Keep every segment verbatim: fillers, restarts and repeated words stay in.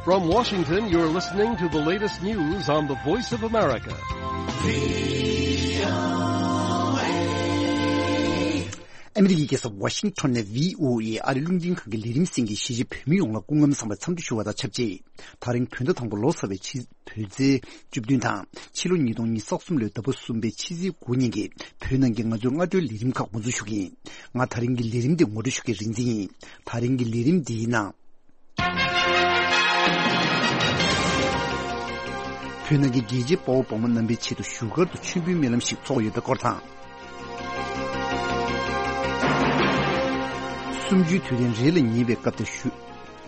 From Washington, you're listening to the latest news on the Voice of America. ཨ་མི་རི་ཀའི་རྒྱལ་ས་ཝ་ཤིང་ཊོན་ནས་བྷི་ཨོ་ཨེ་ཨ་རི་རླུང་འཕྲིན་ཁང་གི་ལས་རིམ་གསན་མཁན་གཞིས་བྱེས་བོད་མི་ཡོངས་ལ་སྐུ་ཁམས་བཟང་བའི་འཚམས་འདྲི་ཞུ་བ་དང་ཆབས་ཅིག་ད་རིང་བོད་ཟླ་དང་པོ་ལོ་གསར་བའི་ཕྱི་བོད་ཚེས་བཅུ་བདུན་དང་ཕྱི་ལོ་ཉིས་སྟོང་ཉི་ཤུ་རྩ་གསུམ་ལོའི་ཟླ་བ་གསུམ་པའི་ཕྱི་ཚེས་དགུ་ཉིན་གྱི་བོད་ནང་གི་ང་ཚོའི་སྔ་དྲོའི་ལས་རིམ་ཁག་འགོ་འཛུགས་ཞུ་གི་ཡིན། ང་ད་རིང་གི་ལས་རིམ་འདི་ངོ་སྤྲོད་ཞུ་མཁན་རིག་འཛིན་ཡིན། ད་རིང་གི་ལས་རིམ་འདིའི་ནང་། བོད་ནང་གི་རྒྱལ་གཅེས་དཔའ་བོ་དཔའ་མོ་རྣམ་པའི་ཆེད་དུ་བཞུགས་སྒར་དུ་མཆོད་འབུལ་སྨོན་ལམ་ཞིག་ཚོགས་ཡོད་པའི་སྐོར་དང་། གསུམ་བཅུའི་དུས་དྲན་རེ་ལ་ཉེ་བའི་སྐབས་དེར་ཞུ།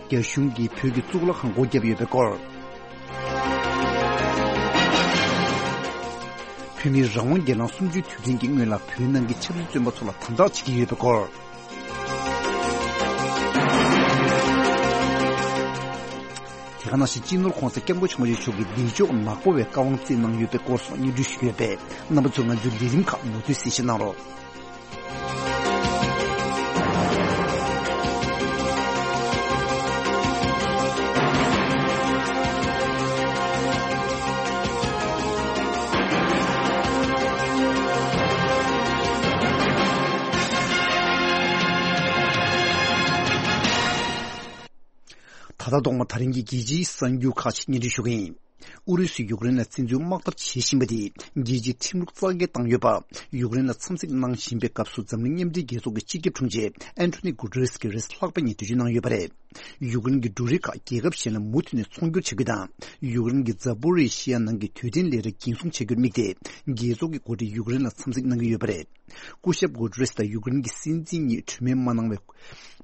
རྒྱ་གཞུང་གིས་བོད་ཀྱི་གཙུག་ལག་ཁང་སྒོ་བརྒྱབ་ཡོད་པའི་སྐོར། བོད་མིའི་རང་དབང་སྒེར་ལངས་གསུམ་བཅུའི་དུས་དྲན་གྱི་སྔོན་ལ་བོད་ནང་གི་ཆབ་སྲིད་བཙོན་པ་ཚོ་ལ་དམ་དྲག་བྱེད་ཀྱི་ཡོད་པའི་སྐོར། དེ་ག་ནང་བཞིན་སྤྱི་ནོར་༸གོང་ས་༸སྐྱབས་མགོན་ཆེན་པོ་མཆོག་གིས་བདེ་མཆོག་ནག་པོ་བའི་བཀའ་དབང་བསྩལ་གནང་ཡོད་པའི་སྐོར་སོགས་སྙན་སྒྲོན་ཞུས་ཡོད་པས། རྣམ་པ་ཚོས་ང་ཚོའི་ལས་རིམ་ཁག་མུ་མཐུད་གསན་བཞེས་གནང་རོགས། ད་ལྟ་ཐོག་མར་ད་རིང་གི་རྒྱལ་སྤྱིའི་གསར་འགྱུར་ཁག་ཅིག་སྙན་སྒྲོན་ཞུ་གི་ཡིན། ཨུ་རུ་སུས་ཡུཀ་རེན་ལ་བཙན་འཛུལ་དམག་འཐབ་བྱེད་བཞིན་པ་དེས་རྒྱལ་སྤྱིའི་ཁྲིམས་ལུགས་རྩ་འགེངས་བཏང་ཡོད་པ། ཡུཀ་རེན་ལ་འཚམས་གཟིགས་གནང་བཞིན་པའི་སྐབས་སུ་འཛམ་གླིང་མཉམ་འབྲེལ་རྒྱལ་ཚོགས་ཀྱི་སྤྱི་ཁྱབ་དྲུང་ཆེ་ཨན་ཐོ་ནི་གུ་ཏེ་རེས་ཀྱིས་རེས་གཟའ་ལྷག་པ་ཉིན་འགྲེལ་བརྗོད་གནང་ཡོད་པ་རེད། ཡུཀ་རེན་གྱི་འབྲུ་རིགས་ཁག་རྒྱལ་ཁབ་གཞན་ལ་མུ་མཐུད་ནས་ཚོང་སྒྱུར་བྱ་རྒྱུ་དང་། ཡུཀ་རེན་གྱི་ཛ་པོ་རི་ཤི་ཡ་ནང་གི་དུས་དྲན་ལས་རིགས་འགན་སྲུང་བྱ་རྒྱུར་དམིགས་ཏེ། རྒྱལ་ཚོགས་ཀྱི་འགོ་ཁྲིད་ཡུཀ་རེན་ལ་འཚམས་གཟིགས་གནང་གི་ཡོད་པ་རེད། སྐུ་ཞབས་གུ་ཏེ་རེས་དང་ཡུཀ་རེན་གྱི་སྲིད་འཛིན་གཉིས་གྲོས་མོལ་མ་གནང་བའི་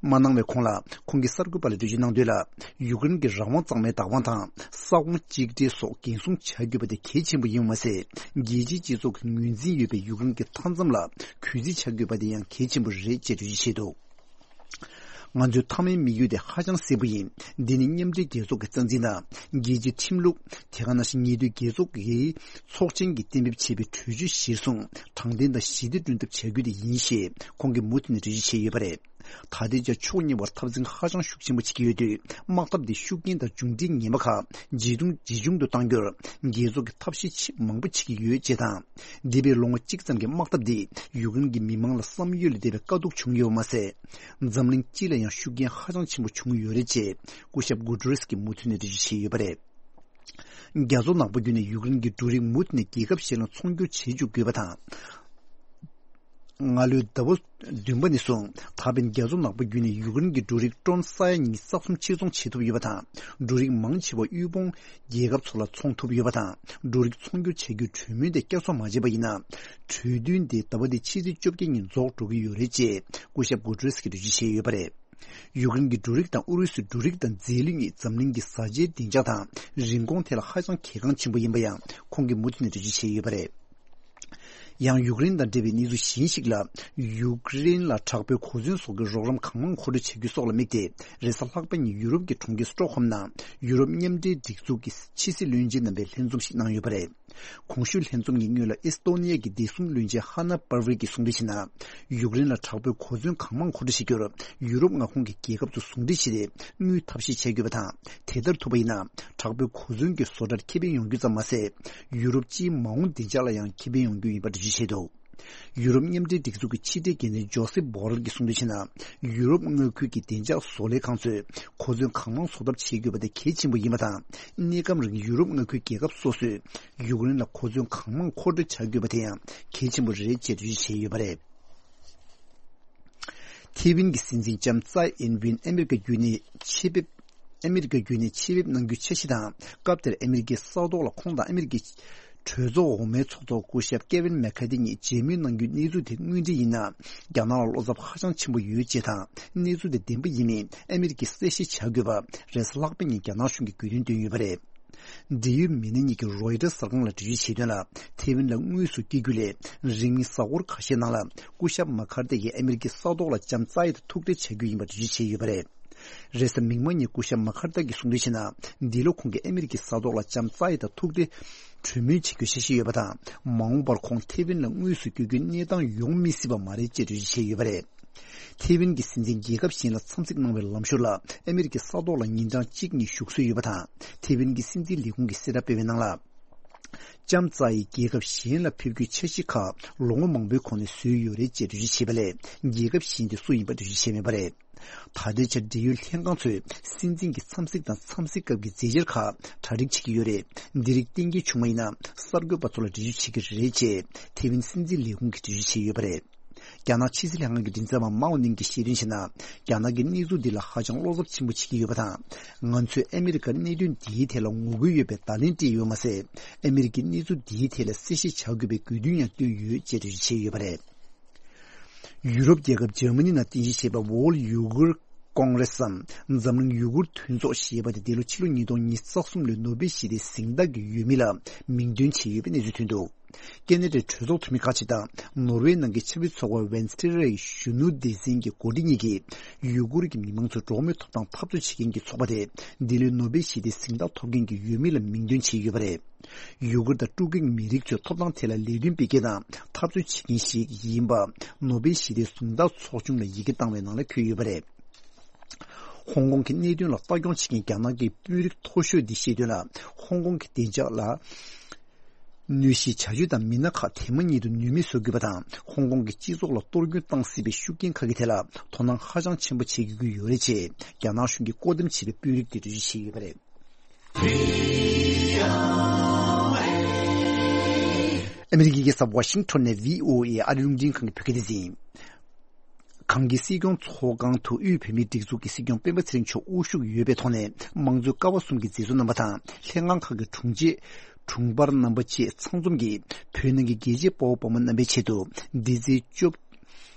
མ་གནང་བའི་གོང་ལ། ཁོང་གིས་གསར་འགོད་པ་ལ་འགྲེལ་བརྗོད་གནང་དོན་ལ། ཡུཀ་རེན་གྱི་རང་དབང་གཙང་མའི་བདག་དབང་དང་། ས་ཁོངས་གཅིག་སྒྲིལ་སོགས་འགན་སྲུང་བྱ་དགོས་པ་དེ་གལ་ཆེན་པོ་ཡིན་པ་མ་ཟད། རྒྱལ་སྤྱིའི་སྤྱི་ཚོགས་ཀྱི་ངོས་འཛིན་ཡོད་པའི་ཡུཀ་རེན་གྱི་མཐའ་མཚམས་ལ་གུས་བརྩི་བྱ་དགོས་པ་དེ་ཡང་གལ་ཆེན་པོ་རེད་ཅེས་འགྲེལ་བརྗོད་བྱས་འདུག་ང་ཚོའི་མཐའ་མའི་དམིགས་ཡུལ་དེ་ཧ་ཅང་གསལ་པོ་ཡིན། འདི་ནི་མཉམ་འབྲེལ་རྒྱལ་ཚོགས་ཀྱི་རྩ་འཛིན་དང་། རྒྱལ་སྤྱིའི་ཁྲིམས་ལུགས། དེ་ག་ནང་བཞིན་ཉེ་དུས་རྒྱལ་ཚོགས་ཀྱི་ཚོགས་ཆེན་གྱིས་གཏན་འབེབས་བྱས་པའི་གྲོས་ཆོད་གཞིར་བཟུང་དྲང་བདེན་དང་ཞི་བདེ་བསྐྲུན་ཐབས་བྱ་རྒྱུ་དེ་ཡིན་ཞེས་ཁོང་གིས་མུ་མཐུད་ནས་འགྲེལ་བརྗོད་བྱས་ཡོད་པ་རེད། ད་ལྟའི་ཆར་ཕྱོགས་གཉིས་བར་འཐབ་འཛིང་ཧ་ཅང་ཤུགས་ཆེན་པོ་བྱེད་ཀྱི་ཡོད་དུས། དམག་འཐབ་འདི་ཤུགས་རྐྱེན་དང་མཇུག་འབྲས་ངན་པ་ཁག་ཇེ་ཐུང་ཇེ་ཆུང་དུ་གཏང་རྒྱུར་རྒྱལ་ཚོགས་ཀྱིས་ཐབས་ཤེས་ཆེས་མང་པོ་བྱེད་ཀྱི་ཡོད་ཅེས་དང་། འདས་པའི་ལོ་ངོ་གཅིག་ཙམ་གྱི་དམག་འཐབ་འདིས་ཡུཀ་རེན་གྱི་མི་མང་ལ་བསམ་ཡུལ་ལས་འདས་པའི་དཀའ་སྡུག་བྱུང་ཡོད་པ་མ་ཟད། འཛམ་གླིང་སྤྱི་ལ་ཡང་ཤུགས་རྐྱེན་ཧ་ཅང་ཆེན་པོ་བྱུང་ཡོད་རེད་ཅེས་སྐུ་ཞབས་གུ་ཏེ་རེས་ཀྱིས་མུ་མཐུད་ནས་འགྲེལ་བརྗོད་བྱས་ཡོད་པ་རེད། རྒྱ་མཚོ་ནག་པོ་བརྒྱུད་ནས་ཡུཀ་རེན་གྱི་འབྲུ་རིགས་མུ་མཐུད་ནས་རྒྱལ་ཁབ་གཞན་ལ་ཚོང་སྒྱུར་བྱེད་འཇུག་དགོས་པ་དང་། སྔ་ལོའི་ཟླ་བ་བདུན་པ་ནས་བཟུང་ད་ཕན་རྒྱ་མཚོ་ནག་པོ་བརྒྱུད་ནས་ཡུཀ་རེན་གྱི་འབྲུ་རིགས་ཊོན་ས་ཡ་ཉི་ཤུ་རྩ་གསུམ་ཕྱིར་ཚོང་བྱེད་ཐུབ་ཡོད་པ་དང་། འབྲུ་རིགས་མང་ཆེ་བ་དབུལ་ཕོངས་རྒྱལ་ཁབ་ཚོ་ལ་ཚོང་ཐུབ་ཡོད་པ་དང་། འབྲུ་རིགས་ཚོང་སྒྱུར་བྱ་རྒྱུའི་གྲོས་མོལ་དེ་བསྐྱར་གསོ་མ་བྱས་པ་ཡིན་ན། གྲོས་མཐུན་དེ་ཟླ་བ་འདིའི་ཕྱི་ཚེས་བཅོ་བརྒྱད་ཉིན་རྫོགས་འགྲོ་གི་ཡོད་རེད་ཅེས་སྐུ་ཞབས་གུ་ཏེ་རེས་ཀྱིས་འགྲེལ་བརྗོད་བྱས་ཡོད་པ་རེད། ཡུཀ་རེན་གྱི་འབྲུ་རིགས་དང་ཨུ་རུ་སུའི་འབྲུ་རིགས་དང་རྫས་ལུད་གཉིས་འཛམ་གླིང་གི་བཟའ་བཅའི་བདེ་འཇགས་དང་རིན་གོང་ཐད་ལ་ཧ་ཅང་གལ་འགངས་ཆེན་པོ་ཡིན་པ་ཡང་ཁོང་གིས་མུ་མཐུད་ནས་འགྲེལ་བརྗོད་བྱས་ཡོད་པ་རེད། ཡང་ཡུཀ་རེན་དང་འབྲེལ་བའི་གནས་ཚུལ་གཞན་ཞིག་ལ། ཡུཀ་རེན་ལ་དྲག་པོའི་གོ་མཚོན་སོགས་ཀྱི་རོགས་རམ་གང་མང་མཁོ་སྤྲོད་བྱ་རྒྱུ་སོགས་ལ་དམིགས་ཏེ། རེས་གཟའ་ལྷག་པ་ཉིན་ཡུ་རོབ་ཀྱི་གྲོང་ཁྱེར་སི་ཊོག་ཧོམ་ནང་ཡུ་རོབ་མཉམ་འབྲེལ་སྒྲིག་འཛུགས་ཀྱི་ཕྱི་སྲིད་བློན་ཆེན་རྣམ་པའི་ལྷན་འཛོམས་ཤིག་གནང་ཡོད་པ་རེད། གོང་ཞུས་ལྷན་འཛོམས་ཀྱི་སྔོན་ལ་ཨེ་སི་ཏོ་ནི་ཡ་གི་བདེ་སྲུང་བློན་ཆེན་ཧ་ན་པར་ཝི་གིས་གསུངས་དོན་བྱས་ན། ཡུཀ་རེན་ལ་དྲག་པོའི་གོ་མཚོན་གང་མང་མཁོ་སྤྲོད་བྱེད་རྒྱུར་ཡུ་རོབ་མངའ་ཁོངས་ཀྱི་རྒྱལ་ཁབ་ཚོ་ཟུང་འབྲེལ་བྱས་ཏེ་དངུལ་ཐབས་ཤེས་བྱ་དགོས་པ་དང་། དེ་ལྟར་ཐུབ་པ་ཡིན་ན་དྲག་པོའི་གོ་མཚོན་གྱི་བཟོ་གྲྭར་ཁེ་ཕན་ཡོང་རྒྱུ་ཙམ་མ་ཟད། ཡུ་རོབ་སྤྱིའི་མ་འོངས་བདེ་འཇགས་ལ་ཡང་ཁེ་ཕན་ཡོང་རྒྱུ་ཡིན་པ་འགྲེལ་བརྗོད་བྱས་འདུག་ཡུ་རོབ་མཉམ་འབྲེལ་སྒྲིག་འཛུགས་ཀྱི་ཕྱི་དྲིལ་འགན་འཛིན་ཇོ་སེབ་བྷོ་རལ་གྱིས་གསུངས་དོན་བྱས་ན། ཡུ་རོབ་མངའ་ཁུལ་གྱི་བདེ་འཇགས་བཟོ་ལས་ཁང་ཚོས་གོ་མཚོན་གང་མང་བཟོ་ཐབས་བྱེད་དགོས་པ་དེ་གལ་ཆེན་པོ་ཡིན་པ་དང་། གནས་སྐབས་རིང་ཡུ་རོབ་མངའ་ཁུལ་རྒྱལ་ཁབ་སོ་སོས་ཡུཀ་རེན་ལ་གོ་མཚོན་གང་མང་མཁོ་སྤྲོད་བྱ་དགོས་པ་དེ་ཡང་གལ་ཆེན་པོ་རེད་ཅེས་འགྲེལ་བརྗོད་བྱས་ཡོད་པ་རེད། ཐེ་ཝན་གྱི་སྲིད་འཛིན་ལྕམ་ཙའེ་ཨིན་ཝིན་ཨ་མི་རི་ཀ་བརྒྱུད་ནས་ཆེད་ཕེབས། ཨ་མི་རི་ཀ་བརྒྱུད་ནས་ཆེད་ཕེབས་གནང་རྒྱུའི་འཆར་གཞི་དང་། སྐབས་དེར་ཨ་མི་རི་ཀའི་ས་ཐོག་ལ་ཁོང་དང་ཨ་མི་རི་ཀའི་གྲོས་ཚོགས་འོག་མའི་ཚོགས་གཙོ་སྐུ་ཞབས་ཀེ་ཝིན་མེ་ཁ་ཐི་གཉིས་མཇལ་མོལ་གནང་རྒྱུའི་གནས་ཚུལ་དེ་དངོས་འབྲེལ་ཡིན་ན། རྒྱ་ནག་ལ་བློ་འཚབ་ཧ་ཅང་ཆེན་པོ་ཡོད་ཅེས་དང་། གནས་ཚུལ་དེ་བདེན་པ་ཡིན་མིན་ཨ་མི་རི་ཀས་གསལ་བཤད་བྱ་དགོས་པ་རེས་གཟའ་ལྷག་པ་ཉིན་རྒྱ་ནག་གཞུང་གིས་བརྒྱུད་འདོན་བཏོན་ཡོད་པ་རེད། འབྲེལ་ཡོད་མི་སྣ་གཉིས་ཀྱིས་རོའི་ཊར་གསར་ཁང་ལ་འགྲེལ་བརྗོད་བྱས་དོན་ལ། ཐེ་ཝན་ལ་དངོས་སུ་སྐྱེལ་རྒྱུ་ལས་རིང་མིན་གཟའ་འཁོར་ཁ་ཤས་ནང་ལ་སྐུ་ཞབས་མ་ཁར་ཏེ་ཡིས་ཨ་མི་རི་ཀའི་ས་ཐོག་ལ་ལྕམ་ཙའེ་དང་ཐུག་འཕྲད་བྱ་རྒྱུ་ཡིན་པ་འགྲེལ་བརྗོད་བྱས་ཡོད་པ་རེད། རེས་གཟའ་མིག་དམར་ཉིན་སྐུ་ཞབས་མ་ཁར་ཏེ་ཡིས་གསུངས་དོན་བྱས་ན། འདི་ལོ་ཁོང་གིས་ཨ་མི་རི་ཀའི་ས་ཐོག་ལ་ལྕམ་ཙའེ་དང་ཐུག་འཕྲད་གྲོས་མོལ་བྱེད་རྒྱུའི་འཆར་གཞི་ཡོད་པ་དང་། མ་འོངས་པར་ཁོང་ཐེ་ཝན་ལ་དངོས་སུ་སྐྱེལ་རྒྱུའི་གནས་སྟངས་ཡོང་མི་སྲིད་པ་མ་རེད་ཅེས་འགྲེལ་བརྗོད་བྱས་ཡོད་པ་རེད། ཐེ་ཝན་གྱི་སྲིད་འཛིན་རྒྱལ་ཁབ་གཞན་ལ་འཚམས་གཟིགས་གནང་བའི་ལམ་ཞོར་ལ་ཨ་མི་རི་ཀའི་ས་ཐོག་ལ་ཉིན་གྲངས་གཅིག་གཉིས་བཞུགས་སྲོལ་ཡོད་པ་དང་། ཐེ་ཝན་གྱི་སྲིད་འཛིན་ལས་ཁུངས་ཀྱིས་གསལ་བསྒྲགས་སྤེལ་བའི་ནང་ལ། ལྕམ་ཙའི་རྒྱལ་ཁབ་གཞན་ལ་ཕེབས་རྒྱུའི་འཆར་གཞི་ཁག་ལོ་ངོ་མང་པོའི་གོང་ནས་བཟོས་ཡོད་རེད་ཅེས་འགྲེལ་བརྗོད་བྱས་པ་ལས། རྒྱལ་ཁབ་གཞན་དེ་སུ་ཡིན་པ་འགྲེལ་བརྗོད་བྱས་མེད་པ་རེད། ད་ལྟའི་ཆར་འབྲེལ་ཡོད་ལྷན་ཁང་ཚོས་སྲིད་འཛིན་གྱི་འཚམས་གཟིགས་དང་འཚམས་གཟིགས་སྐབས་ཀྱི་མཛད་འཆར་ཁག་གྲ་སྒྲིག་བྱེད་ཀྱི་ཡོད་རེད། འདི་རིགས་གཏན་འཁེལ་བྱུང་བ་ཡིན་ན། གསར་འགོད་པ་ཚོ་ལ་འགྲེལ་བརྗོད་བྱེད་ཀྱི་རེད་ཅེས་ཐེ་ཝན་སྲིད་འཛིན་ལས་ཁུངས་ཀྱིས་འགྲེལ་བརྗོད་བྱས་ཡོད་པ་རེད། རྒྱ་ནག་ཕྱི་སྲིད་ལྷན་ཁང་གི་མགྲིན་ཚབ་པ་མའོ་ནིང་གིས་བཤད་དོན་བྱས་ན། རྒྱ་ནག་གིས་གནས་ཚུལ་འདི་ལ་ཧ་ཅང་བློ་འཚབ་ཆེན་པོ་བྱེད་ཀྱི་ཡོད་པ་དང་། ང་ཚོས་ཨ་མི་རི་ཀར་གནད་དོན་འདིའི་ཐད་ལ་ངོ་རྒོལ་ཡོད་པའི་བརྡ་ལན་སྤྲད་ཡོད་མ་ཟད། ཨ་མི་རི་ཀས་གནས་ཚུལ་འདིའི་ཐད་ལ་གསལ་བཤད་བྱ་དགོས་པའི་དགོས་འདུན་ཡང་བཏོན་ཡོད་ཅེས་འགྲེལ་བརྗོད་བྱས་ཡོད་པ་རེད། ཡུ་རོབ་རྒྱལ་ཁབ་འཇར་མ་ནི་ནང་རྟེན་གཞི་བྱས་པའི་World Uyghur Congress་འམ་འཛམ་གླིང་ཡུ་གུར་མཐུན་ཚོགས་ཞེས་པ་དེ་འདི་ལོ་ཕྱི་ལོ་ཉིས་སྟོང་ཉི་ཤུ་རྩ་གསུམ་ལོའི་ནོ་བེལ་ཞི་བདེའི་གཟེངས་རྟགས་ཀྱི་འོས་མི་ལ་མིང་འདོན་བྱས་ཡོད་པའི་གནས་ཚུལ་ཐོན་འདུག་ཀེ་ན་ཌའི་གྲོས་ཚོགས་འཐུས་མི་ཁག་ཅིག་དང་ནོར་ཝེ་ནང་གི་ཆབ་སྲིད་ཚོགས་པ་Venstre་ཡི་གཞོན་ནུ་སྡེ་ཚན་གྱི་འགོ་ཁྲིད་གཉིས་ཀྱིས་ཡུ་གུར་གྱི་མི་མང་ཚོའི་འགྲོ་བ་མིའི་ཐོབ་ཐང་འཐབ་རྩོད་བྱེད་མཁན་གྱི་ཚོགས་པ་དེ་འདི་ལོའི་ནོ་བེལ་ཞི་བདེའི་གཟེངས་རྟགས་ཐོབ་མཁན་གྱི་འོས་མི་ལ་མིང་འདོན་བྱས་ཡོད་པ་རེད། ཡུ་གུར་དང་ཀྲུ་གུའི་མི་རིགས་ཚོའི་ཐོབ་ཐང་ཐད་ལ་ལས་དོན་སྤེལ་མཁན་དང་འཐབ་རྩོད་བྱེད་མཁན་ཞིག་ཡིན་པ་ནོ་བེལ་ཞི་བདེའི་གཟེངས་རྟགས་ཚོགས་ཆུང་ལ་ཡི་གེ་བཏང་བའི་ནང་ལ་འཁོད་ཡོད་པ་རེད། ཧོང་ཀོང་གི་གནད་དོན་ལ་ལྟ་སྐྱོང་བྱེད་མཁན་རྒྱ་ནག་གི་དཔོན་རིགས་མཐོ་ཤོས་འདིས་བཤད་དོན་ལ། ཧོང་ཀོང་གི་བདེ་འཇགས་ལ་གནོད་གཞིའི་བྱ་སྤྱོད་དང་མི་སྣ་ཁག་དེ་མ་ཉིད་དུ་ནུས་མེད་བཟོ་དགོས་པ་དང་། ཧོང་ཀོང་གི་སྤྱི་ཚོགས་ལ་གཏོར་སྐྱོན་བཏང་སྲིད་པའི་ཤུགས་རྐྱེན་ཁག་གི་ཐད་ལ་དོ་སྣང་ཧ་ཅང་ཆེན་པོ་བྱེད་དགོས་ཀྱི་ཡོད་རེད་ཅེས་རྒྱ་ནག་གཞུང་གིས་བཀོད་འདོམས་བྱས་པའི་དཔོན་རིགས་དེས་འགྲེལ་བརྗོད་བྱས་ཡོད་པ་རེད། ཨ་མི་རི་ཀའི་རྒྱལ་ས་ཝ་ཤིང་ཊོན་ནས་བྷི་ཨོ་ཨེ་ཨ་རིའི་རླུང་འཕྲིན་ཁང་གི་བོད་སྐད་སྡེ་ཚན། གངས་སྐྱིད་སྲིད་སྐྱོང་ཚོགས་ཁང་དུ་དབུས་བོད་མིའི་སྒྲིག་འཛུགས་ཀྱི་སྲིད་སྐྱོང་སྤེན་པ་ཚེ་རིང་མཆོག་དབུ་བཞུགས་ཡོད་པའི་ཐོག་ནས། དམངས་གཙོའི་ཀ་བ་གསུམ་གྱི་མཛད་གཙོ་རྣམ་པ་དང་། ལྷན་ཁང་ཁག་གི་དྲུང་ཆེ་དྲུང་འཕར་རྣམ་པ་བཅས་ཚང་འཛོམས་ཀྱིས་བོད་ནང་གི་རྒྱལ་གཅེས་དཔའ་བོ་དཔའ་མོ་རྣམ་པའི་ཆེད་དུ། འདི་ཚེས་བཅུ།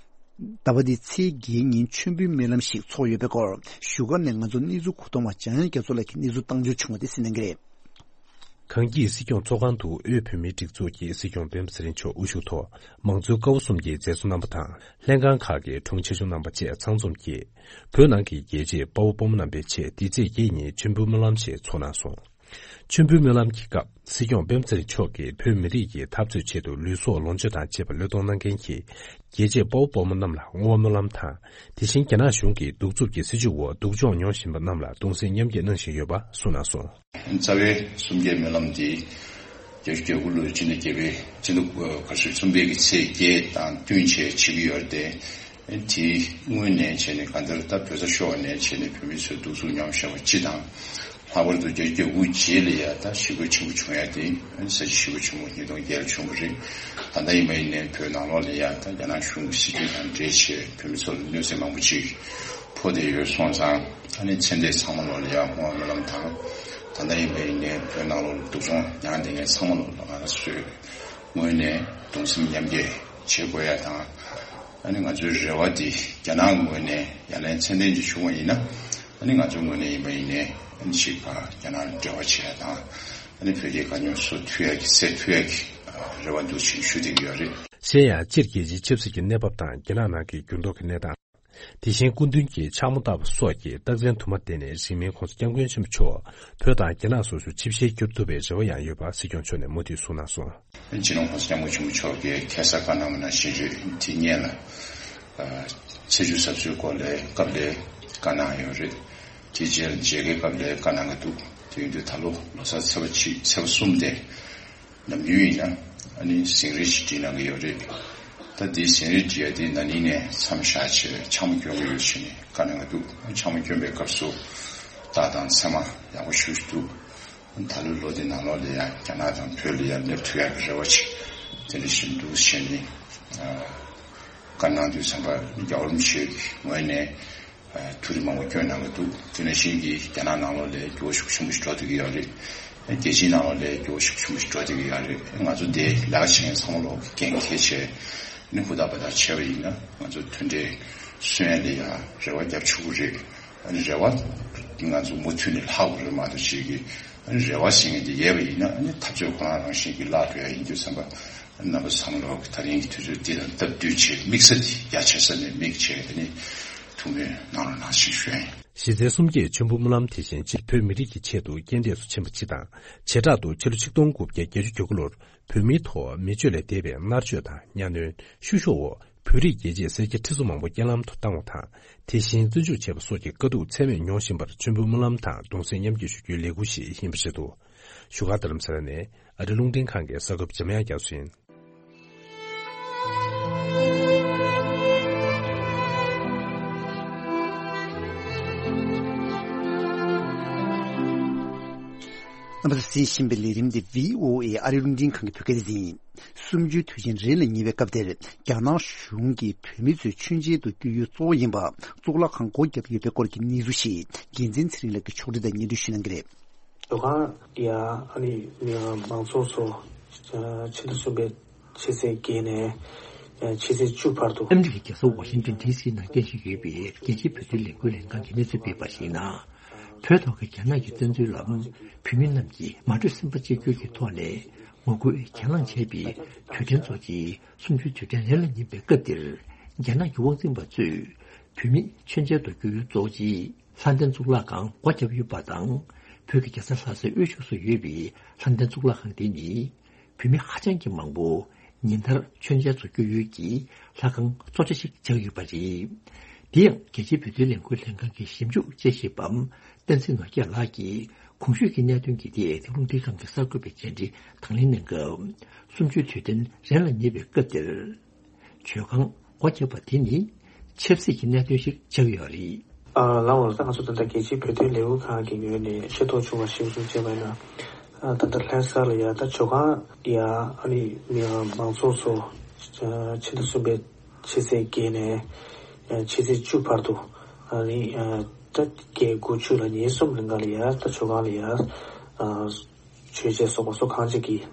ཟླ་བ་འདིའི་ཚེས་བརྒྱད་ཉིན་མཆོད་འབུལ་སྨོན་ལམ་ཞིག་ཚོགས་ཡོད་པའི་སྐོར། བཞུགས་སྒར་ནས་ང་ཚོའི་གནས་ཚུལ་མཁོ་གཏོང་བ་འཇམ་དབྱངས་རྒྱ་མཚོ་ལགས་ཀྱིས་གནས་ཚུལ་བཏང་འབྱོར་བྱུང་བ་དེ་གསན་གནང་གི་རེད། གངས་སྐྱིད་སྲིད་སྐྱོང་ཚོགས་ཁང་དུ་དབུས་བོད་མིའི་སྒྲིག་འཛུགས་ཀྱི་སྲིད་སྐྱོང་སྤེན་པ་ཚེ་རིང་མཆོག་དབུ་བཞུགས་ཐོག། དམངས་གཙོའི་ཀ་བ་གསུམ་གྱི་མཛད་གཙོ་རྣམ་པ་དང་། ལྷན་ཁང་ཁག་གི་དྲུང་ཆེ་ཆུང་རྣམ་པ་བཅས་ཚང་འཛོམས་ཀྱིས། བོད་ནང་གི་རྒྱལ་གཅེས་དཔའ་བོ་དཔའ་མོ་རྣམ་པའི་ཆེད། འདི་ཚེས་བརྒྱད་ཉིན་མཆོད་འབུལ་སྨོན་ལམ་ཞིག་ཚོགས་གནང་སོང་། མཆོད་འབུལ་སྨོན་ལམ་གྱི་སྐབས། སྲིད་སྐྱོང་སྤེན་པ་ཚེ་རིང་མཆོག་གིས་བོད་མི་རིགས་ཀྱི་འཐབ་རྩོད་ཆེད་དུ་ལུས་སྲོག་ལོངས་སྤྱོད་དང་བཅས་པ་བློས་གཏོང་གནང་མཁན་གྱི་རྒྱལ་གཅེས་དཔའ་བོ་དཔའ་མོ་རྣམས་ལ་བསྔོ་བ་སྨོན་ལམ་དང་། དེ་བཞིན་རྒྱ་ནག་གཞུང་གི་གདུག་རྩུབ་ཀྱི་སྲིད་བྱུས་འོག་སྡུག་སྦྱོང་མྱོང་བཞིན་པ་རྣམས་ལ་གདུང་སེམས་མཉམ་སྐྱེད་གནང་བཞིན་ཡོད་པ་གསུངས་གནང་སོང་། རྩ་བའི་གསུམ་བརྒྱའི་སྨོན་ལམ་འདི་བརྒྱད་ཅུ་གྱ་དགུ་ལོའི་སྤྱི་ཟླ་བརྒྱད་པའི་སྤྱི་ཟླ་ག་ཚོད་གསུམ་པའི་གི་ཚེས་བརྒྱད་དང་བསྟུན་བྱས་བྱེད་ཀྱི་ཡོད་རེད་དེ། དེའི་སྔོན་ནས་བྱས་ནས་གང་ལྟར་ད་བོད་ས་ཤོར་བ་ནས་བྱས་ནས་བོད་མི་ཚོའི་སྡུག་སྦྱོང་མྱོང་བཞིན་པ་སྤྱི་དང་། ལྷག་པར་དུ་བརྒྱད་ཅུ་གྱ་དགུ་རྗེས་ལ་ཡ་ད་ཞི་རྒོལ་ཆེན་པོ་བྱུང་ཡ་དེ་ས་བྱི་ཞི་རྒོལ་ཆེན་པོ་ཉིས་སྟོང་བརྒྱད་ལ་བྱུང་བ་རེད། ད་ལྟ་ཡིན་པ་ཡིན་ནའི་བོད་ནང་ལོགས་ལ་ཡ་ད་རྒྱ་ནག་གཞུང་གི་སྲིད་བྱུས་དང་འབྲེལ་བྱས་བོད་མི་ཚོ་ལ་གནོད་འཚེ་མང་པོ་ཅིག་ཕོག་བསྡད་ཡོད་སོང་ཙང་། ཨ་ནི་ཚེ་འདས་ཚང་མ་ལོགས་ལ་ཡ་བསྔོ་བ་སྨོན་ལམ་དང་། ད་ལྟ་ཡིན་པ་ཡིན་ནའི་བོད་ནང་ལོགས་ལ་སྡུག་སྦྱོང་མྱངས་བསྡད་མཁན་ཚང་མ་ལོགས་ལ་ང་རང་ཚོའི་ངོས་ནས་གདུང་སེམས་མཉམ་སྐྱེད་བྱེད་དགོས་ཡ་དང་། ཨ་ནི་ང་ཚོའི་རེ་བ་འདི་རྒྱ་ནག་ངོས་ནས་ཡ་ལན་ཚད་ལྡན་ཅིག་བྱུང་བ་ཡིན་ན། ཨ་ནི་ང་ཚོའི་ངོས་ནས་ཡིན་པ་ཡིན་ནའི་ཨ་ནི་གཅིག་ཕར་རྒྱ་ནག་ལ་འབྲེལ་བ་བྱེད་ཡ་དང་། ཨ་ནི་བོད་རྒྱའི་དཀའ་རྙོག་བཟོ་ཐུབ་ཡ་གི་སེལ་ཐུབ་ཡ་གི་རེ་བ་འདུག་ཅེས་ཞུ་བསྡད་ཀྱི་ཡོད་རེད། གཞན་ཡང་སྤྱིར་རྒྱལ་སྤྱིའི་ཆབ་སྲིད་ཀྱི་གནས་བབ་དང་རྒྱ་ནག་ནང་གི་འགྱུར་ལྡོག་གི་གནས་སྟངས། དེ་བཞིན་སྐུ་མདུན་གྱི་འཕྱག་མོ་ལྟ་བུ་སོགས་ཀྱི་རྟགས་མཚན་དུ་མ་བསྟན་ནས་རིང་མིན་༸གོང་ས་༸སྐྱབས་མགོན་ཆེན་པོ་མཆོག་བོད་དང་རྒྱ་ནག་སོ་སོར་ཆིབས་ཞལ་བསྒྱུར་ཐུབ་པའི་རེ་བ་ཡང་ཡོད་པ་སྲིད་སྐྱོང་མཆོག་ནས་མུ་མཐུད་གསུངས་གནང་སོང་། སྤྱི་ནོར་༸གོང་ས་༸སྐྱབས་མགོན་ཆེན་པོ་མཆོག་གིས་ཁ་སང་བཀའ་གནང་བ་ནང་བཞིན་རེད། དེ་སྔོན་ལ་ཚེས་བཅུ་གཟའ་པ་སངས་སྐོར་ལ་སྐབས་ལ་བཀའ་གནང་ཡོད་རེད། དེ་རྗེས་ལ་མཇལ་ཁའི་སྐབས་ལ་བཀའ་གནང་གི་འདུག་དེ་ཡིན་དུས་ད་ལོ་ལོ་གསར་ཚེས་པ་གཅིག་ཚེས་པ་གསུམ་དེ། ནམ་རྒྱུན་ཡིན་ན་ཨ་ནི་ཟིང་རིས་ཤིག་བྲིས་གནང་གི་ཡོད་རེད། ད་འདིའི་ཟིང་རིས་བྲིས་ཡ་དེ་ན་ནིང་ནས་མཚམས་བཞག་བྱས་འཕྱག་མོ་སྐྱོན་གྱི་ཡོད་ཟེར་ནས་བཀའ་གནང་གི་འདུག་འཕྱག་མོ་སྐྱོན་པའི་སྐབས་སུ་རྟགས་དང་མཚན་མ་ཡག་པོ་ཞེ་པོ་ཅིག་འདུག་ད་ལོའི་ལོ་འདི་ནང་ལོགས་ལ་ཡང་རྒྱ་ནག་དང་བོད་ལ་ཡང་སླེབས་ཐུབ་ཡག་གི་རེ་བ་ཅིག་དེ་འདྲ་ཞིག་འདུག་ཟེར་ནས་བཀའ་གནང་དུས་ཙམ་པ་རྒྱལ་བ་རིན་པོ་ཆེ་གི་ངོས་ནས། ཐུགས་རེ་མང་པོ་བསྐྱོན་གནང་གི་འདུག་དེ་ནང་བཞིན་གྱི་རྒྱ་ནག་ནང་ལོགས་ལ་འགྱུར་བ་ཤུགས་ཆེན་པོ་ཞིག་འགྲོ་བསྡད་ཀྱི་ཡོད་རེད། རྒྱལ་སྤྱིའི་ནང་ལོགས་ལ་འགྱུར་བ་ཤུགས་ཆེན་པོ་ཞིག་འགྲོ་བསྡད་ཀྱི་ཡོད་རེད། ང་ཚོ་འདི་ལས་ཀ་བྱེད་མཁན་ཚང་མ་ལོག་གི་འགན་འཁྱེར་བྱས་ནས་ཧུར་ཐག་འབད་ཐག་བྱས་པ་ཡིན་ན། ང་ཚོ་མཐུན་སྒྲིལ་སྲུང་ཡ་ལ་ཡང་རེ་བ་རྒྱབ་ཆོག་གི་རེད། ཨ་ནི་རེ་བ་ང་ཚོ་མུ་མཐུད་ནས་ལྷག་དགོས་རེད་མ་གཏོགས་ཅིག་གི་ཨ་ནི་རེ་བ་ཟེར་མཁན་དེ་ཡོད་པ་ཡིན་ན། ཨ་ནི་འཐབ་རྩོད་ཁོ་རང་རང་བཞིན་གྱིས་བརླག་འགྲོ་ཡ་ཡིན་དུས་ཙམ་པ། རྣམ་པ་ཚང་མ་ལོག་གི་ད་རིང་གི་དུས་ཚོད་འདི་དང་སྟབས་བསྟུན་བྱས། དམིགས་ས་འདི་རྒྱ་ཆེ་ས་ནས་དམིགས་བྱས། དེ་ནི་ཐུགས་སྨོན་གནང་རོགས་གནང་ཞེས་ཞུ་ཡ་ཡིན། གཞི་རྩའི་གསུམ་བརྒྱའི་མཆོད་འབུལ་སྨོན་ལམ་དེ་བཞིན་སྤྱིར་བོད་མི་རིགས་ཀྱི་ཆེད་དུ་རྐྱེན་འདས་སུ་ཕྱིན་པ་སྤྱི་དང་། བྱེ་བྲག་ཏུ་ཕྱི་ལོ་ཆིག་སྟོང་དགུ་བརྒྱ་བརྒྱད་ཅུ་གྱ་དགུ་ལོར་བོད་མིའི་ཐོག་མི་སྤྱོད་ལས་འདས་པའི་མནར་གཅོད་དང་གཉའ་གནོན་བཤུ་གཞོག་འོག་བོད་རིགས་རྒྱལ་གཅེས་སེར་སྐྱ་ཁྲི་ཚོ་མང་པོ་རྐྱེན་ལམ་དུ་བཏང་བ་དང་། དེ་བཞིན་བཙོན་འཇུག་བྱས་པ་སོགས་ཀྱི་དཀའ་སྡུག་ཚད་མེད་མྱོང་བཞིན་པར་མཆོད་འབུལ་སྨོན་ལམ་དང་གདུང་སེམས་མཉམ་སྐྱེད་ཞུ་རྒྱུའི་ལས་འགུལ་ཞིག་ཡིན་པ་རེད་འདུག་བཞུགས་སྒར་རྡ་རམ་ས་ལ་ནས་ཨ་རི་རླུང་འཕྲིན་ཁང་གི་གསར་འགོད་པ་འཇམ་དབྱངས་རྒྱ་མཚོ་ཡིན། རྣམ་པ་ཚོས་གསན་བཞིན་པའི་ལས་རིམ་འདི་བྷི་ཨོ་ཨེ་ཨ་རི་རླུང་འཕྲིན་ཁང་གི་བོད་སྐད་སྡེ་ཚན་ཡིན། གསུམ་བཅུའི་དུས་ཆེན་རེ་ལ་ཉེ་བའི་སྐབས་དེར། རྒྱ་ནག་གཞུང་གིས་བོད་མི་ཚོའི་མཆོད་མཇལ་དུ་བསྐྱོད་ཡུལ་གཙོ་བོ་ཡིན་པ། གཙུག་ལག་ཁང་སྒོ་བརྒྱབ་ཡོད་པའི་སྐོར་གྱི་གནས་ཚུལ་ཞིག་འགན་འཛིན་ཚེ་རིང་ལགས་ཀྱིས་ཕྱོགས་སྒྲིག་དང་སྙན་སྒྲོན་ཞུ་གནང་གི་རེད། ཇོ་ཁང་ཡ་ཨ་ནི་མི་མང་ཚོགས་ཚོ་ཕྱི་ཟླ་གསུམ་པའི་ཕྱི་ཚེས་བརྒྱད་ནས་ཕྱི་ཚེས་བཅུ་བར་དུ། ཨ་མི་རི་ཀའི་རྒྱལ་ས་ཝ་ཤིང་ཏོན་ཌི་སི་ནང་རྟེན་གཞི་ཡོད་པའི་རྒྱལ་སྤྱིའི་བོད་དོན་ལས་འགུལ་ལྷན་ཁང་གིས་གནས་ཚུལ་སྤེལ་བར་གཞིགས་ན། བོད་ཐོག་གི་རྒྱ་ནག་གི་བཙན་འཛུལ་ལ་བོད་མི་རྣམས་ཀྱིས་མ་གྲོས་སེམས་པ་གཅིག་གྱུར་གྱི་ཐོག་ནས་ངོ་རྒོལ་གྱེན་ལངས་བྱས་པའི་དུས་དྲན་ཚོགས་ཀྱི་གསུམ་བཅུའི་དུས་དྲན་རེ་ལ་ཉེ་བའི་སྐབས་འདིར། རྒྱ་ནག་གི་དབང་འཛིན་པ་ཚོས་བོད་མི་མཆོད་མཇལ་དུ་བསྐྱོད་ཡུལ་གཙོ་བོ་ཆེད་ལྷ་ལྡན་གཙུག་ལག་ཁང་སྒོ་བརྒྱབ་ཡོད་པ་དང་། བོད་ཀྱི་རྒྱལ་ས་ལྷ་སའི་དབུས་ཕྱོགས་སུ་ཡོད་པའི་ལྷ་ལྡན་གཙུག་ལག་ཁང་དེ་ནི། བོད་མི་ཧ་ཅང་གི་མང་པོ་ཉིན་ལྟར་མཆོད་མཇལ་ཚོགས་རྒྱུ་ཡོད་ཀྱི་ལྷ་ཁང་གཙོ་ཆེ་ཞིག་ཆགས་ཡོད་པ་རེད། དེ་ཡང་རྒྱལ་སྤྱིའི་བོད་དོན་ལས་འགུལ་ལྷན་ཁང་གི་ཞིབ་འཇུག་དཔྱད་ཞིབ་པ་བསྟན་འཛིན་ནོར་རྒྱས་ལགས་ཀྱིས་གོང་ཞུས་ཀྱི་གནད་དོན་གྱི་ཐད་རླུང་འཕྲིན་ཁང་གི་གསར་འགོད་པའི་བཅར་འདྲི་དང་ལེན་གནང་སྐབས། གསུམ་བཅུའི་དུས་དྲན་རན་ལ་ཉེ་བའི་སྐབས་དེར། ཇོ་ཁང་སྒོ་བརྒྱབ་པ་དེ་ནི་ཆབ་སྲིད་ཀྱི་གནད་དོན་ཞིག་ཆགས་ཡོད་རེད། ཨ་ལགས་འོང་ད་ང་ཚོ་ད་ལྟ་རྒྱལ་སྤྱིའི་བོད་དོན་ལས་འགུལ་ཁང་གི་ངོས་ནས་ཤེས་རྟོགས་བྱུང་བ་ཞིག་གསུངས་བྱས་པ་ཡིན་ན། ཨ་ད་ལྟ་ལྷ་ས་ལ་ཡ་ད་ཇོ་ཁང་ཡ་ཨ་ནི་མི་མང་ཚོགས་ཚོ་ཕྱི་ཟླ་གསུམ་པའི་ཕྱི་ཚེས་བརྒྱད་ནས་ཕྱི་ཚེས་བཅུ་བར་དུ་ཨ་ནི་ད་བརྒྱད་དགུ་བཅུ་ལ་ཉིན་གསུམ་རིང་ག་ལ་ཡ་ད་ཇོ་ཁང་ལ་ཡ། མཆོད་མཇལ་སོགས་པ་སོགས་གང་ཅིག་གིས་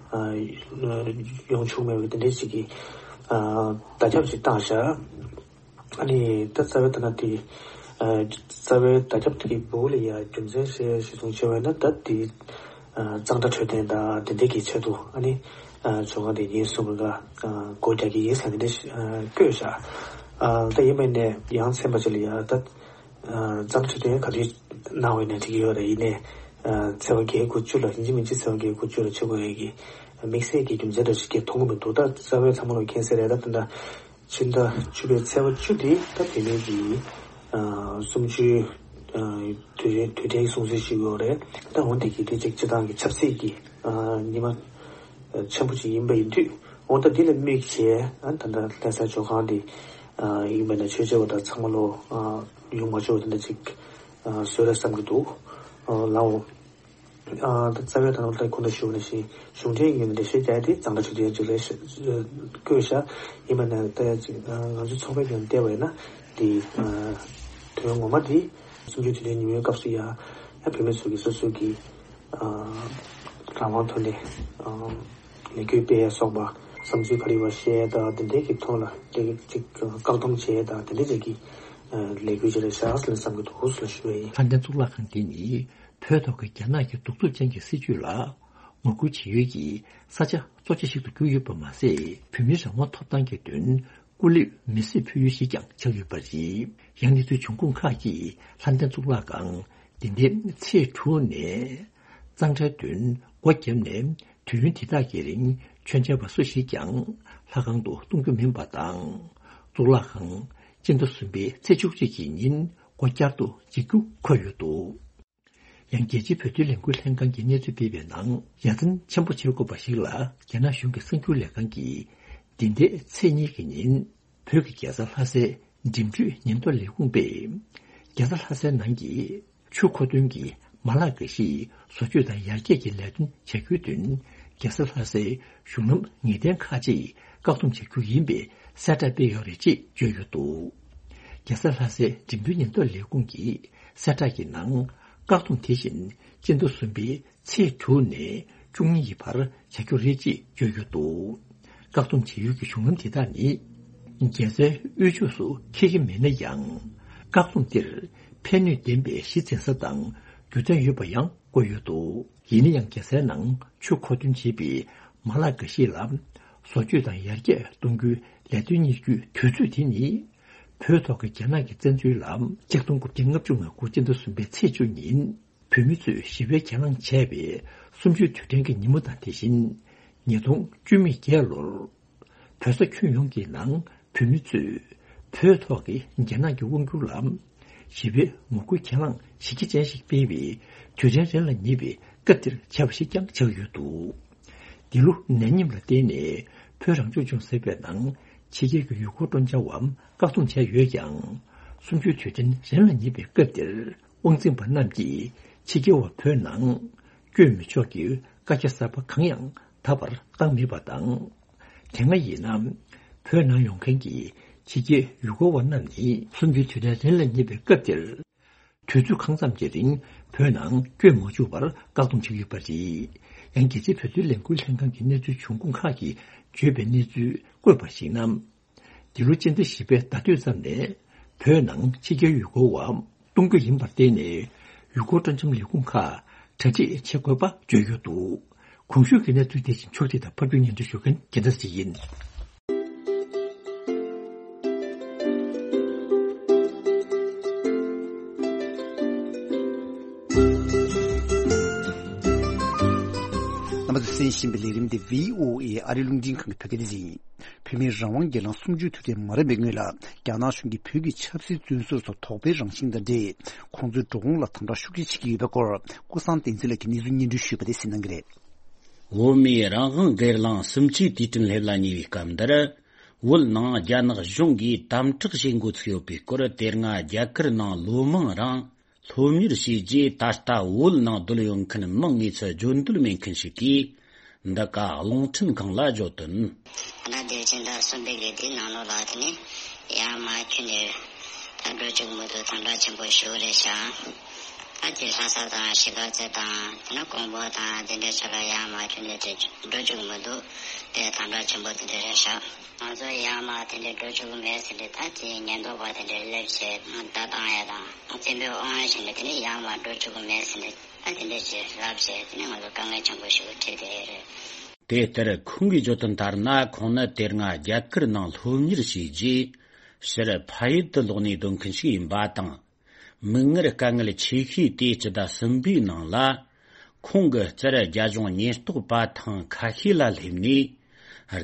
ཡོང་ཆོག་མེད་པའི་དེ་འདྲའི་ཅིག་གི་བརྡ་ཁྱབ་ཅིག་བཏང་བཞག་ཨ་ནི་ད་རྩ་བའི་ད་ན་དེ་རྩ་བའི་བརྡ་ཁྱབ་དེ་གི་འབུ་ལ་ཡ་རྒྱུ་མཚན་བཤད་གཞི་བཟུང་བྱས་པ་ཡིན་ན། ད་དེ་གཙང་སྦྲ་འཕྲོད་བསྟེན་དང་དེ་འདྲའི་གི་ཆེད་དུ་ཨ་ནི་ཇོ་ཁང་དེ་ཉིན་གསུམ་རིང་ག་སྒོ་རྒྱག་གི་ཡིན་ཟེར་དེ་འདྲ་བཀོད་བཞག་ད་ཡིན་པ་ཡིན་ནས་ཡང་ཚན་པ་ཅིག་ལ་ཡ་ད། ཨ་གཙང་སྦྲ་འཕྲོད་བསྟེན་ག་དུས་གནང་བ་ཡིན་ན་འགྲིག་གི་ཡོད་རེད། ཡིན་ནའི་ཨ་ཚེས་པ་བརྒྱད་དགུ་བཅུ་ལ་ཡིན་གཅིག་མིན་གཅིག་ཚེས་པ་བརྒྱད་དགུ་བཅུ་ལ་བྱེད་དགོས་ཡས་ཀྱི་དམིགས་བསལ་གྱི་རྒྱུ་མཚན་འདྲ་ཞིག་གི་མཐོང་གི་མི་འདུག་ད་རྩ་བའི་ཚང་མ་ལ་མཁྱེན་གསལ་རེད། ད་ད་ལྟ་ཕྱི་ཟླ་བཅུ་པའི་ཚེས་པ་བཅུ་དེ་ད་བོད་མིའི་གི་ཨ་གསུམ་བཅུའི་ཨ་དུས་དུས་དྲན་གྱི་སྲུང་བརྩི་ཞུ་གི་ཡོད་རེད། ད་འོན་ཏེ་གི་དེ་གཅིག་སྤྱི་བཏང་གི་ཆབ་སྲིད་ཀྱི་ཨ་ཉི་མ་ཆེན་པོ་ཅིག་ཡིན་པ་ཡིན་དུས། འོ་ད་འདི་ལ་དམིགས་བྱས་ཨ་ད་ལྟ་ལྷ་ས་ཇོ་ཁང་འདི་ཨ་ཡིན་པ་ན་ཆོས་བྱེད་པ་དང་ཚང་མ་ལོ་ཨ་ཡོང་མ་ཆོག་དེ་འདྲ་ཅིག་ཨ་བཟོས་ར་བསམ་གྱི་འདུག་ཨ་ལའོ། ཨ་ད་རྩ་བའི་ད་ནང་ལྟར་ཁོང་ད་ཞུ་བ་ནང་བཞིན་གཞུང་འབྲེལ་ངོས་ནས་འགྲེལ་བཤད་རྒྱག་ཡ་དེ་གཙང་སྦྲ་ཆུ་ཚོད་ཅིག་རེད་ཤག་བཀོད་ཤག་ཡིན་པ་ན་ད་ཡ་ཅིག་ང་ཚོའི་ཚོགས་པའི་ངོས་ནས་བལྟས་པ་ཡིན་ན་དེ་ཨ་དོན་ངོ་མ་དེ་གསུམ་བཅུའི་དུས་དྲན་ཉིན་མོའི་སྐབས་སུ་ཡ་ཡ་བོད་མི་ཚོ་གི་སོ་སོ་གི་ཨ་རང་དབང་ཐོག་ནས་ཨ་ལས་འགུལ་སྤེལ་ཡ་སོགས་པ་བསམ་ཚུལ་ག་རེ་ཡོད་པ་བཤད་ཡ་དང་དེ་འདྲའི་གི་ཐོག་ལ་དེ་གི་ཅིག་བཀག་སྡོམ་བྱེད་ཡ་དང་དེ་འདྲའི་ཅིག་གི་ཨ་ལས་འགུལ་ཅིག་རེད་ཤག་ཟེར་ནས་བསམ་གི་འདུག་ཟེར་ཞུ་ཡ་ཡིན། ལྷ་ལྡན་གཙུག་ལག་ཁང་འདི་ནི་བོད་ཐོག་གི་རྒྱ་ནག་གི་གདུག་རྩུབ་ཅན་གྱི་སྲིད་བྱུས་ལ་ངོ་རྒོལ་བྱེད་ཡུལ་གྱི་ས་ཆ་གཙོ་ཆེ་ཞིག་ཏུ་གྱུར་ཡོད་པ་མ་ཟད། བོད་མིའི་རང་དབང་ཐོབ་ཐང་གི་དོན་སྐུ་ལུས་མེ་གསོད་ཕུལ་ཡུལ་ཞིག་ཀྱང་ཆགས་ཡོད་པ་རེད། ཡང་གནས་ཚུལ་འབྱུང་ཁུངས་ཁག་གིས་ལྷ་ལྡན་གཙུག་ལག་ཁང་འདི་ཟླའི་ཚེས་དྲུག་ནས་གཙང་སྦྲའི་དོན་སྒོ་བརྒྱབ་ནས་དུས་ཡུན་འདི་དག་གི་རིང་མཆོད་མཇལ་བ་སུ་ཞིག་ཀྱང་ལྷ་ཁང་དུ་གཏོང་རྒྱུ་མིན་པ་དང་། གཙུག་ལག་ཁང་སྤྱི་ཟླ་གསུམ་པའི་ཚེས་བཅུ་གཅིག་གི་ཉིན་སྒོ་བསྐྱར་དུ་འབྱེད་རྒྱུ་འཁོད་ཡོད་འདུག་ཡང་རྒྱལ་སྤྱིའི་བོད་དོན་ལས་འགུལ་ལྷན་ཁང་གིས་གནས་ཚུལ་སྤེལ་བའི་ནང་། ཡ་མཚན་ཆེན་པོ་བྱེད་དགོས་པ་ཞིག་ལ་རྒྱ་ནག་གཞུང་གི་གསར་འགྱུར་ལས་ཁང་གིས་འདི་ཟླའི་ཚེས་གཉིས་ཀྱི་ཉིན་བོད་ཀྱི་རྒྱལ་ས་ལྷ་སའི་འགྲིམ་འགྲུལ་ཉེན་རྟོག་ལས་ཁུངས་པས། རྒྱལ་ས་ལྷ་སའི་ནང་གི་ཆུ་མཁོ་འདོན་གྱི་མ་ལག་འགའ་ཞིག་བཟོ་བཅོས་དང་ཡར་རྒྱས་ཀྱི་ལས་དོན་བྱ་རྒྱུའི་དོན་རྒྱལ་ས་ལྷ་སའི་གཞུང་ལམ་ངེས་གཏན་ཁག་ཅིག་བཀག་སྡོམ་བྱ་རྒྱུ་ཡིན་པའི་གསལ་བསྒྲགས་སྤེལ་ཡོད་རེད་ཅེས་བརྗོད་ཡོད་འདུག་རྒྱལ་ས་ལྷ་སའི་འགྲིམ་འགྲུལ་ཉེན་རྟོག་ལས་ཁུངས་ཀྱི་གསལ་བསྒྲགས་ཀྱི་ནང་། བཀག་སྡོམ་དེ་བཞིན་སྤྱི་ཟླ་གསུམ་པའི་ཚེས་དྲུག་ནས་བཅུ་གཉིས་ཀྱི་བར་བྱ་རྒྱུ་རེད་ཅེས་བརྗོད་ཡོད་འདུག་བཀག་སྡོམ་བྱེད་ཡུལ་གྱི་གཞུང་ལམ་དེ་དག་ནི། རྒྱལ་སའི་དབུས་ཕྱོགས་སུ་འཁེལ་གྱི་མེད་ན་ཡང་། བཀག་སྡོམ་འདིར་ཕན་ནུས་ལྡན་པའི་གཞི་འཛིན་ས་དང་རྒྱུ་མཚན་ཡོད་པ་ཡང་བཀོད་ཡོད་འདུག་ཡིན་ན་ཡང་། རྒྱལ་སའི་ནང་ཆུ་མཁོ་འདོན་བྱེད་པའི་མ་ལག་འགའ་ཞིག་ལ་བཟོ་བཅོས་དང་ཡར་རྒྱས་གཏོང་རྒྱུའི་ལས་དོན་གཉེར་རྒྱུའི་དུས་ཚོད་དེ་ནི། བོད་ཐོག་གི་རྒྱ་ནག་གི་བཙན་འཛུལ་ལ་ཆིག་སྟོང་དགུ་བརྒྱ་ལྔ་བཅུ་ང་དགུ་སྤྱི་ཟླ་གསུམ་པའི་ཚེས་བཅུ་ཉིན། བོད་མི་ཚོས་ཞི་བའི་གྱེན་ལངས་བྱས་པའི་གསུམ་བཅུའི་དུས་དྲན་གྱི་ཉིན་མོ་དང་དེ་བཞིན། ཉིས་སྟོང་བཅུ་མེད་བརྒྱད་ལོར། བོད་ས་ཁྱོན་ཡོངས་ཀྱི་ནང་ བོད་མི་ཚོས་བོད་ཐོག་གི་རྒྱ་ནག་གི་དབང་སྒྱུར་ལ་ཞི་བའི་ངོ་རྒོལ་གྱེན་ལངས་གཞི་རྒྱ་ཅན་ཞིག་སྤེལ་བའི་དུས་དྲན་རིང་ལ་ཉེ་བའི་སྐབས་འདིར་བྱས་པ་ཞིག་ཀྱང་ཆགས་ཡོད་འདུག་འདི་ལོ་ནད་ཉམས་ལ་བརྟེན་ནས་བོད་རང་སྐྱོང་ལྗོངས་ཟེར་བའི་ནང་ཕྱི་རྒྱལ་གྱི་ཡུལ་སྐོར་སྤྲོ་འཆམ་བཀག་སྡོམ་བྱས་ཡོད་ཀྱང་། གསུམ་བཅུའི་དུས་དྲན་རིང་ལ་ཉེ་བའི་སྐབས་འདིར་དབང་འཛིན་པ་རྣམས་ཀྱིས་ཕྱི་རྒྱལ་བ་བོད་ནང་བསྐྱོད་མི་ཆོག་གི་བཀའ་རྒྱ་གསར་པ་གང་ཡང་ད་བར་བཏང་མེད་པ་དང་། དེ་སྔ་ཡིན་ན་བོད་ནང་ཡོང་མཁན་གྱི་ཕྱི་རྒྱལ་ཡུལ་སྐོར་བ་རྣམས་ནི་གསུམ་བཅུའི་དུས་དྲན་རིང་ལ་ཉེ་བའི་སྐབས་འདིར། དུས་ཚོད་གང་ཙམ་གྱི་རིང་བོད་ནང་བསྐྱོད་མ་བཅུག་པར་བཀག་སྡོམ་བྱེད་ཀྱི་ཡོད་པ་རེད། ཡང་རྒྱལ་སྤྱིའི་བོད་དོན་ལས་འགུལ་ལྷན་ཁང་གི་གནས་ཚུལ་འབྱུང་ཁུངས་ཁག་གིས་བརྗོད་པའི་གནས་ཚུལ་བཀོད་པར་གཞིགས་ན། འདི་ལོ་སྤྱི་ཟླ་བཞི་པའི་ཟླ་སྟོད་ཙམ་ནས་བོད་ནང་ཕྱི་རྒྱལ་ཡུལ་སྐོར་བ་གཏོང་རྒྱུ་ཡིན་པར་བརྟེན་ནས་ཡུལ་སྐོར་སྤྲོ་འཆམ་ལས་ཁུངས་ཁག་གྲ་སྒྲིག་བྱེད་དགོས་པ་བརྗོད་ཡོད་འདུག་གོང་ཞུས་ཀྱི་གནས་ཚུལ་དེ་བཞིན་ཕྱོགས་སྒྲིག་དང་ཕབ་སྒྱུར་སྙན་སྒྲོན་ཞུ་མཁན་རྒྱལ་མཚན་ཞིག་ཡིན། རྣམ་པ་ཚོས་གསན་བཞིན་པའི་ལས་རིམ་དེ་བྷི་ཨོ་ཨེ་ཨ་རིའི་རླུང་འཕྲིན་ཁང་གི་བོད་སྐད་སྡེ་ཚན་ཡིན། བོད་མིའི་རང་དབང་སྒེར་ལངས་གསུམ་བཅུའི་དུས་དྲན་མ་རན་པའི་སྔོན་ལ་རྒྱ་ནག་གཞུང་གིས་བོད་ཀྱི་ཆབ་སྲིད་བཙོན་ཟུར་ཚོ་དོགས་པའི་རང་བཞིན་དང་འབྲེལ་ཁོང་ཚོའི་འགྲོ་འོང་ལ་དམ་དྲག་ཤུགས་ཆེ་བྱེད་ཀྱི་ཡོད་པའི་སྐོར་ཀུན་བཟང་བསྟན་འཛིན་ལགས་ཀྱིས་གནས་ཚུལ་སྙན་སྒྲོན་ཞུས་པ་དེ་གསན་གནང་གི་རེད། བོད་མིའི་རང་དབང་སྒེར་ལངས་གསུམ་བཅུའི་དུས་དྲན་སླེབས་ལ་ཉེ་བའི་སྐབས་འདིར། བོད་ནང་རྒྱ་ནག་གཞུང་གིས་དམ་དྲག་བྱེད་འགོ་ཚུགས་ཡོད་པའི་སྐོར། དེ་སྔ་རྒྱ་གར་ནང་ལོ་མང་རིང་སློབ་གཉེར་བྱས་རྗེས། ད་ལྟ་བོད་ནང་བསྡད་ཡོད་མཁན་མིང་དངོས་སུ་བརྗོད་འདོད་མེད་མཁན་ཞིག་གིས་འདི་ག་རླུང་འཕྲིན་ཁང་ལ་བརྗོད་དོན། ད་དེ་བཞིན་ཟླ་གསུམ་པའི་གི་དེའི་ནང་ལོགས་ལ་དེ་ནི་ཡར་མར་ཁྱོན་ནས་ད་འགྲོ་བཅུག་མི་འདུག་དམ་དྲག་ཆེན་པོ་ཞིག་རེད་ཤག་ད་དེ་ལྷ་ས་དང་གཞིས་ཀ་རྩེ་དང་དེ་ནས་ཀོང་པོ་དང་དེ་འདྲའི་ཕྱོགས་ལ་ཡར་མར་ཁྱོན་ནས་དེ་འགྲོ་བཅུག་མི་འདུག་དེ་དམ་དྲག་ཆེན་པོ་དེ་འདྲ་རེད་ཤག་ང་ཚོ་ཡར་མར་དེ་འདྲའི་འགྲོ་བཅུག་གི་མེད་ཟེར་ཏེ་ད་དེ་ཉེན་རྟོག་པ་དེ་འདྲའི་སླེབས་བྱས་བརྡ་བཏང་ཡ་དང་བཙན་པོའི་དབང་ཡ་བྱས་ནས་དེ་ནས་ཡར་མར་འགྲོ་བཅུག་གི་མེད་ཟེར་ནས་ད་དེ་འདྲའི་ཅིག་ལབ་བྱས་དེ་ནས་ང་ཚོ་དཀའ་ངལ་ཆེན་པོ་ཞིག་འཕྲད་བསྡད་ཡོད་རེད། དེ་ལྟར་ཁོང་གིས་བརྗོད་དོན་ལྟར་ན། ཁོང་ནི་དེ་སྔ་རྒྱ་གར་ནང་སློབ་གཉེར་བྱས་རྗེས་ཕྱིར་ཕ་ཡུལ་དུ་ལོག་ནས་སྡོད་མཁན་ཞིག་ཡིན་པ་དང་། མིག་སྔར་དཀའ་ངལ་ཆེ་ཤོས་དེ་སྤྱི་ཟླ་གསུམ་པའི་ནང་ལ། ཁོང་གི་རྩར་རྒྱ་གཞུང་ཉེན་རྟོག་པ་ཐེངས་ཁ་ཤས་ལ་སླེབས་ནས།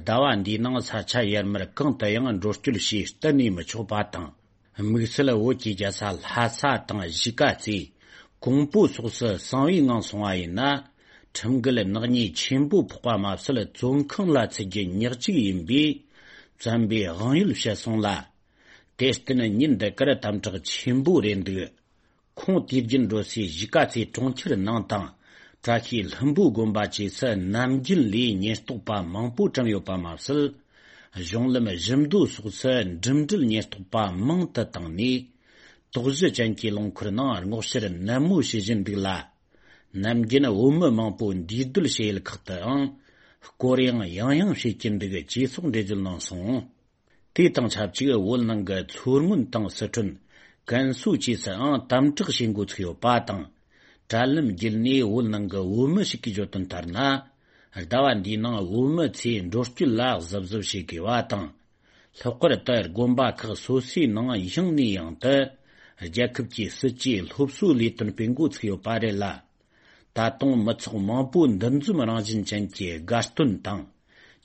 ཟླ་བ་འདིའི་ནང་ས་ཆ་ཡར་མར་གང་དུ་ཡང་འགྲོ་སྐྱོད་བྱས་གཏན་ནས་མི་ཆོག་པ་དང་། དམིགས་བསལ་བོད་ཀྱི་རྒྱལ་ས་ལྷ་ས་དང་གཞིས་ཀ་རྩེ། ཀོང་པོ་སོགས་སུ་གསང་བའི་ངང་སོང་བ་ཡིན་ན། ཁྲིམས་འགལ་ནག་ཉེས་ཆེན་པོ་ཕོག་པ་མ་ཟད། བཙོན་ཁང་ལ་ཚུད་རྒྱུ་ཉག་གཅིག་ཡིན་པས། བཙན་པོས་དབང་ཡོད་བྱས་སོང་ལ། དེར་བརྟེན་ཉིན་འདི་གར་དམ་དྲག་ཆེན་པོ་རེད་འདུག་ཁོང་དུས་རྒྱུན་འགྲོ་སའི་གཞིས་ཀ་རྩེ་གྲོང་ཁྱེར་ནང་དང་། བཀྲ་ཤིས་ལྷུན་པོ་དགོན་པ་བཅས་སུ་ནམ་རྒྱུན་ལས་ཉེན་རྟོག་པ་མང་པོ་བཀྲམ་ཡོད་པ་མ་ཟད། གཞུང་ལམ་བཞི་མདོ་སོགས་སུ་འགྲིམ་འགྲུལ་ཉེན་རྟོག་པ་མང་དུ་བཏང་ནས། དོགས་གཞི་ཅན་གྱི་རླངས་འཁོར་ནང་སྔོག་བཤེར་ནན་མོ་བྱེད་བཞིན་འདུག་ལ། ནམ་རྒྱུན་བོད་མི་མང་པོ་འདུས་སྡོད་བྱེད་ཡུལ་ཁག་ཏུའང་སྐོར་གཡེང་ཡང་ཡང་བྱེད་ཀྱིན་འདུག་ཅེས་སོགས་འགྲེལ་བརྗོད་གནང་སོང་། དེ་དང་ཆབས་ཅིག་བོད་ནང་གི་མཚོ་སྔོན་དང་སི་ཁྲོན། ཀན་སུའུ་བཅས་སུའང་དམ་དྲག་བྱེད་འགོ་ཚུགས་ཡོད་པ་དང་། དྲ་ལམ་བརྒྱུད་ནས་བོད་ནང་གི་བོད་མི་ཞིག་གིས་བརྗོད་དོན་ལྟར་ན། ཟླ་བ་འདིའི་ནང་བོད་མི་ཚོས་འགྲོ་སྐྱོད་ལ་གཟབ་གཟབ་བྱེད་དགོས་པ་དང་། ལྷག་པར་དུ་དགོན་པ་ཁག་སོ་སོའི་ནང་ཡང་ནས་ཡང་དུ་རྒྱལ་ཁབ་ཀྱི་སྲིད་ཇུས་སློབ་གསོའི་ལས་དོན་སྤེལ་འགོ་ཚུགས་ཡོད་པ་རེད་ལ། ད་དུང་མི་ཚོགས་མང་པོ་འདུ་འཛོམས་རང་བཞིན་ཅན་གྱི་དགའ་སྟོན་དང་།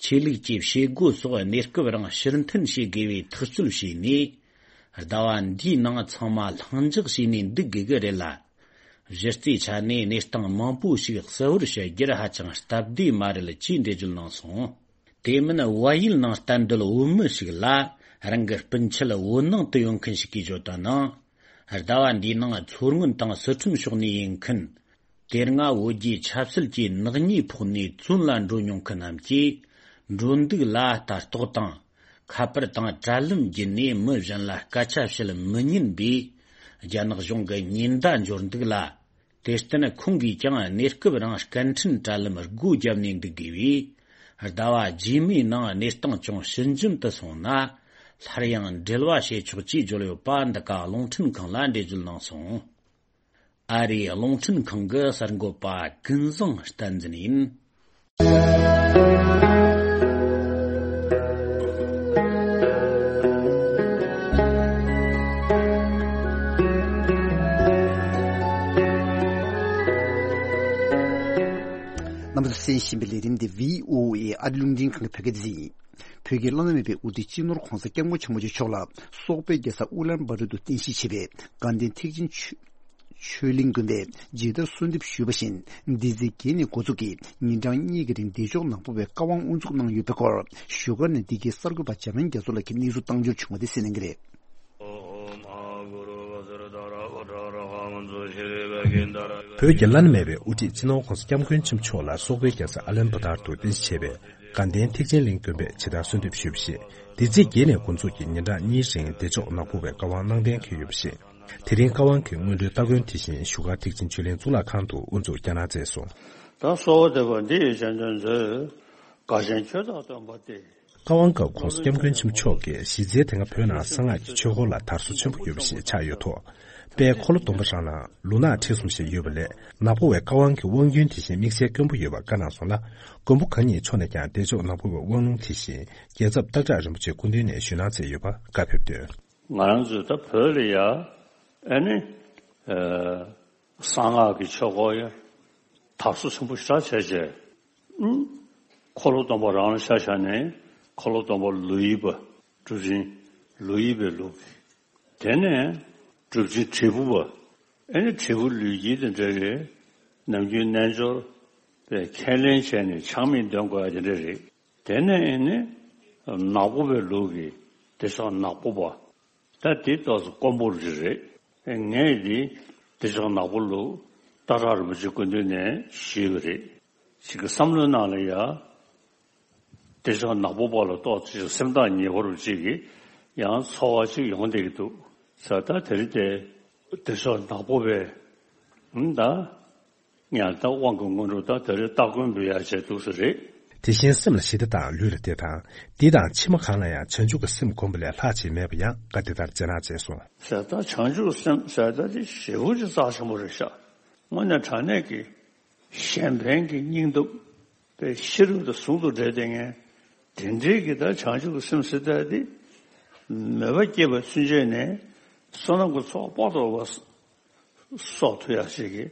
ཆོས་ལུགས་ཀྱི་བྱེད་སྒོ་སོགས་གནས་སྐབས་རིང་ཕྱིར་འཐེན་བྱེད་དགོས་པའི་ཐག་གཅོད་བྱས་ནས། ཟླ་བ་འདིའི་ནང་ཚང་མ་ལྷིང་འཇགས་བྱས་ནས་འདུག་དགོས་ཀྱི་རེད་ལ། གཞི་རྩའི་ཆ་ནས་གནས་སྟངས་མང་པོ་ཞིག་གསལ་བོར་ཕྱེ་རྒྱུར་ཧ་ཅང་སྟབས་བདེ་མ་རེད་ཅེས་འགྲེལ་བརྗོད་གནང་སོང་། དེ་མིན་བལ་ཡུལ་ནང་གཏན་སྡོད་བོད་མི་ཞིག་ལ་རང་གི་སྤུན་མཆེད་བོད་ནང་དུ་ཡོད་མཁན་ཞིག་གིས་བརྗོད་དོན་ནང་། ཟླ་བ་འདིའི་ནང་མཚོ་སྔོན་དང་སི་ཁྲོན་ཕྱོགས་ནས་ཡིན་མཁན། དེ་སྔ་བོད་རྒྱའི་ཆབ་སྲིད་ཀྱི་ནག་ཉེས་ཕོག་ནས་བཙོན་ལ་འགྲོ་མྱོང་མཁན་རྣམས་ཀྱིས་འགྲོ་འདུག་ལ་ལྟ་རྟོག་དང་། ཁ་པར་དང་དྲ་ལམ་བརྒྱུད་ནས་མི་གཞན་ལ་སྐད་ཆ་བཤད་མི་ཉན་པས། རྒྱ་ནག་གཞུང་གི་ཉེན་བརྡ་འབྱོར་འདུག་ལ། དེར་བརྟེན་ཁོང་གིས་ཀྱང་གནས་སྐབས་རིང་སྐད་འཕྲིན་དྲ་ལམ་སྒོ་བརྒྱབ་ནས་འདུག་དགོས་པས། ཟླ་བ་རྗེས་མའི་ནང་གནས་སྟངས་ཅུང་ཞི་འཇམ་དུ་སོང་ན། སླར་ཡང་འབྲེལ་བ་བྱེད་ཆོག་ཅེས་བརྗོད་ཡོད་པ་འདི་ག་རླུང་འཕྲིན་ཁང་ལ་འགྲེལ་བརྗོད་གནང་སོང་། ཨ་རིའི་རླུང་འཕྲིན་ཁང་གི་གསར་འགོད་པ་ཀུན་བཟང་བསྟན་འཛིན་ཡིན། རྣམ་པ་ཚོས་གསན་བཞིན་པའི་ལས་རིམ་འདི་བྷི་ཨོ་ཨེ་ཨ་རིའི་རླུང་འཕྲིན་ཁང་གི་བོད་སྐད་སྡེ་ཚན་ཡིན། བོད་ཀྱི་བླ་ན་མེད་པའི་དབུ་ཁྲིད་སྤྱི་ནོར་༧གོང་ས་༧སྐྱབས་མགོན་ཆེན་པོ་མཆོག་ལ་སོག་པོའི་རྒྱལ་ས་ཨུ་ལན་བྷ་ཏུར་དུ་རྟེན་གཞི་བྱས་པའི་དགའ་ལྡན་ཐེག་ཆེན་ཆོས་ཆོས་གླིང་དགོན་པས་ཇི་ལྟར་གསོལ་འདེབས་ཞུས་པ་བཞིན། འདི་ཚེས་བརྒྱད་ནས་འགོ་འཛུགས་ཀྱིས་ཉིན་གྲངས་གཉིས་ཀྱི་རིང་བདེ་མཆོག་ནག་པོ་བའི་བཀའ་དབང་དབུ་འཛུགས་གནང་ཡོད་པའི་སྐོར། བཞུགས་སྒར་ནས་འདི་གའི་གསར་འགོད་པ་འཇམ་དབྱངས་རྒྱ་མཚོ་ལགས་ཀྱིས་གནས་ཚུལ་བཏང་འབྱོར་བྱུང་བ་དེ་གསན་གནང་གི་རེད། བོད་ཀྱི་བླ་ན་མེད་པའི་དབུ་ཁྲིད་སྤྱི་ནོར་༧གོང་ས་༧སྐྱབས་མགོན་ཆེན་པོ་མཆོག་ལ་སོག་པོའི་རྒྱལ་ས་ཨ་ལན་བྷ་ཏར་དུ་རྟེན་གཞི་བྱས་པའི་དགའ་ལྡན་ཐེག་ཆེན་གླིང་དགོན་པས་ཇི་ལྟར་གསོལ་འདེབས་ཞུས་པ་ཞིག་འདི་ཚེས་བརྒྱད་ནས་འགོ་འཛུགས་ཀྱིས་ཉིན་གྲངས་གཉིས་རིང་བདེ་མཆོག་ནག་པོ་བའི་བཀའ་དབང་གནང་གཏན་འཁེལ་ཡོད་པ་ཞིག་དེ་རིང་བཀའ་དབང་གི་སྔོན་འགྲོའི་སྟ་གོན་དེ་བཞིན་བཞུགས་སྒར་ཐེག་ཆེན་ཆོས་གླིང་གཙུག་ལག་ཁང་དུ་དབུ་འཛུགས་བསྐྱངས་གནང་མཛད་སོང་། ད་གསོལ་བ་འདེབས་པ་འདི་ཡི་སྤྱན་ལྗོན་མཛོད། དགའ་ཞེན་ཁྱོད་དང་སྟོན་པ་སྟེ། བཀའ་དབང་སྐབས་༧གོང་ས་༧སྐྱབས་མགོན་ཆེན་པོ་མཆོག་གིས་གཞི་རྩའི་དེ་སྔ་བོད་ནང་གསང་སྔགས་ཀྱི་ཆོས་སྐོར་ལ་དར་སོ་ཆེན་པོ་ཡོད་པ་ཞིག་ཆགས་ཡོད་ཐོག་དཔལ་འཁོར་ལོ་སྡོམ་པ་རང་ནང་ལུང་ནག་ཁྲིག་གསུམ་ཞིག་ཡོད་པ་ལས། ནག་པོ་བའི་བཀའ་དབང་གི་དབང་རྒྱུན་དེ་བཞིན་དམིགས་བསལ་དཀོན་པོ་ཡོད་པ་བཀའ་གནང་སོང་ལ། མགོན་པོ་གང་ཉིད་མཆོག་ནས་ཀྱང་བདེ་མཆོག་ནག་པོ་བའི་དབང་ལུང་དེ་བཞིན་རྒྱལ་ཚབ་སྟག་བྲག་རིན་པོ་ཆེ་སྐུ་མདུན་ནས་ཞུས་གནང་མཛད་ཡོད་པ་བཀའ་ཕེབས་དོན། ང་རང་ཚོས་ད་བོད་ལ་ཡ་ཨ་ནི་ཨ་གསང་སྔགས་ཀྱི་ཆོས་སྐོར་ཡ་དར་སོ་ཆེན་པོ་ཞེ་དྲག་བྱས་བྱས། ཨུམ། འཁོར་ལོ་སྡོམ་པ་རང་ལ་ཆ་བཞག་ནས་འཁོར་ལོ་སྡོམ་པ་ལོ་ཡི་པ་གྲུབ་ཆེན་ལོ་ཡི་པའི་ལུགས་ཀྱི། དེ་ནས་གྲུབ་ཆེན་དྲིལ་བུ་པ། ཨེ་ནི་དྲིལ་བུ་ལུས་དཀྱིལ་དེ་འདྲ་རེད། ནམ་རྒྱུན་རྣལ་འབྱོར་པས་ཁས་ལེན་བྱས་ནས་ཆགས་མེད་འདོན་དགོས་ཡ་དེ་འདྲ་རེད། དེ་ནས་ཨེ་ནི་ནག་པོ་པའི་ལུགས་ཀྱི་བདེ་མཆོག་ནག་པོ་པ། ད་དེ་ཏོག་ཙམ་དཀོན་པོ་རེ་རེད། ངས་འདི་བདེ་མཆོག་ནག་པོ་ལུགས་སྟག་བྲག་རིན་པོ་ཆེ་སྐུ་མདུན་ནས་ཞུས་པ་རེད། ཅིག་གི་བསམ་བློའི་ནང་ལ་ཡ། བདེ་མཆོག་ནག་པོ་པ་ལ་ཏོག་ཙམ་སེམས་ཐག་ཉེ་བོ་རུ་ཅིག་གི་ཡང་ཚོར་བ་ཅིག་ཡོང་བསྡད་ཀྱི་འདུག་ས། ད་དེ་རིང་དེ་བདེ་མཆོག་ནག་པོ་པའི་ད། ཡང་ད་དབང་གི་སྔོན་འགྲོ་དང་དེ་རིང་སྟ་གོན་འབུལ་ཡག་བྱས་འདུག་ས་རེད། དེ་བཞིན་སེམས་ལ་ཞི་བདེ་དང་ལུས་ལ་བདེ་དང་། འདི་དང་ཕྱི་མ་གང་ལ་ཡང་བྱང་ཆུབ་ཀྱི་སེམས་བསྒོམ་པ་ལས་ལྷག་ཅིག་མེད་པ་ཡང་བཀའ་འདི་ལྟར་སྩལ་གནང་མཛད་སོང་། ཟེར་ད་བྱང་ཆུབ་སེམས་ཟེར་ད་དེ་ཞེ་པོ་ཅིག་རྩ་ཆེན་པོ་རེད་ཤག་དངོས་གནས་དྲང་གནས་ཀྱི་གཞན་ཕན་གྱི་སྙིང་སྟོབས་པའི་ཤེས་རབ་དང་ཟུང་དུ་འབྲེལ་ཏེ་ངས་དེ་འདྲའི་གི་ད་བྱང་ཆུབ་ཀྱི་སེམས་ཟེར་ད་དེ་མོས་པ་སྐྱེས་པ་ཚུན་ཆད་ནས་བསོད་ནམས་ཀྱི་ཚོགས་དཔག་ཏུ་མེད་པ་གསོག་ཐུབ་ཡག་ཅིག་གི་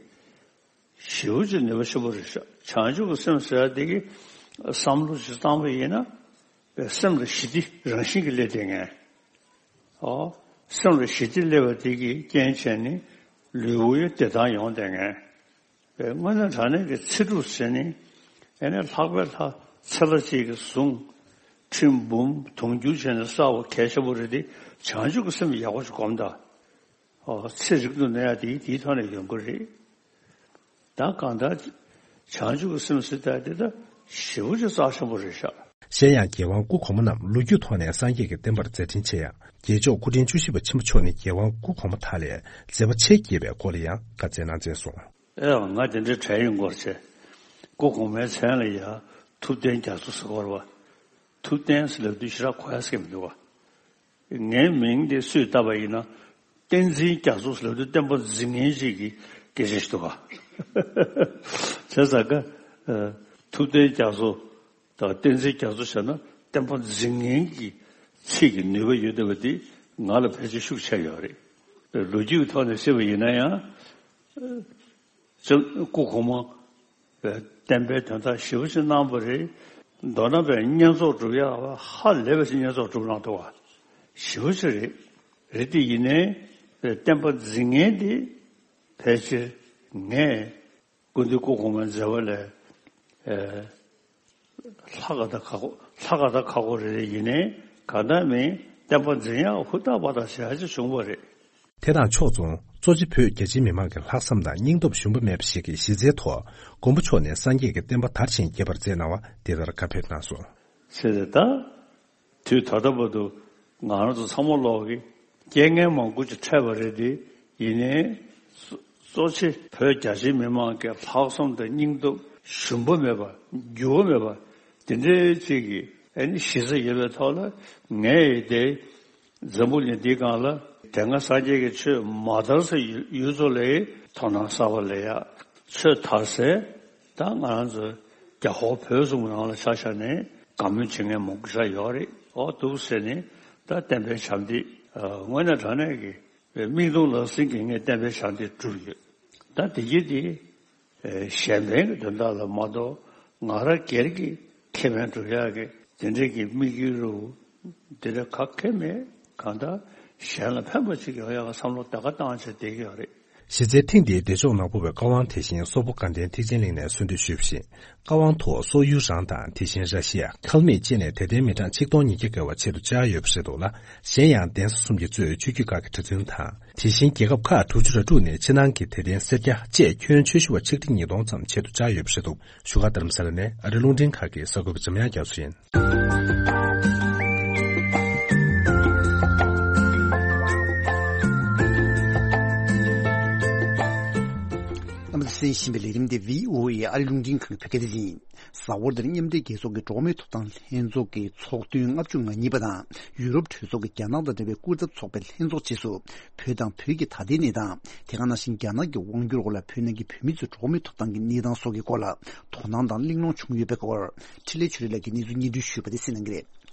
ཞེ་པོ་ཅིག་ནུས་པ་ཆེན་པོ་རེད་ཤག་བྱང་ཆུབ་ཀྱི་སེམས་ཟེར་ཡ་དེ་གི་བསམ་བློ་ཅིག་བཏང་བ་ཡིན་ན་པའི་སེམས་ལ་ཞི་བདེ་རང་བཞིན་གྱིས་སླེབས་བསྡད་མཁན། ཨོ། སེམས་ལ་ཞི་བདེ་སླེབས་པ་དེ་གི་རྐྱེན་བྱས་ནས་ལུས་པོ་ཡང་བདེ་ཐང་ཡོང་བསྡད་མཁན། པའི་དངོས་གནས་དྲང་གནས་ཀྱི་ཚེ་སྒྲུབ་ཟེར་ནི་ཨེ་ནས་ལྷག་པའི་ལྷ་ཚེ་ལྷ་གཅིག་གི་གཟུངས་ཁྲི་འབུམ་དུང་འགྱུར་བྱས་ནས་བསགས་པ་གལ་ཆེན་པོ་རེད་དེ། བྱང་ཆུབ་ཀྱི་སེམས་ཡག་པོ་ཞིག་སྒོམ་དང་། ཨོ། ཚེ་རིང་དུ་གནས་ཡ་དེ་དེའི་ཐོག་ནས་ཡོང་གི་རེད། ད་གང་ལྟར་བྱང་ཆུབ་ཀྱི་སེམས་ཟེར་ཡ་དེ་ད་ཞེ་པོ་ཅིག་རྩ་ཆེན་པོ་རེད་ཤག་གཞན་ཡང་རྒྱལ་དབང་སྐུ་གོང་མ་རྣམས་ལོ་རྒྱུས་ཐོག་ནས་སངས་རྒྱས་ཀྱི་བསྟན་པར་མཛད་འཕྲིན་ཆེ་ཡང་། རྒྱལ་མཆོག་སྐུ་ཕྲེང་བཅུ་བཞི་པ་ཆེན་པོ་མཆོག་ནི་རྒྱལ་དབང་སྐུ་གོང་མ་དག་ལས་མཛད་པ་ཆེས་རྒྱས་པའི་སྐོར་ལ་ཡང་བཀའ་སྩལ་གནང་མཛད་སོང་། ཨེ་ཡང་ང་དེ་འདྲའི་གྲས་ཡིན་སྐོར་བྱས། སྐུ་གོང་མའི་མཚན་ལ་ཡང་ཐུབ་བསྟན་རྒྱ་མཚོ་ཟེར་སྐོར་བ། ཐུབ་བསྟན་ཟེར་ལབ་དུས་ཞེ་དྲག་གོ་ཡ་ཟེར་གྱི་མི་འདུག་བ། ངའི་མིང་དེ་སུས་བཏགས་པ་ཡིན་ན། བསྟན་འཛིན་རྒྱ་མཚོ་ཟེར་ལབ་དུས་བསྟན་པ་འཛིན་མཁན་ཅིག་གི་སྐད་ཆ་ཞིག་འདུག་ག་བྱས་ཙང་ཀ་ཨ། ཐུབ་བསྟན་རྒྱ་མཚོ་དང་བསྟན་འཛིན་རྒྱ་མཚོ་བྱས་ན་བསྟན་པ་འཛིན་མཁན་གྱི་ཚིག་གི་ནུས་པ་ཡོད་བསྡད་པ་འདི་ང་ལ་ཕལ་ཆེར་ཤུགས་ཆེ་ཡོད་རེད། ལོ་རྒྱུས་ཀྱི་ཐོག་ནས་བཤད་པ་ཡིན་ན་ཡང་། སྐུ་གོང་མ་བསྟན་པའི་དོན་དག་ཞེ་པོ་ཅིག་གནང་བ་རེད། མདོར་ན་བསྙེན་རྫོགས་སྒྲུབ་ཡག་ཧ་ལས་པ་ཞིག་བསྙེན་རྫོགས་སྒྲུབ་གནང་འདུག་བ། ཞེ་པོ་ཅིག་རེད། རེད་དེ་ཡིན་ནའི་བསྟན་པ་འཛིན་མཁན་དེ་ཕལ་ཆེར་ངས་སྐུ་མདུན་སྐུ་གོང་མའི་མཛད་པ་ལས་ལྷག་ག་ད་ཁག་པོ་ལྷག་ག་ད་ཁག་པོ་རེད། ཡིན་ནའི་གང་ལྟར་མིན་བསྟན་པ་འཛིན་ཡག་ཧུར་ཐག་པ་ཐག་བྱེད་ཡག་ཅིག་བྱུང་བ་རེད། དེ་དང་ཕྱོགས་མཚུངས་གཙོ་ཆེ་བོད་རྒྱ་ཆེའི་མི་མང་གི་ལྷག་བསམ་དང་སྙིང་སྟོབས་ཞུམ་པ་མེད་པ་ཞིག་གི་གཞི་རྩའི་ཐོག་མགོན་པོ་མཆོག་ནས་སངས་རྒྱས་ཀྱི་བསྟན་པ་དར་ཞིང་རྒྱས་པར་མཛད་གནང་བ་འདི་ལྟར་བཀའ་ཕེབས་གནང་སོང་། ཟེར་ཏེ་ད། དུས་ད་ལྟ་བར་དུ་ང་རང་ཚོ་ཚང་མ་ལོག་གི་རྐྱེན་ངན་མང་པོ་ཅིག་འཕྲད་པ་རེད་དེ། ཡིན་ནའི་གཙོ་གཙོ་ཆེ་བོད་རྒྱ་ཆེའི་མི་མང་གི་ལྷག་བསམ་དང་སྙིང་སྟོབས་ཞུམ་པ་མེད་པ་འགྱུར་བ་མེད་པ་དེ་འདྲའི་ཅིག་གི་ཨ་ནི་གཞི་རྩ་ཡོད་པའི་ཐོག་ལ་ངས་ཡི་དེ། འཛམ་བུ་གླིང་འདིའི་སྒང་ལ་དེ་སྔ་སངས་རྒྱས་ཀྱི་ཆོས་མ་དར་སའི་ཡུལ་ཚོ་ལ་དོ་སྣང་གསར་པ་ལས་ཡ། ཆོས་དར་སའི་ད་ང་རང་ཚོ་རྒྱ་ཧོར་བོད་གསུམ་ནང་ལ་ཆ་བཞག་ནས་དགའ་མོས་བྱེད་མཁན་མང་པོ་ཞིག་ཡོད་རེད། ཨོ་འདུག་ཟེར་ནས་ད་བསྟན་པའི་བྱམས་བརྩེ་དངོས་གནས་དྲང་གནས་ཀྱི་མིག་མཐོང་ལག་ཟིན་གྱི་ངས་བསྟན་པའི་བྱམས་བརྩེ་བསྒྲུབས་ཡོད། ད་དེ་གྱིས་དེ། གཞན་ཕན་གྱི་དོན་དག་ལ་མ་གཏོགས་ང་རང་སྒེར་གྱི་ཁེ་ཕན་སྒྲུབ་ཡག་གི་ དེ་འདྲའི་གི་དམིགས་ཡུལ་རུ་དེ་འདྲ་ག་གེ་མེད། གང་ལྟར་གཞན་ལ་ཕན་པ་ཅིག་ཡོང་ཡག་བསམ་བློ་ད་ག་བཏང་བྱས་བསྡད་ཀྱི་ཡོད་རེད། གཞི་རྩའི་ཐེངས་འདིའི་བདེ་མཆོག་ནག་པོ་བའི་བཀའ་དབང་དེ་བཞིན་སོག་པོ་དགའ་ལྡན་ཐེག་ཆེན་གླིང་ནས་གསོལ་འདེབས་ཞུས་པ་བཞིན། བཀའ་དབང་ཐོག་སོག་ཡུལ་རང་དང་དེ་བཞིན་ར་ཤི་ཡ། ཁལ་མིད་བཅས་ནས་དད་ལྡན་མི་གྲངས་ཆིག་སྟོང་ཉིས་བརྒྱ་བརྒལ་བ་ཆེད་དུ་བཅར་ཡོད་པ་རེད་འདུག་ལ། གཞན་ཡང་གདན་ས་གསུམ་གྱིས་གཙོས་ཆོས་བརྒྱུད་ཁག་གི་གྲྭ་བཙུན་དང་། དེ་བཞིན་རྒྱལ་ཁབ་ཁག་དྲུག་ཅུ་རེ་དྲུག་ནས་ཕྱི་ནང་གི་དད་ལྡན་སེར་སྐྱ་བཅས་ཁྱོན་ཆོས་ཞུ་བ་ཆིག་ཁྲི་ཉིས་སྟོང་ཙམ་ཆེད་དུ་བཅར་ཡོད་པ་རེད་འདུག་བཞུགས་སྒར་རྡ་རམ་ས་ལ་ནས་ཨ་རིའི་རླུང་འཕྲིན་ཁང་གི་གསར་འགོད་པ་འཇམ་དབྱངས་རྒྱ་མཚོ་ཡིན། རྣམ་པ་གསན་བཞིན་པའི་ལས་རིམ་དེ་བྷི་ཨོ་ཨེ་ཨ་རིའི་རླུང་འཕྲིན་ཁང་གི་བོད་སྐད་སྡེ་ཚན་ཡིན། གཟའ་འཁོར་འདིར་མཉམ་འབྲེལ་རྒྱལ་ཚོགས་ཀྱི་འགྲོ་བ་མིའི་ཐོབ་ཐང་ལྷན་ཚོགས་ཀྱི་ཚོགས་ཐུན་ལྔ་བཅུ་ང་གཉིས་པ་དང་། ཡུ་རོབ་གྲོས་ཚོགས་ཀྱི་རྒྱ་ནག་དང་འབྲེལ་བའི་སྐུ་ཚབ་ཚོགས་པའི་ལྷན་ཚོགས་རྗེས་སུ། བོད་དང་བོད་ཀྱི་ད་ལྟའི་གནས་སྟངས། དེ་ག་ནང་བཞིན་རྒྱ་ནག་གི་དབང་བསྒྱུར་འོག་ལ་བོད་ནང་གི་བོད་མི་ཚོའི་འགྲོ་བ་མིའི་ཐོབ་ཐང་གི་གནས་སྟངས་སོགས་ཀྱི་སྐོར་ལ་དོ་སྣང་དང་གླེང་སློང་བྱུང་ཡོད་པའི་སྐོར། འཕྲིན་ལས་ཆོས་སྒྲོན་ལགས་ཀྱིས་གནས་ཚུལ་སྙན་སྒྲོན་ཞུས་པ་དེ་གསན་གནང་གི་རེད།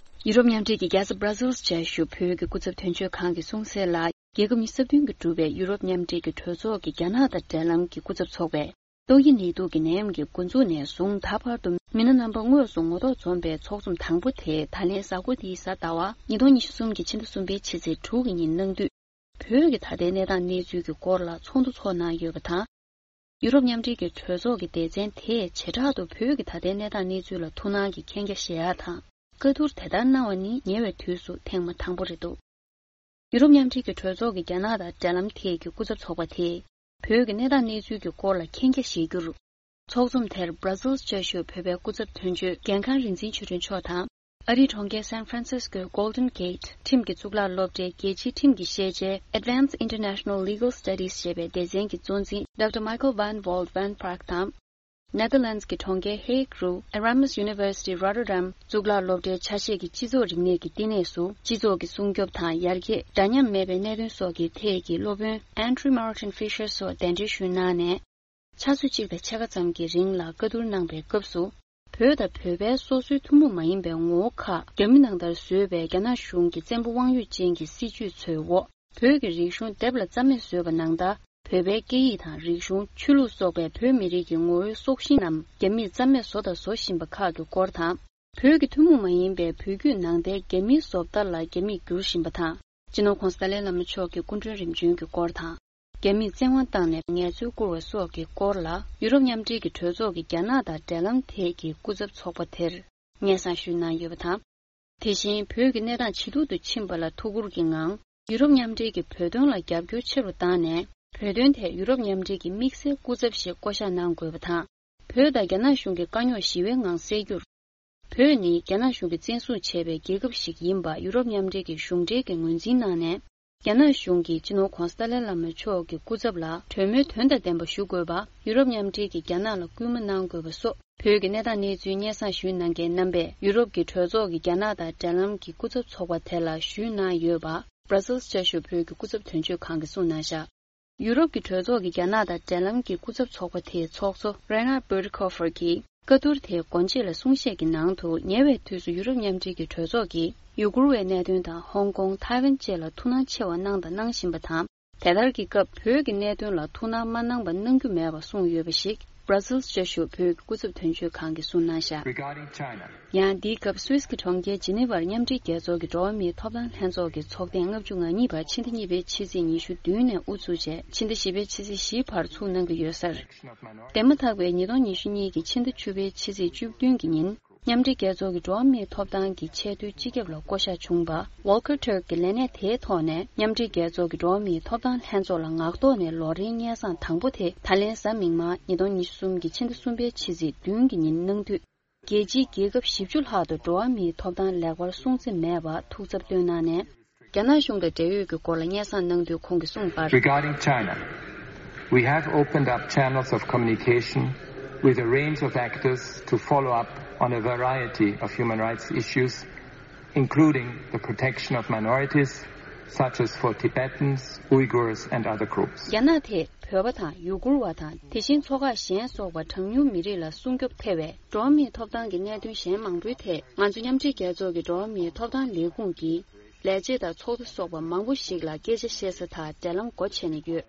ཡུ་རོབ་མཉམ་འབྲེལ་གྱི་རྒྱལ་ས་Brussels་བཅའ་བཞུགས་བོད་ཀྱི་སྐུ་ཚབ་དོན་གཅོད་ཁང་གིས་གསུངས་གསལ་ལ། རྒྱལ་ཁབ་ཉི་ཤུ་རྩ་བདུན་གྱིས་གྲུབ་པའི་ཡུ་རོབ་མཉམ་འབྲེལ་གྱི་གྲོས་ཚོགས་ཀྱི་རྒྱ་ནག་དང་འབྲེལ་ལམ་གྱི་སྐུ་ཚབ་ཚོགས་པས། ཏོག་དབྱིབས་ནད་དུག་གི་ནད་ཡམས་ཀྱི་འགོ་འཛུགས་ནས་བཟུང་ད་བར་དུ་མི་སྣ་རྣམ་པ་དངོས་སུ་ངོ་ཐོག་འཛོམས་པའི་ཚོགས་འཛོམས་དང་པོ་དེ་ད་ལན་གཟའ་འཁོར་འདིའི་གཟའ་ཟླ་བ་ཉིས་སྟོང་ཉི་ཤུ་གསུམ་གྱི་ཕྱི་ཟླ་གསུམ་པའི་ཕྱི་ཚེས་དྲུག་གི་ཉིན་གནང་དུས། བོད་ཀྱི་ད་ལྟའི་གནས་སྟངས་གནས་ཚུལ་གྱི་སྐོར་ལ་ཚོགས་འདུ་ཚོགས་གནང་ཡོད་པ་དང་། ཡུ་རོབ་མཉམ་འབྲེལ་གྱི་གྲོས་ཚོགས་ཀྱི་སྡེ་ཚན་དེས་བྱེ་བྲག་ཏུ་བོད་ཀྱི་ད་ལྟའི་གནས་སྟངས་གནས་ཚུལ་ལ་ཐུགས་སྣང་གིས་མཁྱེན་རྒྱ་བཞེས་ཡག་དང་། བཀའ་བསྡུར་དེ་ལྟར་གནང་བ་ནི་ཉེ་བའི་དུས་སུ་ཐེངས་མ་དང་པོ་རེད་འདུག་ཡུ་རོབ་མཉམ་འབྲེལ་གྱི་གྲོས་ཚོགས་ཀྱི་རྒྱ་ནག་དང་འབྲེལ་ལམ་ཐད་ཀྱི་སྐུ་ཚབ་ཚོགས་པ་དེས། བོད་ཀྱི་གནས་སྟངས་གནས་ཚུལ་གྱི་སྐོར་ལ་མཁྱེན་རྒྱ་བཞེས་རྒྱུར། ཚོགས་འཛོམས་དེར་Brussels་བཅའ་བཞུགས་བོད་པའི་སྐུ་ཚབ་དོན་གཅོད་རྒན་ཁང་རིག་འཛིན་ཆོས་སྒྲོན་མཆོག་དང་། ཨ་རིའི་གྲོང་ཁྱེར་San Francisco་གི་Golden Gate་ཁྲིམས་ཀྱི་གཙུག་ལག་སློབ་གྲྭའི་རྒྱལ་སྤྱིའི་ཁྲིམས་ཀྱི་ཤེས་བྱའི་Advanced International Legal Studies་ཞེས་པའི་སྡེ་ཚན་གྱི་གཙོ་འཛིན་Doctor Michael van Walt van Praag་དང་། Netherlands་གྱི་གྲོང་ཁྱེར་Hague་རུ་Erasmus University Rotterdam་གཙུག་ལག་སློབ་གྲྭའི་ཆ་ཤས་ཀྱི་སྤྱི་ཚོགས་རིག་གནས་ཀྱི་བསྟི་གནས་སུ་སྤྱི་ཚོགས་ཀྱི་སྲུང་སྐྱོབ་དང་ཡར་རྒྱས། འདྲ་མཉམ་མེད་པའི་གནད་དོན་སོགས་ཀྱི་ཐད་ཀྱི་སློབ་དཔོན་Andrew Martin Fisher་སོགས་གདན་འདྲེན་ཞུས་གནང་ནས། ཆུ་ཚོད་གཅིག་དང་ཕྱེད་ཀ་ཙམ་གྱི་རིང་ལ་བཀའ་བསྡུར་གནང་པའི་སྐབས་སུ། བོད་དང་བོད་པའི་སོ་སོའི་ཐུན་མོང་མ་ཡིན་པའི་ངོ་བོ་ཁག་རྒྱ་མི་ནང་ལྟར་བཟོས་པའི་རྒྱ་ནག་གཞུང་གི་བཙན་པོ་དབང་ཡོད་ཅན་གྱི་སྲིད་བྱུས་ཚོའི་འོག་བོད་ཀྱི་རིག་གཞུང་སྡེབ་ལ་རྩ་མེད་བཟོས་པ་ནང་ལྟར། བོད་པའི་སྐད་ཡིག་དང་རིག་གཞུང་། ཆོས་ལུགས་སོགས་པའི་བོད་མི་རིགས་ཀྱི་ངོ་བོའི་སྲོག་ཤིང་རྣམས་རྒྱ་མིས་རྩ་མེད་བཟོ་དང་བཟོ་བཞིན་པ་ཁག་གི་སྐོར་དང་། བོད་ཀྱི་ཐུན་མོང་མ་ཡིན་པའི་བོད་བརྒྱུད་ནང་བསྟན་རྒྱ་མིའི་བཟོ་ལྟ་ལ་རྒྱ་མིས་བསྒྱུར་བཞིན་པ་དང་། སྤྱི་ནོར་༧གོང་ས་ཏཱ་ལའི་བླ་མ་མཆོག་གི་སྐུ་མགྲོན་རིམ་བྱོན་གྱི་སྐོར་དང་། རྒྱ་མིས་བཙན་དབང་བཏང་ནས་ངལ་རྩོལ་བསྐུར་བ་སོགས་ཀྱི་སྐོར་ལ་ཡུ་རོབ་མཉམ་འབྲེལ་གྱི་གྲོས་ཚོགས་ཀྱི་རྒྱ་ནག་དང་འབྲེལ་ལམ་ཐད་ཀྱི་སྐུ་ཚབ་ཚོགས་པ་དེར་སྙན་སེང་ཞུས་གནང་ཡོད་པ་དང་། དེ་བཞིན་བོད་ཀྱི་གནས་སྟངས་ཇེ་སྡུག་ཏུ་ཕྱིན་པ་ལ་ཐུགས་ཁུར་གྱི་ངང་། ཡུ་རོབ་མཉམ་འབྲེལ་གྱིས་བོད་དོན་ལ་རྒྱབ་སྐྱོར་ཆེ་རུ་བཏང་ནས། བོད་དོན་ཐད་ཡུ་རོབ་མཉམ་འབྲེལ་གྱི་དམིགས་བསལ་སྐུ་ཚབ་ཞིག་བསྐོ་གཞག་གནང་དགོས་པ་དང་། བོད་དང་རྒྱ་ནག་གཞུང་གི་དཀའ་རྙོག་ཞི་བའི་ངང་སེལ་རྒྱུར། བོད་ནི་རྒྱ་ནག་གཞུང་གིས་བཙན་བཟུང་བྱས་པའི་རྒྱལ་ཁབ་ཞིག་ཡིན་པ་ཡུ་རོབ་མཉམ་འབྲེལ་གྱི་གཞུང་འབྲེལ་གྱི་ངོས་འཛིན་གནང་ནས། རྒྱ་ནག་གཞུང་གིས་སྤྱི་ནོར་༧གོང་ས་ཏཱ་ལའི་བླ་མ་མཆོག་གི་སྐུ་ཚབ་ལ་གྲོས་མོལ་དོན་དང་ལྡན་པ་ཞུ་དགོས་པ་ཡུ་རོབ་མཉམ་འབྲེལ་གྱིས་རྒྱ་ནག་ལ་སྐུལ་མ་གནང་དགོས་པ་སོགས། བོད་ཀྱི་གནས་སྟངས་གནས་ཚུལ་སྙན་སེང་ཞུས་གནང་མཁན་རྣམ་པས་ཡུ་རོབ་ཀྱི་གྲོས་ཚོགས་ཀྱི་རྒྱ་ནག་དང་འབྲེལ་ལམ་གྱི་སྐུ་ཚབ་ཚོགས་པ་དེ་ལ་ཞུས་གནང་ཡོད་པ་Brussels་བཅའ་བཞུགས་བོད་ཀྱི་སྐུ་ཚབ་དོན་གཅོད་ཁང་གིས་གསུངས་གནང་བཞག་ཡུ་རོབ་ཀྱི་གྲོས་ཚོགས་ཀྱི་རྒྱ་ནག་དང་འབྲེལ་ལམ་གྱི་སྐུ་ཚབ་ཚོགས་པ་དེའི་ཚོགས་གཙོ་Reinhard Bütikofer་གྱིས་བཀའ་བསྡུར་དེའི་སྒོ་འབྱེད་ལ་གསུང་བཤད་ཀྱི་ནང་དུ། ཉེ་བའི་དུས་སུ་ཡུ་རོབ་མཉམ་འབྲེལ་གྱི་གྲོས་ཚོགས་ཀྱིས་ཡུ་གུར་བའི་གནད་དོན་དང་ཧོང་ཀོང་། ཐའེ་ཝན་བཅས་ལ་ཐུགས་སྣང་ཆེ་བ་གནང་དང་གནང་བཞིན་པ་དང་། དེ་ལྟར་གྱི་སྐབས་བོད་ཀྱི་གནད་དོན་ལ་ཐུགས་སྣང་མ་གནང་པ་གནང་རྒྱུ་མེད་པ་གསུངས་ཡོད་པ་ཞིག་Brussels་བཅའ་བཞུགས་བོད་ཀྱི་སྐུ་ཚབ་དོན་གཅོད་ཁང་གིས་གསུངས་གནང་བཞག Regarding China, ཡང་འདིའི་སྐབས་སུད་སི་གི་གྲོང་ཁྱེར་ཇི་ནི་ཝར་མཉམ་འབྲེལ་རྒྱལ་ཚོགས་ཀྱི་འགྲོ་བ་མིའི་ཐོབ་ཐང་ལྷན་ཚོགས་ཀྱི་ཚོགས་ཐེངས་ལྔ་བཅུ་ང་གཉིས་པ་ཕྱི་ཟླ་གཉིས་པའི་ཕྱི་ཚེས་ཉི་ཤུ་བདུན་ནས་དབུ་ཚུགས་རྗེས་ཕྱི་ཟླ་བཞི་པའི་ཕྱི་ཚེས་བཞིའི་བར་ཚུགས་གནང་གི་ཡོད་ཟེར། འདས་མ་ཐག་པའི་ཉིས་སྟོང་ཉི་ཤུ་གཉིས་ཀྱི་ཕྱི་ཟླ་བཅུ་པའི་ཕྱི་ཚེས་བཅུ་བདུན་གྱི་ཉིན། མཉམ་འབྲེལ་རྒྱལ་ཚོགས་ཀྱི་འགྲོ་བ་མིའི་ཐོབ་ཐང་གི་ཆེས་མཐོའི་སྤྱི་ཁྱབ་ལ་བསྐོ་གཞག་བྱུང་བ་Volker Turk་གི་ལས་གནས་དེའི་ཐོག་ནས་མཉམ་འབྲེལ་རྒྱལ་ཚོགས་ཀྱི་འགྲོ་བ་མིའི་ཐོབ་ཐང་ལྷན་ཚོགས་ལ་ངག་ཐོག་ནས་ལོ་རེའི་སྙན་སེང་དང་པོ་དེ་ད་ལན་གཟའ་མིག་དམར་ཉིས་སྟོང་ཉི་ཤུ་གསུམ་གྱི་ཕྱི་ཟླ་གསུམ་པའི་ཕྱི་ཚེས་བདུན་གྱི་ཉིན་གནང་དུས། རྒྱལ་སྤྱིའི་རྒྱལ་ཁབ་བཞི་བཅུ་ལྷག་ཏུ་འགྲོ་བ་མིའི་ཐོབ་ཐང་ལེགས་པར་སྲུང་བརྩི་མེད་པར་ཐུགས་འཚབ་བཏོན་གནང་ནས། རྒྱ་ནག་གཞུང་དང་འབྲེལ་ཡོད་ཀྱི་སྐོར་ལ་སྙན་སེང་གནང་དུས་ཁོང་གིས་གསུངས་པར། Regarding China, we have opened up channels of communication with a range of actors to follow up on a variety of human rights issues, including the protection of minorities, such as for Tibetans, Uyghurs, and other groups. རྒྱ་ནག་ཐད་བོད་པ་དང་ཡུ་གུར་བ་དང་། དེ་བཞིན་ཚོ་ཁག་གཞན་སོགས་པ་གྲངས་ཉུང་མི་རིགས་ལ་སྲུང་སྐྱོབ་ཐེ་བའི་འགྲོ་བ་མིའི་ཐོབ་ཐང་གི་གནད་དོན་གཞན་མང་པོའི་ཐད། ང་ཚོ་མཉམ་འབྲེལ་རྒྱལ་ཚོགས་ཀྱི་འགྲོ་བ་མིའི་ཐོབ་ཐང་ལས་ཁུངས་ཀྱི་ལས་བྱེད་དང་ཚོགས་སྡེ་སོགས་པ་མང་པོ་ཞིག་ལ་སྐད་ཆ་བཤད་ས་དང་འབྲེལ་ལམ་སྒོ་ཕྱེ་ནས་ཡོད།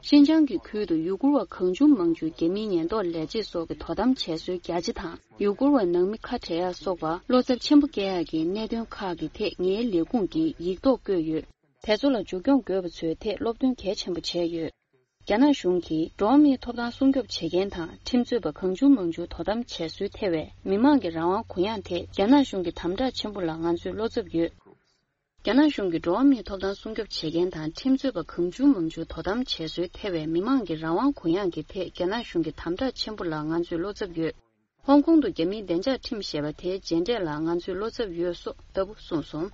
ཤིན་ཅང་གི་ཁུལ་དུ་ཡུ་གུར་བ་གང་བྱུང་མང་བྱུང་རྒྱ་མིའི་ཉེན་རྟོག་ལས་བྱེད་སོགས་ཀྱིས་དོ་དམ་བྱས་སྲོལ་རྒྱ་ཆེ་དང་། ཡུ་གུར་བ་ནང་མི་ཁ་བྲལ་ཡ་སོགས་པར་བློ་འཚབ་ཆེན་པོ་སྐྱེ་ཡ་གི་གནད་དོན་ཁག་གི་ཐད་ངའི་ལས་ཁུངས་ཀྱིས་ཡིག་ཐོག་བཀོད་ཡོད། དེ་ཚོ་ལ་མཇུག་སྐྱོང་དགོས་པ་ཚོའི་ཐད་སློབ་སྟོན་གལ་ཆེན་པོ་བྱས་ཡོད། རྒྱ་ནག་གཞུང་གིས་འགྲོ་བ་མིའི་ཐོབ་ཐང་སྲུང་སྐྱོབ་བྱེད་མཁན་དང་ཁྲིམས་རྩོད་པ་གང་བྱུང་མང་བྱུང་དོ་དམ་བྱས་སྲོལ་ཐེ་བའི་མི་མང་གི་རང་དབང་གུ་ཡངས་ཐད་རྒྱ་ནག་གཞུང་གི་དམ་དྲག་ཆེན་པོ་ལ་ང་ཚོས་བློ་འཚབ་ཡོད། རྒྱ་ནག་གཞུང་གིས་འགྲོ་བ་མིའི་ཐོབ་ཐང་སྲུང་སྐྱོབ་བྱེད་མཁན་དང་ཁྲིམས་རྩོད་པ་གང་བྱུང་མང་བྱུང་དོ་དམ་བྱས་སྲོལ་ཐེ་བའི་མི་མང་གི་རང་དབང་གུ་ཡངས་ཀྱི་ཐད་རྒྱ་ནག་གཞུང་གི་དམ་དྲག་ཆེན་པོ་ལ་ང་ཚོས་བློ་འཚབ་ཡོད། ཧོང་ཀོང་དུ་རྒྱ་མིའི་བདེ་འཇགས་ཁྲིམས་ཞེས་པ་དེའི་རྗེས་འབྲས་ལ་ང་ཚོས་བློ་འཚབ་ཡོད་སོགས་ལྟ་བུ་གསུངས་སོང་།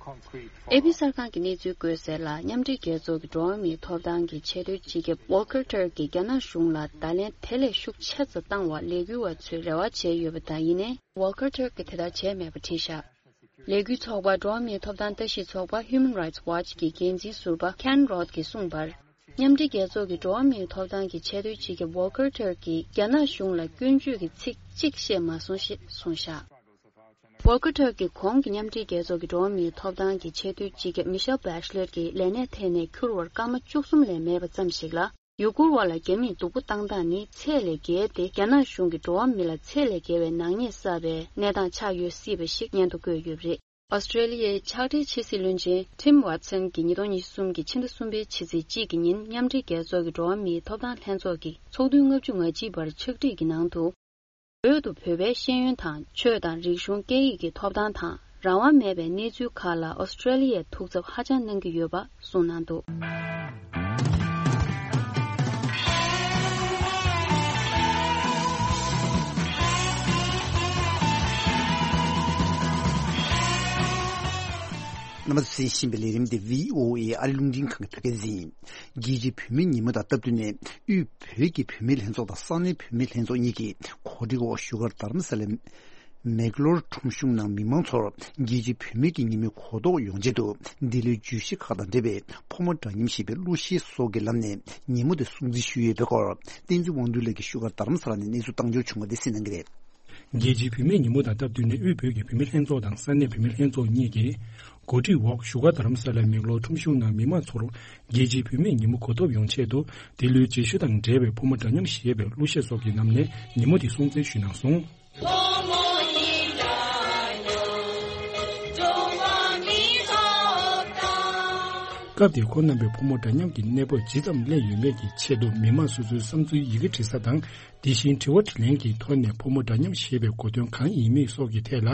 ཨེ་པི་གསར་ཁང་གི་གནས་ཚུལ་བཀོད་གསལ་ལ། མཉམ་འབྲེལ་རྒྱལ་ཚོགས་ཀྱི་འགྲོ་བ་མིའི་ཐོབ་ཐང་གི་ཆེས་མཐོའི་སྤྱི་ཁྱབ་Volker Turk གིས་རྒྱ་ནག་གཞུང་ལ་བརྡ་ལན་དེ་ལས་ཤུགས་ཆེ་ཙམ་བཏང་བར་ལས་འགུལ་བ་ཚོས་རེ་བ་བྱས་ཡོད་པ་དང་། ཡིན་ནའི་Volker Turk གིས་དེ་ལྟར་བྱས་མེད་པ་བྲིས་བཞག་ལས་འགུལ་ཚོགས་པ་འགྲོ་བ་མིའི་ཐོབ་ཐང་ལྟ་ཞིབ་ཚོགས་པ་Human Rights Watch གི་འགན་འཛིན་ཟུར་པ་Ken Roth གིས་གསུངས་པར། མཉམ་འབྲེལ་རྒྱལ་ཚོགས་ཀྱི་འགྲོ་བ་མིའི་ཐོབ་ཐང་གི་ཆེས་མཐོའི་སྤྱི་ཁྱབ་Volker Turk གིས་རྒྱ་ནག་གཞུང་ལ་སྐྱོན་བརྗོད་ཀྱི་ཚིག་གཅིག་བཤད་མ་སོང་ཞེས་གསུངས་བཞག Volker Turk གིས་གོང་གི་མཉམ་འབྲེལ་རྒྱལ་ཚོགས་ཀྱི་འགྲོ་བ་མིའི་ཐོབ་ཐང་གི་ཆེས་མཐོའི་སྤྱི་ཁྱབ་Michelle Bachelet གྱིས་ལས་གནས་ཐད་ནས་འཁྱུར་བར་སྐར་མ་བཅུ་གསུམ་ལས་མེད་པ་ཙམ་ཞིག་ལ། ཡུ་གུར་བ་ལ་རྒྱ་མིས་སྡུག་པོ་བཏང་སྟངས་ནི་ཚད་ལས་བརྒལ་ཏེ། རྒྱ་ནག་གཞུང་གིས་འགྲོ་བ་མི་ལ་ཚད་ལས་བརྒལ་བའི་ནག་ཉེས་བསགས་པའི་གནས་སྟངས་ཆགས་ཡོད་སྲིད་པ་ཞིག་སྙན་ཐོ་བཀོད་ཡོད་པ་རེད། ཨོ་སི་ཀྲེ་ལི་ཡའི་ཕྱག་སྦྲེལ་ཕྱི་སྲིད་བློན་ཆེན་Tim Watson གྱིས་ཉིས་སྟོང་ཉི་ཤུ་རྩ་གསུམ་གྱི་ཕྱི་ཟླ་གསུམ་པའི་ཕྱི་ཚེས་གཅིག་གི་ཉིན་མཉམ་འབྲེལ་རྒྱལ་ཚོགས་ཀྱི་འགྲོ་བ་མིའི་ཐོབ་ཐང་ལྷན་ཚོགས་ཀྱི་ཚོགས་དུས་ལྔ་བཅུ་ང་གཅིག་པར་ཕྱག་བྲིས་ཀྱི་ནང་དུ། བོད་དུ་བོད་པའི་ཤེས་ཡོན་དང་ཆོས་དང་རིག་གཞུང་སྐད་ཡིག་གི་ཐོབ་ཐང་དང་རང་དབང་མེད་པའི་གནས་ཚུལ་ཁག་ལ་ཨོ་སི་ཀྲེ་ལི་ཡས་ཐུགས་འཚབ་ཧ་ཅང་གནང་གི་ཡོད་པ་གསུངས་གནང་འདུག་རྣམ་པ་ཚོས་གསན་བཞིན་པའི་ལས་རིམ་འདི་བྷི་ཨོ་ཨེ་ཨ་རི་རླུང་འཕྲིན་ཁང་གི་བོད་སྐད་སྡེ་ཚན་ཡིན། རྒྱལ་སྤྱིའི་བུད་མེད་ཉིན་མོ་དང་སྟབས་བསྟུན་ནས། དབུས་བོད་ཀྱི་བུད་མེད་ལྷན་ཚོགས་དང་ས་གནས་བུད་མེད་ལྷན་ཚོགས་གཉིས་ཀྱིས་གོ་སྒྲིག་འོག་བཞུགས་སྒར་རྡ་རམ་ས་ལའི་མེག་ལོར་ཁྲོམ་གཞུང་ནང་མི་མང་ཚོར་རྒྱལ་སྤྱིའི་བུད་མེད་ཀྱི་ཉིན་མོའི་གོ་རྟོགས་ཡོང་ཆེད་དུ། འདི་ལོའི་བརྗོད་གཞི་ཁག་དང་འབྲེལ་བའི་ཕོ་མོ་འདྲ་མཉམ་ཞེས་པའི་གླུ་གཞས་སོགས་ཀྱི་ལམ་ནས་ཉིན་མོ་དེ་སྲུང་བརྩི་ཞུས་ཡོད་པའི་སྐོར། བསྟན་འཛིན་དབང་འདུས་ལགས་ཀྱིས་བཞུགས་སྒར་རྡ་རམ་ས་ལ་ནས་གནས་ཚུལ་བཏང་འབྱོར་བྱུང་བ་དེ་གསན་གནང་གི་རེད། རྒྱལ་སྤྱིའི་བུད་མེད་ཉིན་མོ་དང་སྟབས་བསྟུན་ནས། དབུས་བོད་ཀྱི་བུད་མེད་ལྷན་ཚོགས་དང་ས་གནས་བུད་མེད་ལྷན་ཚོགས་གཉིས་ཀྱིས་གོ་སྒྲིག་འོག་བཞུགས་སྒར་རྡ་རམ་ས་ལའི་མེག་ལོར་ཁྲོམ་གཞུང་ནང་མི་མང་ཚོར་རྒྱལ་སྤྱིའི་བུད་མེད་ཉིན་མོ་གོ་ཐོབ་ཡོང་ཆེད་དུ། འདི་ལོའི་བརྗོད་གཞི་དང་འབྲེལ་བའི་ཕོ་མོ་འདྲ་མཉམ་ཞེས་པའི་གླུ་གཞས་སོགས་ཀྱི་ལམ་ནས་ཉིན་མོ་འདི་སྲུང་བརྩི་ཞུས་གནང་སོང་། སྐབས་དེར་ཁོང་རྣམ་པས་ཕོ་མོ་འདྲ་མཉམ་གྱི་གནས་བབ་ཇི་ཙམ་སླེབས་ཡོད་མེད་ཀྱི་ཆེད་དུ། མི་མང་སོ་སོའི་བསམ་ཚུལ་ཡི་གེ་འབྲི་ས་དང་། དེ་བཞིན་དྲི་བ་དྲིས་ལན་གྱི་ཐོག་ནས་ཕོ་མོ་འདྲ་མཉམ་ཞེས་པའི་གོ་དོན་གང་ཡིན་མིན་སོགས་ཀྱི་ཐད་ལ་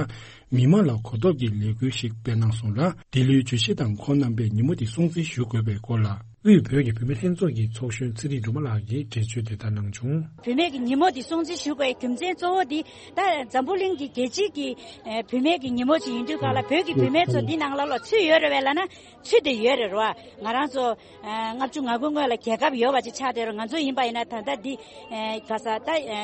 མི་མང་ལ་གོ་རྟོགས་ཀྱི་ལས་འགུལ་ཞིག་སྤེལ་གནང་སོང་ལ། འདི་ལོའི་བརྗོད་གཞི་དང་ཁོང་རྣམ་པས་ཉིན་མོ་འདི་སྲུང་བརྩི་ཞུ་དགོས་པའི་སྐོར་ལ། དབུས་བོད་ཀྱི་བུད་མེད་ལྷན་ཚོགས་ཀྱི་ཚོགས་གཞོན་ཚེ་རིང་སྒྲོལ་མ་ལགས་ཀྱིས་འགྲེལ་བརྗོད་དེ་ལྟར་གནང་བྱུང་། བུད་མེད་ཀྱི་ཉིན་མོ་འདི་སྲུང་བརྩི་ཞུ་དགོས་རྒྱུ་མཚན་གཙོ་བོ་འདི། ད་འཛམ་བུ་གླིང་གི་རྒྱལ་སྤྱི་གི་ཨེ་བུད་མེད་ཀྱི་ཉིན་མོ་ཅིག་ཡིན་དུས་སྒང་ལ། བོད་ཀྱི་བུད་མེད་ཚོ་འདི་ནང་ལ་ལ་ཚུད་ཡོད་རེད་པས་ལབ་ན། ཚུད་དེ་ཡོད་རེད་རོ། ང་རང་ཚོ་ཨ་ལྔ་བཅུ་ང་དགུ་སྔོན་ལ་རྒྱལ་ཁབ་ཡོད་པ་ཅིག་ཆགས་བསྡད་རོ། ང་ཚོ་ཡིན་པ་ཡིན་ན་ད་ལྟ་འདི་ཨ་ག་ས་ད་ཨ་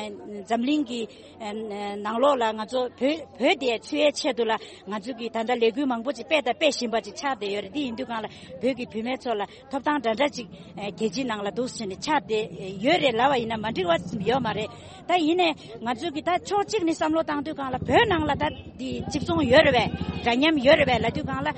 འཛམ་གླིང་གི་ཨ་ནང་ལོགས་ལ་ང་ཚོ་བོད་བོད་དེ་ཚུད་ཡའི་ཆེད་དུ་ལ་ང་ཚོ་གི་ད་ལྟ་ལས་འགུལ་མང་པོ་ཅིག་སྤེལ་དང་སྤེལ་བཞིན་པ་ཅིག་ཆགས་བསྡད་ཡོད་རེད། འདི་ཡིན་དུས་སྒང་ལ་བོད་ཀྱི་བུད་མེད་ཚོ་ལ་ཐོབ་ཐང་འདྲ་འདྲ་ཅིག་ཨ་རྒྱལ་སྤྱིའི་ནང་ལ་འདུག་ཟེར་ནས་ཆགས་བསྡད་ཡོད་རེད་ལབ་པ་ཡིན་ན་མ་འགྲིག་པ་ཡོད་མ་རེད། ད་ཡིན་ནའི་ང་ཚོ་གི་ད་ཕྱོགས་གཅིག་ནས་བསམ་བློ་བཏང་དུས་སྒང་ལ་བོད་ནང་ལ་ད་འདི་གཅིག་མཚུངས་ཡོད་རེད་པས། འདྲ་མཉམ་ཡོད་རེད་པས་ལབ་དུས་སྒང་ལ།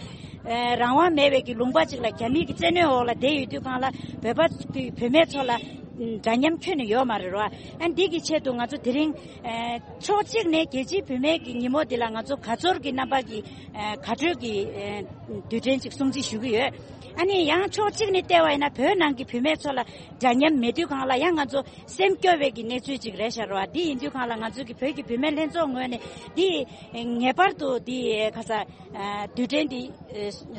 ཨེ་རང་དབང་མེད་པའི་གི་ལུང་པ་ཅིག་ལ་རྒྱ་མིའི་གི་བཙན་གནོན་འོག་ལ་བསྡད་ཡོད་དུས་སྒང་ལ་བོད་པ་ཚོ་བོད་མི་ཚོ་ལ་འདྲ་མཉམ་ཁྱོན་ནས་ཡོད་མ་རེད་རོ། ཨ་འདི་གི་ཆེད་དུ་ང་ཚོ་དེ་རིང་ཨེ་ཕྱོགས་གཅིག་ནས་རྒྱལ་སྤྱིའི་བུད་མེད་ཀྱི་ཉིན་མོ་འདི་ལ་ང་ཚོ་དགའ་ཚོར་གྱི་རྣམ་པ་གི་ཨེ་དགའ་སྤྲོའི་གི་ཨེ་དུས་དྲན་ཅིག་སྲུང་བརྩི་ཞུ་གི་ཡོད། ཨ་ནི་ཡང་ཕྱོགས་གཅིག་ནས་བལྟས་པ་ཡིན་ན་བོད་ནང་གི་བུད་མེད་ཚོ་ལ་འདྲ་མཉམ་མེད་དུས་སྒང་ལ་ཡང་ང་ཚོ་སེམས་སྐྱོ་བའི་གི་གནས་ཚུལ་ཅིག་རེད་ཤག་རོ། འདི་ཡིན་དུས་སྒང་ལ་ང་ཚོ་གི་བོད་ཀྱི་བུད་མེད་ལྷན་ཚོགས་ངོས་ནས་འདི་ངེས་པར་དུ་འདི་ཁ་ས་དུས་དྲན་འདི་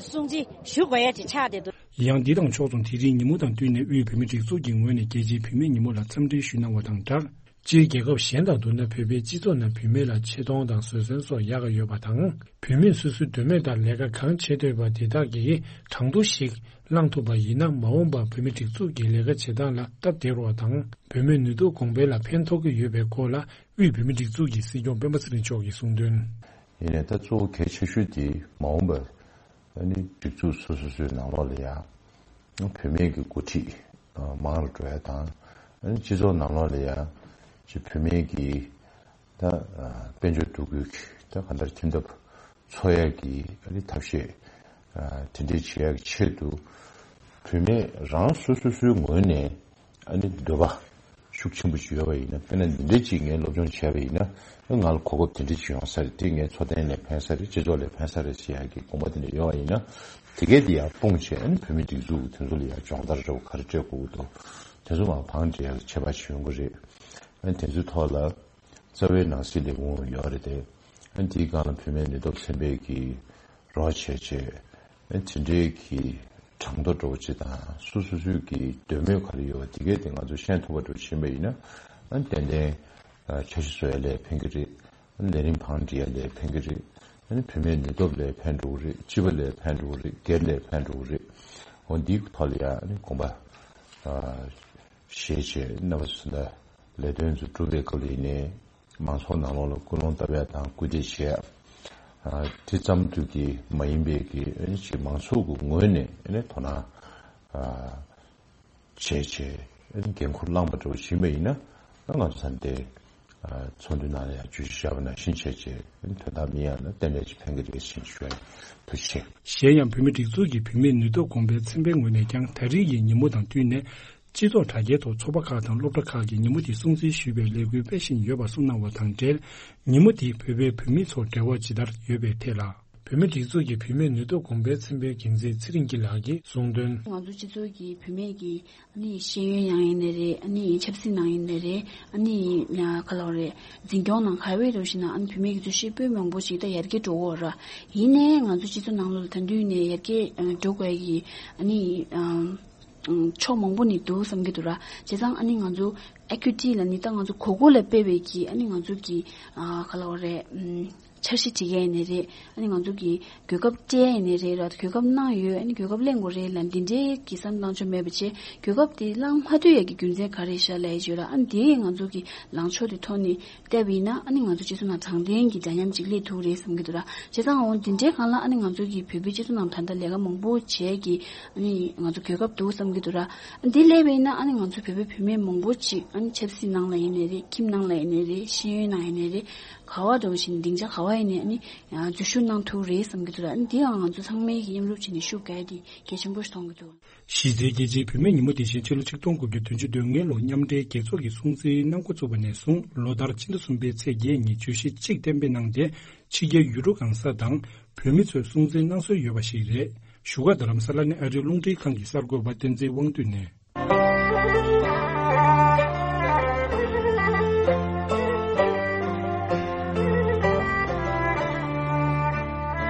སྲུང་བརྩི་ཞུ་དགོས་ཡ་ཅིག་ཆགས་བསྡད་འདུག། ཡང་འདི་དང་ཕྱོགས་མཚུངས་དེ་རིང་ཉིན་མོ་དང་བསྟུན་ནས་དབུས་བོད་མིའི་སྒྲིག་འཛུགས་ཀྱི་ངོས་ནས་རྒྱལ་སྤྱིའི་བུད་མེད་ཉིན་མོ་ལ་འཚམས་འདྲི་ཞུས་གནང་བ་དང་སྦྲགས། སྤྱིར་རྒྱལ་ཁབ་གཞན་དང་བསྡུར་ན་བོད་པའི་སྤྱི་ཚོགས་ནང་བུད་མེད་ལ་ཆེ་མཐོང་དང་བཟོད་བསྲན་སོགས་ཡག་ག་ཡོད་པ་དང་། བུད་མེད་སོ་སོའི་འདོད་མོས་ལྟར་ལས་ཀ་གང་བྱེད་འདོད་པ་དེ་དག་གིས་གྲངས་ཐོ་ཞིག་བླངས་ཐུབ་པ་ཡིན་ན། མ་འོངས་པར་བོད་མིའི་སྒྲིག་འཛུགས་ཀྱི་ལས་ཀ་བྱེད་སྟངས་ལ་སྟབས་བདེ་རུ་བ་དང་། བུད་མེད་ནུས་སྟོབས་གོང་འཕེལ་ལ་ཕན་ཐོགས་ཀྱི་ཡོད་པའི་སྐོར་ལ། དབུས་བོད་མིའི་སྒྲིག་འཛུགས་ཀྱི་སྲིད་སྐྱོང་སྤེན་པ་ཚེ་རིང་མཆོག་གིས་གསུངས་དོན། ཡིན་ནའི་ད་གཙོ་བོ་གལ་ཆེ་ཤོས་དེ་མ་འོངས་པར་ཨ་ནི་སྒྲིག་འཛུགས་སོ་སོ་སོའི་ནང་ལོགས་ལ་ཡང་བུད་མེད་ཀྱི་འགོ་ཁྲིད་མང་རུ་འགྲོ་ཡ་དང་། ཨ་ནི་སྤྱི་ཚོགས་ནང་ལོགས་ལ་ཡང་ཅིག་བུད་མེད་ཀྱི་ད་དཔལ་འབྱོར་འདུ་འགོད་ཀྱི་ད་ག་འདྲ་ཁྱིམ་ཐབ་འཚོ་ཡ་གི་ཨ་ནི་ཐབས་ཤེས་དེ་འདྲའི་བྱེད་ཡ་གི་ཆེད་དུ་ བུད་མེད་རང་སོ་སོ་སོའི་ངོས་ནས་ཨ་ནི་འདོད་པ་ཤུགས་ཆེན་པོ་ཞིག་ཡོད་པ་ཡིན་ན། དཔེར་ན་འདི་འདྲའི་ཅིག་ངས་སློབ་སྦྱོང་བྱས་པ་ཡིན་ན་ང་ལ་གོ་སྐབས་དེ་འདྲ་ཅིག་ཡོང་ས་རེད། དེ་ངའི་འཚོ་རྟེན་ལ་ཕན་ས་རེད། སྤྱི་ཚོགས་ལ་ཕན་ས་རེད་ཟེར་ཡག་གི་དགོངས་པ་དེ་འདྲ་ཡོད་པ་ཡིན་ན། དེ་གས་དེ་ཡར་སྤུངས་བྱས་ཨ་ནི་བུད་མེད་སྒྲིག་འཛུགས་དེ་ཚོ་ལ་ཡར་སྦྱོང་བརྡར་འདྲ་བོ་ག་རེ་སྤྲད་དགོས་ཀྱི་འདུག་དེ་ཚོ་མར་བང་སྒྲིག་ཡག་ལ་ཆད་པ་ཞིག་ཡོང་གི་རེད། ཨ་ནི་དེ་ཚོའི་ཐོག་ལ་རྩ་བའི་ནང་སྲིད་ལས་ཁུངས་ཡོད་རེད་དེ། ཨ་ནི་དེའི་སྒང་ལ་བུད་མེད་ནུས་སྟོབས་ཚན་པས་ཀྱི་རོགས་བྱས་བྱས། ཨ་ནི་དེ་འདྲའི་གི་གྲངས་ཐོ་འདྲ་བོ་ཅིག་དང་སོ་སོ་སོའི་གི་འདོད་མོས་ག་རེ་ཡོད་པ་དེ་གས་དེ་ང་ཚོ་ཤེས་ཐུབ་པ་འདྲ་བོ་ཕྱིན་པ་ཡིན་ན། ཨ་ནི་ཏན་ཏན་ཨ་འཆར་གཞི་བཟོ་ཡ་ལ་ཕན་གི་རེད། ཨ་ནི་ལས་རིམ་བང་སྒྲིག་ཡ་ལ་ཕན་གི་རེད། ཨ་ནི་བུད་མེད་ནུས་སྟོབས་ལ་ཕན་འགྲོ་གི་རེད། སྤྱི་པ་ལ་ཕན་འགྲོ་གི་རེད། སྒེར་ལ་ཕན་འགྲོ་གི་རེད། འོ་འདིའི་ཐོག་ལ་ཡ་ཨ་ནི་དགོངས་པ་ཨ་བཞེས་བྱས་རྣམ་པ་ཚོ་ད་ལས་དོན་ཚོ་སྒྲུབ་པའི་སྐབས་ལ་ཡིན་ནའི་མང་ཚོགས་ནང་ལོགས་ལ་སྐུལ་སློང་བཏབ་ཡ་དང་སྐུལ་འདེད་བྱེད་ཡ། ཨ་དེ་ཙམ་དུ་གི་མ་ཡིན་པའི་གི་ཨ་ནི་ཅིག་མང་ཚོགས་ཀྱི་ངོས་ནས་ཨ་ནི་དོ་སྣང་ཨ་བྱས་བྱས་ཨ་ནི་འགན་ཁུར་བླངས་པ་འདྲ་བོ་ཞིག་ཡིན་པ་ཡིན་ན། ཨ་ང་ཚོ་ད་ལྟའི་ཨ་ཚོགས་འདུའི་ནང་ལ་ཡང་བརྗོད་གཞི་བཞག་པ་ནང་བཞིན་བྱས་བྱས་ཨ་ནི་དོན་དག་མི་ཡོང་ན་ཏན་ཏན་ཅིག་ཕན་གྱི་རེད་ཟེར་ཞུ་ཡ་ཡིན། ཐུགས་རྗེ་ཆེ། གཞན་ཡང་བུད་མེད་སྒྲིག་འཛུགས་ཀྱི་བུད་མེད་ནུས་སྟོབས་གོང་འཕེལ་ཚན་པའི་ངོས་ནས་ཀྱང་ད་རེས་ཀྱི་ཉིན་མོ་དང་བསྟུན་ནས། སྤྱི་ཚོགས་དྲ་རྒྱའི་ཐོག་ཚོགས་པ་ཁག་དང་སློབ་གྲྭ་ཁག་གིས་ཉིན་མོ་དེ་སྲུང་བརྩི་ཞུས་པའི་ལས་འགུལ་སྤེལ་བཞིན་ཡོད་པ་གསུངས་གནང་བ་དང་འབྲེལ། ཉིན་མོ་དེས་བོད་པའི་བུད་མེད་ཚོར་འབྲེལ་བ་ཇི་ལྟར་ཡོད་པའི་ཐད་ལ། བུད་མེད་སྒྲིག་འཛུགས་ཀྱི་བུད་མེད་ནུས་སྟོབས་གོང་འཕེལ་ཚན་པའི་འགན་འཛིན་ཚེ་རིང་སྐྱིད་ལགས་ཀྱིས་གསུངས་དོན། ང་ཚོ་སྤྱི་ཚོགས་ཀྱི་བུད་མེད་ཀྱི་ཨ་ནི་ཤེས་ཡོན་ནང་ཡིན་ནའི་རེད། ཨ་ནི་ཆབ་སྲིད་ནང་ཡིན་ནའི་རེད། ཨ་ནི་ག་ལབ་རེད། འཛིན་སྐྱོང་ནང་ག་བའི་རུ་ཞིག་ན་ཨ་ནི་བུད་མེད་ཀྱི་འཛུལ་ཞུགས་སྤུས་མང་པོ་ཞིག་ད་ཡར་རྒྱས་འགྲོ་གི་ཡོད་ར། ཡིན་ནའི་ང་ཚོ་སྤྱི་ཚོགས་ནང་ལོགས་ལ་ད་དུང་ནས་ཡར་རྒྱས་འགྲོ་དགོས་ཀྱི་ཨ་ནི། ཕྱོགས་མང་པོ་ནས་འདུག་བསམ་གྱི་འདུག་ར། བྱས་ཙང་ཨ་ནི་ང་ཚོ་ཨེ་ཀུའི་ཊི་ལ་ནི་ད་ང་ཚོ་གོ་གོ་ལ་སྤེལ་བའི་གི་ཨ་ནི་ང་ཚོ་གི་ཨ་ག་ལབ་རེད། ཨམ་འཆར་གཞི་སྒྲིག་ཡས་ནས་རེད། ཨ་ནི་ང་ཚོ་གི་གོ་སྐབས་སྤྲད་ཡས་ནས་རེད་ར། གོ་སྐབས་གནང་ཡོད། ཨ་ནི་གོ་སྐབས་ལེན་དགོས་རེད་ལ། འདི་འདྲའི་གི་བསམ་བློ་བཏང་ཆོག་མེད་པ་བྱས། གོ་སྐབས་དེ་བླང་མ་ཐུབ་ཡས་ཀྱི་རྒྱུ་མཚན་ག་རེ་ཤག་ལབ་ཡས་བརྗོད་ར། ཨ་ནི་དེ་ང་ཚོ་གི་ལངས་ཕྱོགས་དེ་ཐོག་ནས་བལྟས་པ་ཡིན་ན། ཨ་ནི་ང་ཚོ་སྤྱི་ཚོགས་ནང་དྲང་བདེན་གྱི་འདྲ་མཉམ་ཅིག་སླེབས་ཐུབ་རེད་བསམ་གྱི་འདུག་ར། བྱས་ཙང་འོ་འདི་འདྲའི་སྒང་ལ་ཨ་ནི་ང་ཚོ་གི་བོད་པའི་སྤྱི་ཚོགས་ནང་ད་ལྟ་ལས་ཀ་མང་པོ་བྱས་ཀྱི་ཨ་ནི་ང་ཚོ་གོ་སྐབས་འདུག་བསམ་གྱི་འདུག་ར། འདི་སླེབས་པ་ཡིན་ན་ཨ་ནི་ང་ཚོ་བོད་པའི་བུད་མེད་མང་པོ་ཅིག་ཨ་ནི་ཆབ་སྲིད་ནང་ལ་ཡིན་ནའི་རེད། ཁྱིམ་ནང་ལ་ཡིན་ནའི་རེད། ཤེས་ཡོན་ནང་ཡིན་ནའི་རེད། ག་བ་འགྲོ་བཞིན་སྡིངས་ཆ་ག་བ་ཡིན་ནའི་ཨ་ནི་འཛུལ་ཞུགས་གནང་ཐུབ་རེད་བསམ་གྱི་འདུག་ར། ཨ་ནི་འདི་ཡང་ང་ཚོ་ཚང་མས་ཀྱི་མཉམ་རུབ་བྱས་ནས་ཤུགས་རྒྱག་ཡ་དེ་གལ་ཆེན་པོ་ཞིག་མཐོང་གི་འདུག། གཞི་རྩའི་རྒྱལ་སྤྱིའི་བུད་མེད་ཉིན་མོ་དེ་བཞིན་ཕྱི་ལོ་ཆིག་སྟོང་དགུ་བརྒྱ་བདུན་ཅུ་དོན་ལྔའི་ལོ་མཉམ་འབྲེལ་རྒྱལ་ཚོགས་ཀྱིས་སྲུང་བརྩིའི་གནང་འགོ་བཙུགས་པ་ནས་བཟུང་ལོ་ལྟར་ཕྱི་ཟླ་གསུམ་པའི་ཚེས་བརྒྱད་ཉིན་བརྗོད་གཞི་གཅིག་གཏན་འབེབས་གནང་སྟེ། ཕྱི་རྒྱལ་ཡུལ་གྲུ་གང་ས་དང་བོད་མི་ཚོས་སྲུང་བརྩི་གནང་སྲོལ་ཡོད་པ་ཞིག་རེད། བཞུགས་སྒར་རྡ་རམ་ས་ལ་ནས་ཨ་རིའི་རླུང་འཕྲིན་ཁང་གི་གསར་འགོད་པ་བསྟན་འཛིན་དབང་འདུས་ནས།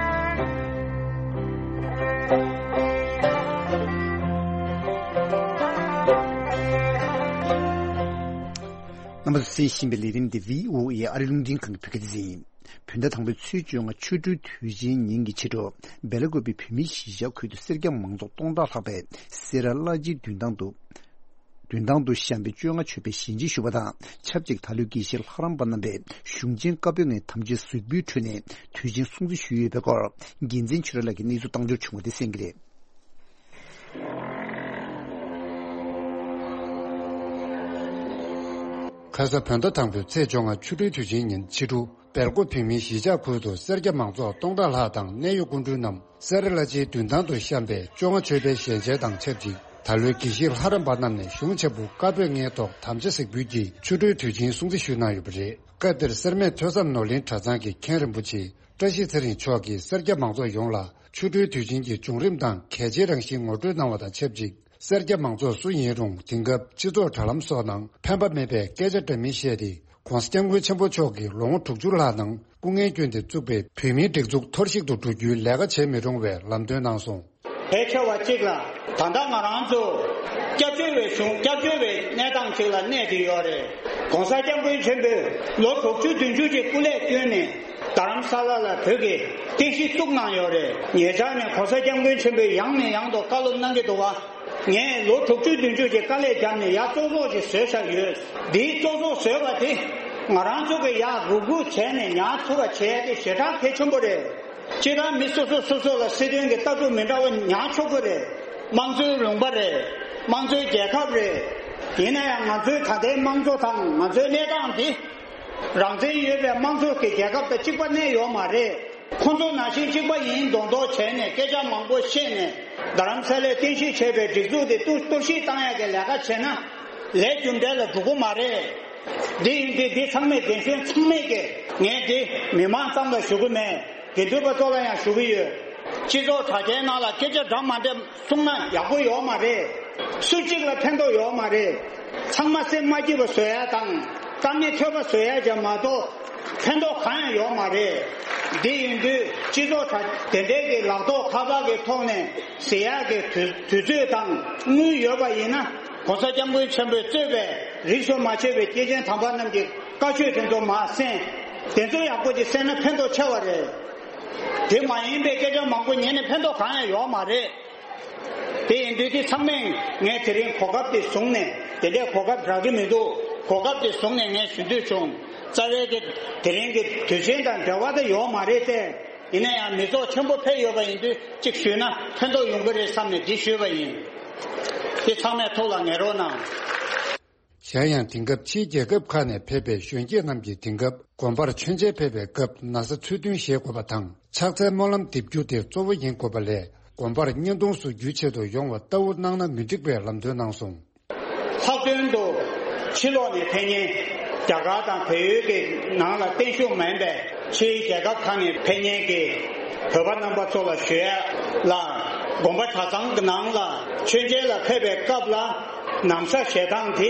རྣམ་པ་ཚོས་གསན་བཞིན་པའི་ལས་རིམ་འདི་བྷི་ཨོ་ཨེ་ཨ་རིའི་རླུང་འཕྲིན་ཁང་གི་བོད་སྐད་སྡེ་ཚན་ཡིན། བོད་ཟླ་དང་པོའི་ཚེས་བཅོ་ལྔ་ཆོ་འཕྲུལ་དུས་ཆེན་ཉིན་གྱི་ཕྱི་དྲོ། སྦེ་ལ་ཀོབ་པའི་བོད་མིའི་གཞིས་ཆགས་ཁུལ་དུ་སེར་སྐྱ་མང་ཚོགས་སྟོང་ཕྲག་ལྷག་པས་སེ་ར་བླ་སྤྱིའི་མདུན་ཐང་དུ། མདུན་ཐང་དུ་ཤམ་པའི་བཅོ་ལྔ་མཆོད་པའི་ཞལ་མཇལ་ཞུས་པ་དང་ཆབས་ཅིག་ད་ལོའི་དགེ་བཤེས་ལྷ་རམས་པ་རྣམ་པས་གཞུང་ཆེན་བཀའ་པོད་ལྔའི་དམ་བཅའི་གཟིགས་འབུལ་ཁྲོད་ནས་དུས་ཆེན་སྲུང་བརྩི་ཞུས་ཡོད་པའི་སྐོར། རྒྱལ་མཚན་ཆོས་གྲགས་ལགས་ཀྱིས་གནས་ཚུལ་བཏང་འབྱོར་བྱུང་བ་དེ་གསན་གྱི་རེད། ཁ་ས་བོད་ཟླ་དང་པོའི་ཚེས་བཅོ་ལྔ་ཆོ་འཕྲུལ་དུས་ཆེན་ཉིན་ཕྱི་དྲོ། སྦེལ་ཀོབ་བོད་མིའི་གཞིས་ཆགས་ཁུལ་དུ་སེར་སྐྱ་མང་ཚོགས་སྟོང་ཕྲག་ལྷག་དང་གནད་ཡོད་སྐུ་མགྲོན་རྣམས་སེ་ར་བླ་སྤྱིའི་མདུན་ཐང་དུ་བཤམས་པའི་བཅོ་ལྔ་མཆོད་པའི་ཞལ་མཇལ་དང་ཆབས་ཅིག་ད་ལོའི་དགེ་བཤེས་ལྷ་རམས་པ་རྣམས་ནས་གཞུང་ཆེན་པོ་བཀའ་པོད་ལྔའི་ཐོག་དམ་བཅའ་གཟིགས་འབུལ་གྱིས་ཆོ་འཕྲུལ་དུས་ཆེན་སྲུང་བརྩི་ཞུས་གནང་ཡོད་པ་རེད། སྐབས་དེར་སེར་སྨད་ཐོས་བསམ་ནོར་གླིང་གྲྭ་ཚང་གི་མཁན་རིན་པོ་ཆེ་བཀྲ་ཤིས་ཚེ་རིང་མཆོག་གིས་སེར་སྐྱ་མང་ཚོགས་ཡོངས་ལ་ཆོ་འཕྲུལ་དུས་ཆེན་གྱི་བྱུང་རིམ་དང་གལ་ཆེའི་རང་བཞིན་ངོ་སྤྲོད་གནང་བ་དང་ཆབས་ཅིག་སེར་སྐྱ་མང་ཚོགས་སུ་ཡིན་རུང་དེང་སྐབས་སྤྱི་ ཚོགས་དྲ་ལམ་སོགས་ནང་ཕན་པ་མེད་པའི་སྐད་ཆ་འདྲ་མིན་བཤད་དེ། ༸གོང་ས་༸སྐྱབས་མགོན་ཆེན་པོ་མཆོག་གིས་ལོ་ངོ་དྲུག་ཅུ་ལྷག་ནང་སྐུ་ངལ་བསྐྱོན་ཏེ་བཙུགས་པའི་བོད་མིའི་སྒྲིག་འཛུགས་འཐོར་ཞིག་ཏུ་འགྲོ་རྒྱུའི་ལས་ཀ་བྱེད་མི་རུང་བའི་ལམ་སྟོན་གནང་སོང་། ཕལ་ཆེ་བ་གཅིག་ལ་ད་ལྟ་ང་རང་ཚོ་སྐྱབས་བཅོལ་བའི་གཞུང་སྐྱབས་བཅོལ་བའི་གནས་སྟངས་གཅིག་ལ་གནས་ཏེ་ཡོད་རེད། ༸གོང་ས་༸སྐྱབས་མགོན་ཆེན་པོས་ལོ་དྲུག་ཅུ་བདུན་ཅུ་ཅིག་སྐུ་ལས་བསྐྱོན་ནས་རྡ་རམ་ས་ལ་ལ་བོད་ཀྱི་རྟེན་གཞི་བཙུགས་གནང་ཡོད་རེད། ཉེ་ཆར་ནས་༸གོང་ས་༸སྐྱབས་མགོན་ཆེན་པོས་ཡང་ནས་ཡང་དུ་བཀའ་སློབ་གནང་གི་འདུག་བ། ངས་ལོ་དྲུག་ཅུ་བདུན་ཅུ་ཅིག་དཀའ་ལས་བརྒྱབ་ནས་ཡར་བཙོག་བཙོག་ཅིག་བཟོས་བཞག་ཡོད། འདིའི་བཙོག་བཙོག་བཟོས་པ་དེ་ང་རང་ཚོ་གི་ཡར་རུབ་རུབ་བྱས་ནས་ཉར་ཐུབ་པ་བྱས་ཏེ་ཞེ་དྲག་གལ་ཆེན་པོ་རེད། སྤྱིར་བཏང་མི་སོ་སོ་སོ་སོ་ལ་སྲིད་དོན་གྱི་ལྟ་གྲུབ་མི་འདྲ་བ་ཉར་ཆོག་གི་རེད། དམངས་གཙོའི་ལུང་པ་རེད། དམངས་གཙོའི་རྒྱལ་ཁབ་རེད། ཡིན་ན་ཡང་ང་ཚོའི་ད་ལྟའི་དམངས་གཙོ་དང་ང་ཚོའི་གནས་སྟངས་འདི། རང་བཙན་ཡོད་པའི་དམངས་གཙོ་གི་རྒྱལ་ཁབ་དང་གཅིག་པ་གནས་ཡོད་མ་རེད། ཁོང་ཚོ་ནང་བཞིན་གཅིག་པ་ཡིན་མདོག་མདོག་བྱས་ནས་སྐད་ཆ་མང་པོ་བཤད་ནས་ རྡ་རམ་ས་ལའི་རྟེན་གཞི་བྱས་པའི་སྒྲིག་འཛུགས་དེ་གཏོར་གཏོར་བཤིག་བཏང་ཡག་གི་ལས་ཀ་བྱས་ན་ལས་རྒྱུ་འབྲས་ལ་འགྲོ་གི་མ་རེད། འདི་ཡིན་དུས་འདི་ཚང་མས་རྒན་གཞོན་ཚང་མས་ཀྱི་ངས་འདི་མི་མང་ཙམ་ལ་ཞུ་གི་མེད། དགེ་འདུན་པ་ཚོ་ལ་ཡང་ཞུ་གི་ཡོད། སྤྱི་ཚོགས་དྲ་རྒྱའི་ནང་ལ་སྐད་ཆ་འདྲ་མ་འདྲ་གསུངས་ན་ཡག་པོ་ཡོད་མ་རེད། སུ་གཅིག་ལ་ཕན་ཐོགས་ཡོད་མ་རེད། ཚང་མ་སེམས་མ་སྐྱིད་པ་བཟོ་ཡ་དང་དཀའ་ངལ་ཐོལ་པ་བཟོ་ཡ་ཅིག་མ་གཏོགས་ཕན་ཐོགས་གང་ཡང་ཡོད་མ་རེད། འདི་ཡིན་དུས་སྤྱི་ཚོགས་དྲ་དེ་འདྲའི་གི་ལག་ཐོགས་ཁ་པར་གི་ཐོག་ནས་ཟེར་ཡག་གི་དུས་དུས་ཚོད་དང་དངུལ་ཡོད་པ་ཡིན་ན་༸གོང་ས་༸སྐྱབས་མགོན་ཆེན་པོས་གཙོས་པའི་རིས་སུ་མ་ཆད་པའི་སྐྱེས་ཆེན་དམ་པ་རྣམས་ཀྱི་བཀའ་ཆོས་དེ་ཚོ་མར་གསན། དེ་ཚོ་ཡག་པོ་ཅིག་གསན་ན་ཕན་ཐོགས་ཆེ་བ་རེད། དེ་མ་ཡིན་པའི་སྐད་ཆ་མང་པོ་ཉན་ནས་ཕན་ཐོགས་གང་ཡང་ཡོད་མ་རེད། དེ་ཡིན་དུས་དེ་ཚང་མས་ངས་དེ་རིང་གོ་སྐབས་དེ་བཟུང་ནས་དེ་འདྲའི་གོ་སྐབས་རག་གི་མི་འདུག་གོ་སྐབས་དེ་བཟུང་ནས་ངས་ཞུ་འདོད་བྱུང་། རྩ་བའི་དེ་དེ་རིང་གི་དུས་ཆེན་དང་འབྲེལ་བ་དེ་ཡོད་མ་རེད་དེ། ཡིན་ན་ཡང་མི་ཚོགས་ཆེན་པོ་ཕེབས་ཡོད་པ་ཡིན་དུས་གཅིག་ཞུས་ན་ཕན་ཐོགས་ཡོང་གི་རེད་བསམ་ནས་འདི་ཞུས་པ་ཡིན། དེ་ཚང་མས་ཐུགས་ལ་ངེས་རོགས་གནང་། གཞན་ཡང་དེང་སྐབས་ཕྱིའི་རྒྱལ་ཁབ་ཁག་ནས་ཕེབས་པའི་གཞོན་སྐྱེས་རྣམས་ཀྱིས་དེང་སྐབས་དགོན་པར་མཆོད་མཇལ་ཕེབས་པའི་སྐབས་ན་བཟའ་ཚུལ་མཐུན་བཞེས་དགོས་པ་དང་ཕྱག་འཚལ་སྨོན་ལམ་འདེབས་རྒྱུ་དེ་གཙོ་བོ་ཡིན་དགོས་པ་ལས་དགོན་པར་བརྙན་ཐུང་བཟོ་རྒྱུའི་ཆེད་དུ་ཡོང་བ་ལྟ་བུ་གནང་ན་མི་འགྲིག་པའི་ལམ་སྟོན་གནང་སོང་། ལྷག་དོན་དུ་ཕྱི་ལོགས་ནས་ཕེབས་མཁན་རྒྱ་གར་དང་བལ་ཡུལ་གྱི་ནང་ལ་བརྟན་བཞུགས་མིན་པའི་ཕྱིའི་རྒྱལ་ཁབ་ཁག་ནས་ཕེབས་མཁན་གྱི་བོད་པ་རྣམ་པ་ཚོ་ལ་ཞུ་ཡ་ལ། དགོན་པ་གྲྭ་ཚང་གི་ནང་ལ་མཆོད་མཇལ་ལ་ཕེབས་པའི་སྐབས་ལ་ན་བཟའ་བཞེས་སྟངས་དེ་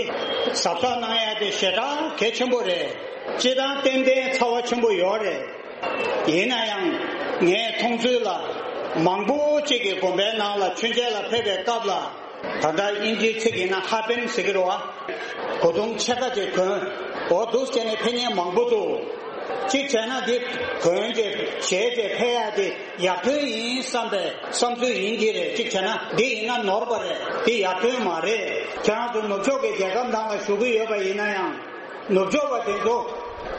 གཟབ་གཟབ་གནང་ཡ་དེ་ཞེ་དྲག་གལ་ཆེན་པོ་རེད། སྤྱིར་བཏང་ཏན་ཏན་ཚ་བ་ཆེན་པོ་ཡོད་རེད། ཡིན་ན་ཡང་ངས་མཐོང་ཚུལ་ལ་མང་པོ་ཅིག་གིས་དགོན་པའི་ནང་ལ་མཆོད་མཇལ་ལ་ཕེབས་པའི་སྐབས་ལ། ད་ལྟ་དབྱིན་ཇིའི་ཚིག་ཡིན་ན་ཧ་པན་ཟེར་གྱི་རེད་བ། གོས་ཐུང་ཕྱེད་ཀ་ཅིག་གོན། འོ་འདུག་བྱས་ནས་ཕེབས་མཁན་མང་པོ་འདུག་གཅིག་བྱས་ན་འདི་གོན་བྱས་བཞེས་བྱས་ཕེབས་ཡ་དེ་ཡར་ཐོན་ཡིན་བསམ་པའི་བསམ་ཚུལ་ཡིན་གྱི་རེད། གཅིག་བྱས་ན་འདི་ཡིན་ན་ནོར་བ་རེད། འདི་ཡར་ཐོན་མ་རེད། ཁྱེད་རང་ཚོ་ནུབ་ཕྱོགས་ཀྱི་རྒྱལ་ཁབ་ནང་ལ་བཞུགས་ཀྱི་ཡོད་པ་ཡིན་ན་ཡང་། ནུབ་ཕྱོགས་པ་དེ་ཚོ་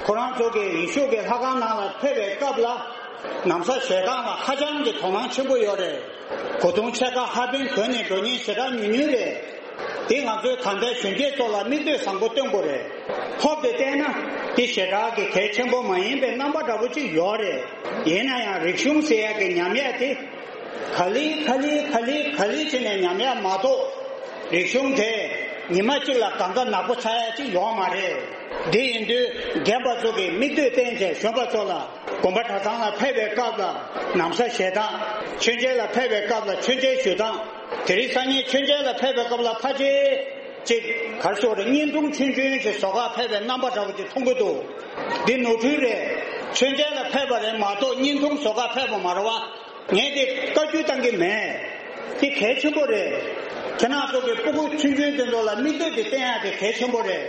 ཁོ་རང་ཚོ་གི་ཡེ་ཤུ་གི་ལྷ་ཁང་ནང་ལ་ཕེབས་པའི་སྐབས་ལ་ན་བཟའ་བཞེས་སྟངས་ལ་ཧ་ཅང་གི་དོ་སྣང་ཆེན་པོ་ཡོད་རེད། གོས་ཐུང་ཕྱེད་ཀ་ཧ་པན་གོན་ནས་འགྲོ་མཁན་ཞེ་དྲག་ཉུང་ཉུང་རེད། དེ་ང་ཚོའི་ད་ལྟའི་གཞོན་སྐྱེས་ཚོ་ལ་མིག་ལྟོས་བཟང་པོ་སྟོན་དགོས་རེད། ཐོབ་དེ་བལྟས་ན་དེ་ཞེ་དྲག་གི་གལ་ཆེན་པོ་མ་ཡིན་པའི་རྣམ་པ་འདྲ་པོ་ཅིག་ཡོད་རེད། ཡིན་ན་ཡང་རིག་གཞུང་ཟེར་ཡག་གི་ཉམས་ཡག་དེ། ག་ལེ་ག་ལེ་ག་ལེ་ག་ལེ་བྱས་ནས་ཉམས་ཡག་མ་གཏོགས། རིག་གཞུང་དེ་ཉི་མ་གཅིག་ལ་གང་ག་ནག་པོ་ཆགས་ཡག་ཅིག་ཡོད་མ་རེད། དེ་ཡིན་དུས་རྒན་པ་ཚོ་གིས་མིག་ལྟོས་བསྟན་བྱས་གཞོན་པ་ཚོ་ལ་དགོན་པ་གྲྭ་ཚང་ལ་ཕེབས་པའི་སྐབས་ལ་ན་བཟའ་བཞེས་སྟངས། མཆོད་མཇལ་ལ་ཕེབས་པའི་སྐབས་ལ་མཆོད་མཇལ་ཞུ་སྟངས། དེ་རིང་སང་ཉིན་མཆོད་མཇལ་ལ་ཕེབས་པའི་སྐབས་ལ་ཕལ་ཆེར་ཅིག་ག་རེ་ཟེར་རེད། བརྙན་ཐུང་ཆུང་ཆུང་ཅིག་བཟོ་གར་ཕེབས་པའི་རྣམ་པ་འདྲ་པོ་ཅིག་མཐོང་གི་འདུག་འདི་ནོར་འཁྲུལ་རེད། མཆོད་མཇལ་ལ་ཕེབས་པ་རེད་མ་གཏོགས་བརྙན་ཐུང་བཟོ་གར་ཕེབས་པ་མ་རེད་བ། ངས་དེ་བཀའ་བཀྱོན་བཏང་གི་མེད། དེ་གལ་ཆེན་པོ་རེད། ཁྱེད་རང་ཚོ་གི་སྤུ་གུ་ཆུང་ཆུང་དེ་ཚོ་ལ་མིག་ལྟོས་དེ་བསྟན་ཡག་དེ་གལ་ཆེན་པོ་རེད།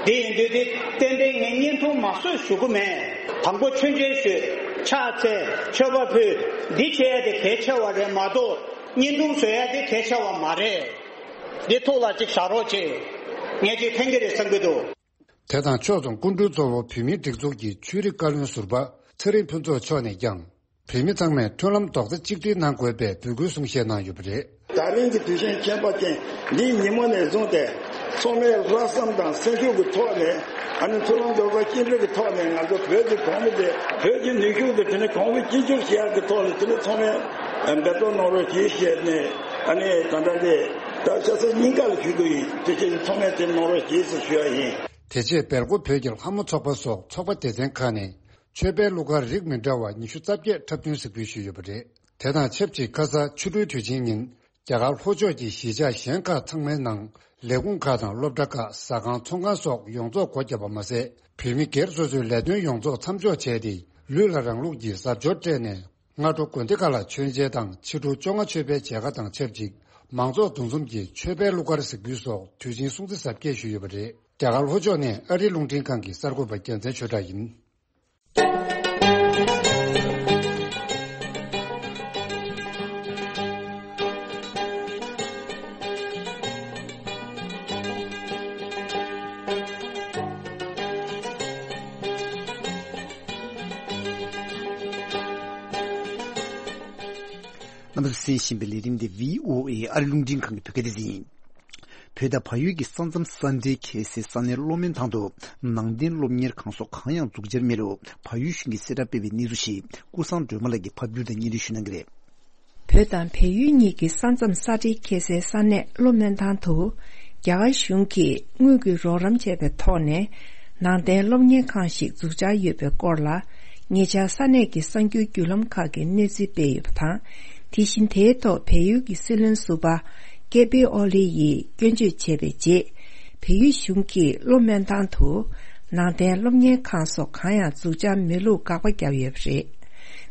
དེ་ཡིན་དུས་དེ་ཏན་ཏན་ངས་བརྙན་ཐུང་མ་བཟོས་ཞུ་གི་མེད། དང་པོ་མཆོད་མཇལ་ཞུས། ཕྱག་འཚལ། མཆོད་པ་ཕུལ། འདི་བྱེད་ཡག་དེ་གལ་ཆེ་བ་རེད་མ་གཏོགས་བརྙན་ཐུང་བཟོ་ཡག་དེ་གལ་ཆེ་བ་མ་རེད། འདི་ཐུགས་ལ་ཅིག་བཞག་རོགས་བྱེད། ངས་ཅིག་ཕན་གྱི་རེད་བསམ་གྱི་འདུག་དེ་དང་ཕྱོགས་མཚུངས་སྐུ་མགྲོན་གཙོ་བོ་བོད་མིའི་སྒྲིག་འཛུགས་ཀྱི་ཆོས་རིག་བཀའ་བློན་ཟུར་པ་ཚེ་རིང་ཕུན་ཚོགས་མཆོག་ནས་ཀྱང་། བོད་མི་ཚང་མས་མཐུན་ལམ་རྡོག་རྩ་གཅིག་སྒྲིལ་གནང་དགོས་པའི་འབོད་སྐུལ་གསུང་བཤད་གནང་ཡོད་པ་རེད། ད་རིང་གི་དུས་ཆེན་ཁྱད་པར་ཅན་འདིའི་ཉིན་མོ་ནས་བཟུང་སྟེ། ཚང་མས་ལྷག་བསམ་དང་སེམས་ཤུགས་ཀྱི་ཐོག་ནས། ཨ་ནི་མཐུན་ལམ་རྡོག་རྩ་གཅིག་སྒྲིལ་གྱི་ཐོག་ནས་ང་ཚོ་བོད་ཀྱི་གོང་བུ་དེ། བོད་ཀྱི་ནུས་ཤུགས་དེ་དེ་ནི་གོང་བུ་གཅིག་གྱུར་བྱེད་ཡག་གི་ཐོག་ལ་དེ་ནི་ཚང་མས་འབད་རྩོལ་གནང་རོགས་གྱིས་ཞེས་ནས། ཨ་ནི་ད་ལྟ་དེ་ད་ཆ་ཚང་སྙིང་ག་ལ་ཞུ་གི་ཡིན། དེ་ཕྱིར་ཚང་མས་དེ་གནང་རོགས་གྱིས་ཞེས་ཞུ་ཡ་ཡིན། དེ་རྗེས་སྦེལ་ཀོབ་བོད་ཀྱི་ལྷ་མོ་ཚོགས་པ་སོགས་ཚོགས་པ་སྡེ་ཚན་ཁག་ནས། མཆོད་པའི་གླུ་གར་རིགས་མི་འདྲ་བ་ཉི་ཤུ་རྩ་བརྒྱད་འཁྲབ་སྟོན་གཟིགས་འབུལ་ཞུས་ཡོད་པ་རེད། དེ་དང་ཆབས་ཅིག་ཁ་ས་ཆུ་སྦྲུལ་དུས་ཆེན་ཉིན། རྒྱ་གར་ལྷོ་ཕྱོགས་ཀྱི་གཞིས་ཆགས་གཞན་ཁག་ཚང་མའི་ནང་ལས་ཁུངས་ཁག་དང་སློབ་གྲྭ་ཁག་ཟ་ཁང་ཚོང་ཁང་སོགས་ཡོངས་རྫོགས་སྒོ་བརྒྱབ་པ་མ་ཟད། བོད་མི་སྒེར་སོ་སོའི་ལས་དོན་ཡོངས་རྫོགས་མཚམས་འཇོག་བྱས་ཏེ། ལུས་ལ་རང་ལུགས་ཀྱི་གཟབ་མཆོར་སྤྲས་ནས། སྔ་དྲོ་དགོན་སྡེ་ཁག་ལ་མཆོད་མཇལ་དང་ཕྱི་དྲོ་བཅོ་ལྔ་མཆོད་པའི་མཇལ་ཁ་དང་ཆབས་ཅིག་མང་ཚོགས་འདུ་འཛོམས་ཀྱིས་མཆོད་པའི་གླུ་གར་གཟིགས་འབུལ་སོགས་དུས་ཆེན་སྲུང་བརྩི་གཟབ་རྒྱས་ཞུས་ཡོད་པ་རེད། རྒྱ་གར་ལྷོ་ཕྱོགས་ནས་ཨ་རིའི་རླུང་འཕྲིན་ཁང་གི་གསར་འགོད་པ་རྒྱལ་མཚན་ཆོས་གྲགས་ཡིན། རྣམ་པ་ཚོས་གསན་བཞིན་པའི་ལས་རིམ་འདི་བྷི་ཨོ་ཨེ་ཨ་རི་རླུང་འཕྲིན་ཁང་གི་བོད་སྐད་སྡེ་ཚན་ཡིན། བོད་དང་བལ་ཡུལ་གྱི་ས་མཚམས་ས་འབྲེལ་ཁེལ་སའི་ས་གནས་གློ་སྨོན་ཐང་དུ་ནང་བསྟན་སློབ་གཉེར་ཁང་སོགས་གང་ཡང་འཛུགས་འཆར་མེད་ལུགས་བལ་ཡུལ་གཞུང་གིས་གསལ་བསྒྲགས་སྤེལ་བའི་གནས་ཚུལ་ཞིག་ཀུན་བཟང་སྒྲོལ་མ་ལགས་ཀྱིས་ཕབ་བསྒྱུར་དང་སྙན་སྒྲོན་ཞུ་གནང་གི་རེད། བོད་དང་བལ་ཡུལ་གཉིས་ཀྱི་ས་མཚམས་ས་འབྲེལ་ཁེལ་སའི་ས་གནས་གློ་སྨོན་ཐང་དུ། རྒྱ་གར་གཞུང་གིས་དངུལ་གྱི་རོགས་རམ་བྱས་པའི་ཐོག་ནས། ནང་བསྟན་སློབ་གཉེར་ཁང་ཞིག་འཛུགས་འཆར་ཡོད་པའི་སྐོར་ལ། ཉེ་ཆར་ས་གནས་ཀྱི་གསར་འགྱུར་བརྒྱུད་ལམ་ཁག་གིས་གནས་ཚུལ་སྤེལ་ཡོད་པ་དང་། དེ་བཞིན་དེའི་ཐོག་བལ་ཡུལ་གྱི་སྲིད་བློན་ཟུར་པ་ཀེ་པི་ཨོ་ལི་ཡིས་སྐྱོན་བརྗོད་བྱས་པའི་རྗེས། བལ་ཡུལ་གཞུང་གིས་གློ་སྨོན་ཐང་དུ་ནང་བསྟན་སློབ་གཉེར་ཁང་སོགས་གང་ཡང་འཛུགས་འཆར་མེད་ལུགས་དགག་པ་བརྒྱབ་ཡོད་པ་རེད།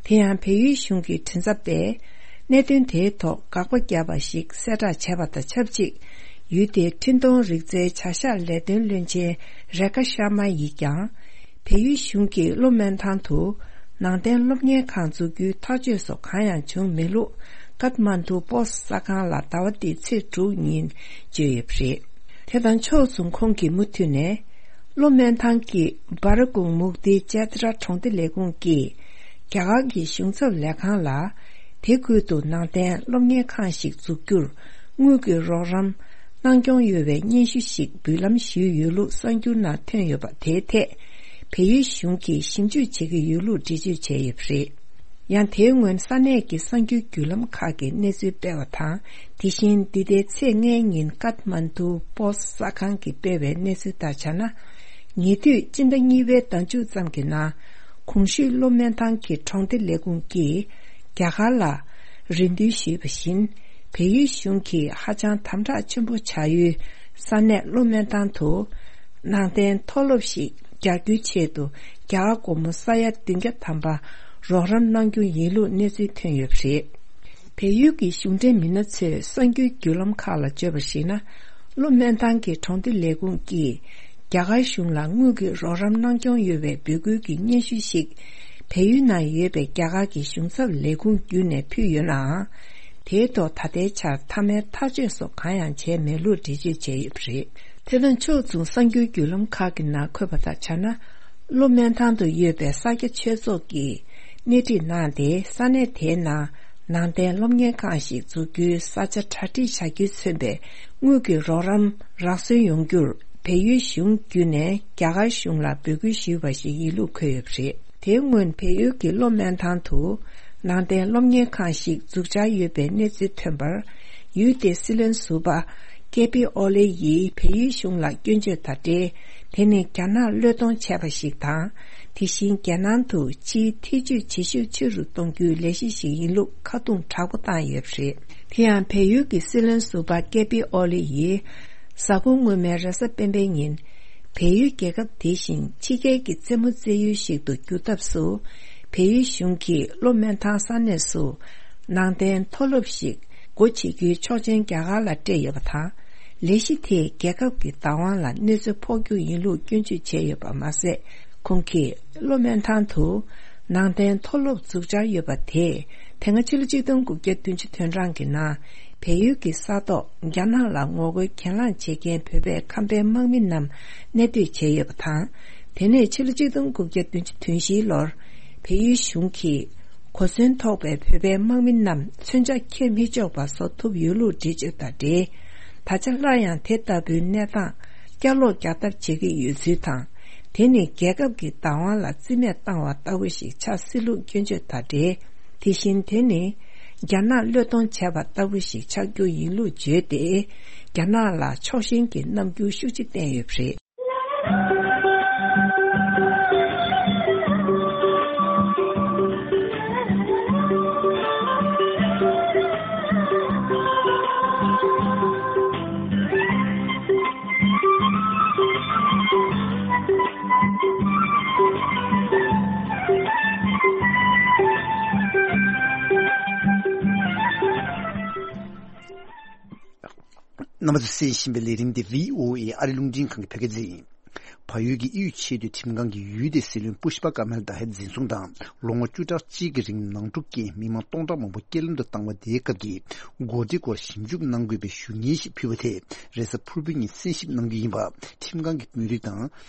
དེ་ཡང་བལ་ཡུལ་གཞུང་གི་མགྲིན་ཚབ་པས། གནད་དོན་དེའི་ཐོག་དགག་པ་བརྒྱབ་པ་ཞིག་གསལ་བསྒྲགས་བྱས་པ་དང་ཆབས་ཅིག་ཡུལ་དེའི་འཕྲིན་གཏོང་རིག་རྩལ་བྱ་གཞག་ལས་དོན་བློན་ཆེན་རེ་ཁ་ཤར་མ་ཡིས་ཀྱང་། བལ་ཡུལ་གཞུང་གིས་གློ་སྨོན་ཐང་དུ་ནང་བསྟན་སློབ་གཉེར་ཁང་འཛུགས་རྒྱུའི་ཐག་གཅོད་སོགས་གང་ཡང་བྱུང་མེད་ལུགས། ཀཏ་མན་ཌུ་པོ་སི་གསར་ཁང་ལ་ཟླ་བ་འདིའི་ཚེས་དྲུག་ཉིན་བརྗོད་ཡོད་པ་རེད། དེ་དང་ཕྱོགས་མཚུངས། ཁོང་གིས་མུ་མཐུད་ནས། གློ་སྨོན་ཐང་གི་བྷ་ར་ཀུང་མུག་ཏི་ཅེ་ཏྲ་གྲོང་སྡེ་ལས་ཁུངས་ཀྱིས། རྒྱ་གར་གྱི་གཞུང་ཚབ་ལས་ཁང་ལ། དེ་ཁུལ་དུ་ནང་བསྟན་སློབ་གཉེར་ཁང་ཞིག་འཛུགས་རྒྱུར། དངུལ་གྱི་རོགས་རམ་གནང་སྐྱོང་ཡོད་པའི་སྙན་ཞུ་ཞིག་འབུལ་ལམ་ཞུས་ཡོད་ལུགས་གསར་འགྱུར་ནང་ཐོན་ཡོད་པ། དེའི་ཐད། བལ་ཡུལ་གཞུང་གིས་ཞིབ་འཇུག་བྱེད་ཀྱི་ཡོད་ལུགས་འགྲེལ་བརྗོད་བྱས་ཡོད་པ་རེད། ཡང་དེའི་སྔོན་ས་གནས་ཀྱི་གསར་འགྱུར་བརྒྱུད་ལམ་ཁག་གིས་གནས་ཚུལ་སྤེལ་བ་དང་། དེ་བཞིན་འདི་ཟླའི་ཚེས་ལྔའི་ཉིན་ཀཏ་མན་ཌུ་པོ་སི་གསར་ཁང་གིས་སྤེལ་བའི་གནས་ཚུལ་ལྟར་བྱས་ན། ཉེ་དུས་སྤྱི་ཟླ་གཉིས་པའི་ཟླ་མཇུག་ཙམ་གྱི་ནང་། གོང་ཞུས་གློ་སྨོན་ཐང་གི་གྲོང་སྡེ་ལས་ཁུངས་ཀྱིས་རྒྱ་གར་ལ་རེ་འདུན་ཞུས་པ་བཞིན། བལ་ཡུལ་གཞུང་གིས་ཧ་ཅང་དམ་དྲག་ཆེན་པོ་བྱ་ཡུལ་ས་གནས་གློ་སྨོན་ཐང་དུ་ནང་བསྟན་མཐོ་སློབ་ཞིག་རྒྱག་རྒྱུའི་ཆེད་དུ་རྒྱ་གར་སྒོར་མོ་ས་ཡ་བདུན་བརྒྱ་ཐམ་པ་རོགས་རམ་གནང་རྒྱུ་ཡིན་ལུགས་གནས་ཚུལ་ཐོན་ཡོད་པ་རེད། བལ་ཡུལ་གྱི་གཞུང་འབྲེལ་མི་སྣ་ཚོས་གསར་འགྱུར་བརྒྱུད་ལམ་ཁག་ལ་བརྗོད་པར་གཞིགས་ན། གློ་སྨོན་ཐང་གི་གྲོང་སྡེ་ལས་ཁུངས་ཀྱིས་རྒྱ་གར་གཞུང་ལ་དངུལ་གྱི་རོགས་རམ་གནང་སྐྱོང་ཡོད་པའི་འབོད་སྐུལ་གྱི་སྙན་ཞུ་ཞིག་བལ་ཡུལ་ནང་ཡོད་པའི་རྒྱ་གར་གྱི་གཞུང་ཚབ་ལས་ཁུངས་བརྒྱུད་ནས་ཕུལ་ཡོད་ནའང་། དེའི་ཐོག་ད་ལྟའི་ཆར་མཐའ་མའི་ཐག་གཅོད་སོགས་གང་ཡང་བྱས་མེད་ལུགས་འགྲེལ་བརྗོད་བྱས་ཡོད་པ་རེད། དེ་དང་ཕྱོགས་མཚུངས། གསར་འགྱུར་བརྒྱུད་ལམ་ཁག་གི་ནང་འཁོད་པ་ལྟར་བྱས་ན། གློ་སྨོན་ཐང་དུ་ཡོད་པའི་ས་སྐྱ་ཆོས་ཚོགས་ཀྱིས་སྣེ་ཁྲིད་གནང་སྟེ། ས་གནས་དེའི་ནང་ནང་བསྟན་སློབ་གཉེར་ཁང་ཞིག་འཛུགས་རྒྱུའི་ས་ཆ་གྲ་སྒྲིག་བྱ་རྒྱུས་མཚོན་པའི་དངུལ་གྱི་རོགས་རམ་རག་སོན་ཡོང་རྒྱུར། བལ་ཡུལ་གཞུང་བརྒྱུད་ནས་རྒྱ་གར་གཞུང་ལ་འབོད་སྐུལ་ཞུས་པ་ཞིག་ཡིན་ལུགས་འཁོད་ཡོད་པ་རེད། དེའི་སྔོན་བལ་ཡུལ་གྱི་གློ་སྨོན་ཐང་དུ་ནང་བསྟན་སློབ་གཉེར་ཁང་ཞིག་འཛུགས་འཆར་ཡོད་པའི་གནས་ཚུལ་ཐོན་པར། ཡུལ་དེའི་སྲིད་བློན་ཟུར་པ་ཀེ་པི་ཨོ་ལེ་ཡིས་བལ་ཡུལ་གཞུང་ལ་སྐྱོན་བརྗོད་དང་འབྲེལ། དེ་ནི་རྒྱ་ནག་བློས་གཏོང་བྱས་པ་ཞིག་དང་། དེ་བཞིན་རྒྱལ་ནང་དུ་ཕྱིའི་ཐེ་ཇུས་བྱེད་ཤུགས་ཆེ་རུ་གཏོང་རྒྱུའི་ལས་གཞི་ཞིག་ཡིན་ལུགས་ཁ་རྡུང་དྲག་པོ་བཏང་ཡོད་པ་རེད། དེ་ཡང་བལ་ཡུལ་གྱི་སྲིད་བློན་ཟུར་པ་ཀེ་པི་ཨོ་ལེ་ཡིས། གཟའ་འཁོར་སྔོན་མའི་རེས་གཟའ་སྤེན་པའི་ཉིན། བལ་ཡུལ་རྒྱལ་ཁབ་དེ་བཞིན་ཕྱི་རྒྱལ་གྱི་རྩེད་མོ་རྩེ་ཡུལ་ཞིག་ཏུ་འགྱུར་ཐབས་སུ། བལ་ཡུལ་གཞུང་གིས་གློ་སྨོན་ཐང་ས་གནས་སུ་ནང་བསྟན་མཐོ་སློབ་ཞིག་སྒོ་འབྱེད་རྒྱུའི་ཆོག་མཆན་རྒྱ་གར་ལ་སྤྲད་ཡོད་པ་དང་། ལས་གཞི་དེས་རྒྱལ་ཁབ་ཀྱི་བདག་དབང་ལ་གནོད་འཚེ་ཕོག་རྒྱུ་ཡིན་ལུགས་སྐྱོན་བརྗོད་བྱས་ཡོད་པ་མ་ཟད། ཁོང་གིས་གློ་སྨོན་ཐང་དུ་ནང་བསྟན་མཐོ་སློབ་འཛུགས་འཆར་ཡོད་པ་དེས། དེ་སྔ་ཕྱི་ལོ་ཆིག་སྟོང་དགུ་བརྒྱ་བདུན་ཅུ་དོན་གྲངས་ཀྱི་ནང་། བལ་ཡུལ་གྱི་ས་ཐོག་རྒྱ་ནག་ལ་ངོ་རྒོལ་གྱེན་ལངས་བྱེད་མཁན་བོད་པའི་ཁམས་པའི་དམག་མི་རྣམས་གནས་སྡོད་བྱས་ཡོད་པ་དང་། དེ་ནས་ཕྱི་ལོ་ཆིག་སྟོང་དགུ་བརྒྱ་བདུན་ཅུ་དོན་བཞིའི་ལོར། བལ་ཡུལ་གཞུང་གིས་གོ་མཚོན་ཐོགས་པའི་བོད་པའི་དམག་མི་རྣམས་མཚོན་ཆ་འཁྱེར་མི་ཆོག་པ་བཟོ་ཐུབ་ཡོད་ལུགས་འགྲེལ་བརྗོད་དང་འབྲེལ། ད་ཆ་སླར་ཡང་དེ་ལྟ་བུའི་གནས་སྟངས་བསྐྱར་ལོག་རྒྱག་ཐབས་བྱེད་ཀྱི་ཡོད་ཚུལ་དང་། དེ་ནི་རྒྱལ་ཁབ་ཀྱི་བདག་དབང་ལ་རྩིས་མེད་བཏང་བ་ལྟ་བུ་ཞིག་ཆགས་སྲིད་ལུགས་སྐྱོན་བརྗོད་དང་འབྲེལ། དེ་བཞིན་དེ་ནི་རྒྱ་ནག་བློས་གཏོང་བྱས་པ་ལྟ་བུ་ཞིག་ཆགས་རྒྱུ་ཡིན་ལུགས་བརྗོད་དེ། རྒྱ་ནག་ལ་ཕྱོགས་ཞེན་གྱི་རྣམ་འགྱུར་ཤུགས་ཆེ་བསྟན་ཡོད་པ་རེད། རྣམ་པ་ཚོས་གསན་བཞིན་པའི་ལས་རིམ་འདི་བྷི་ཨོ་ཨེ་ཨ་རི་རླུང་འཕྲིན་ཁང་གི་བོད་སྐད་སྡེ་ཡིན། བལ་ཡུལ་གྱི་དབུས་ཆེས་མཐོའི་ཁྲིམས་ཁང་གིས་ཡུལ་དེའི་སྲིད་བློན་པུཤ་པ་ཀ་མལ་དྷ་ཧེ་འཛིན་བཟུང་དང་། ལོ་ངོ་བཅུ་ཕྲག་གཅིག་གི་རིང་ནང་འཁྲུག་རྐྱེན་མི་མང་སྟོང་ཕྲག་མང་པོ་རྐྱེན་ལམ་དུ་བཏང་བ་དེའི་སྐབས་ཀྱི་འགོ་ཁྲིད་སྐོར་ཞིབ་འཇུག་གནང་དགོས་པའི་ཞུ་སྙན་ཞིག་ཕུལ་བ་དེ་རེས་གཟའ་ཕུར་བུའི་ཉིན་གསན་ཞིབ་གནང་རྒྱུ་ཡིན་པ། ཁྲིམས་ཁང་གི་དཔོན་རིགས་དང་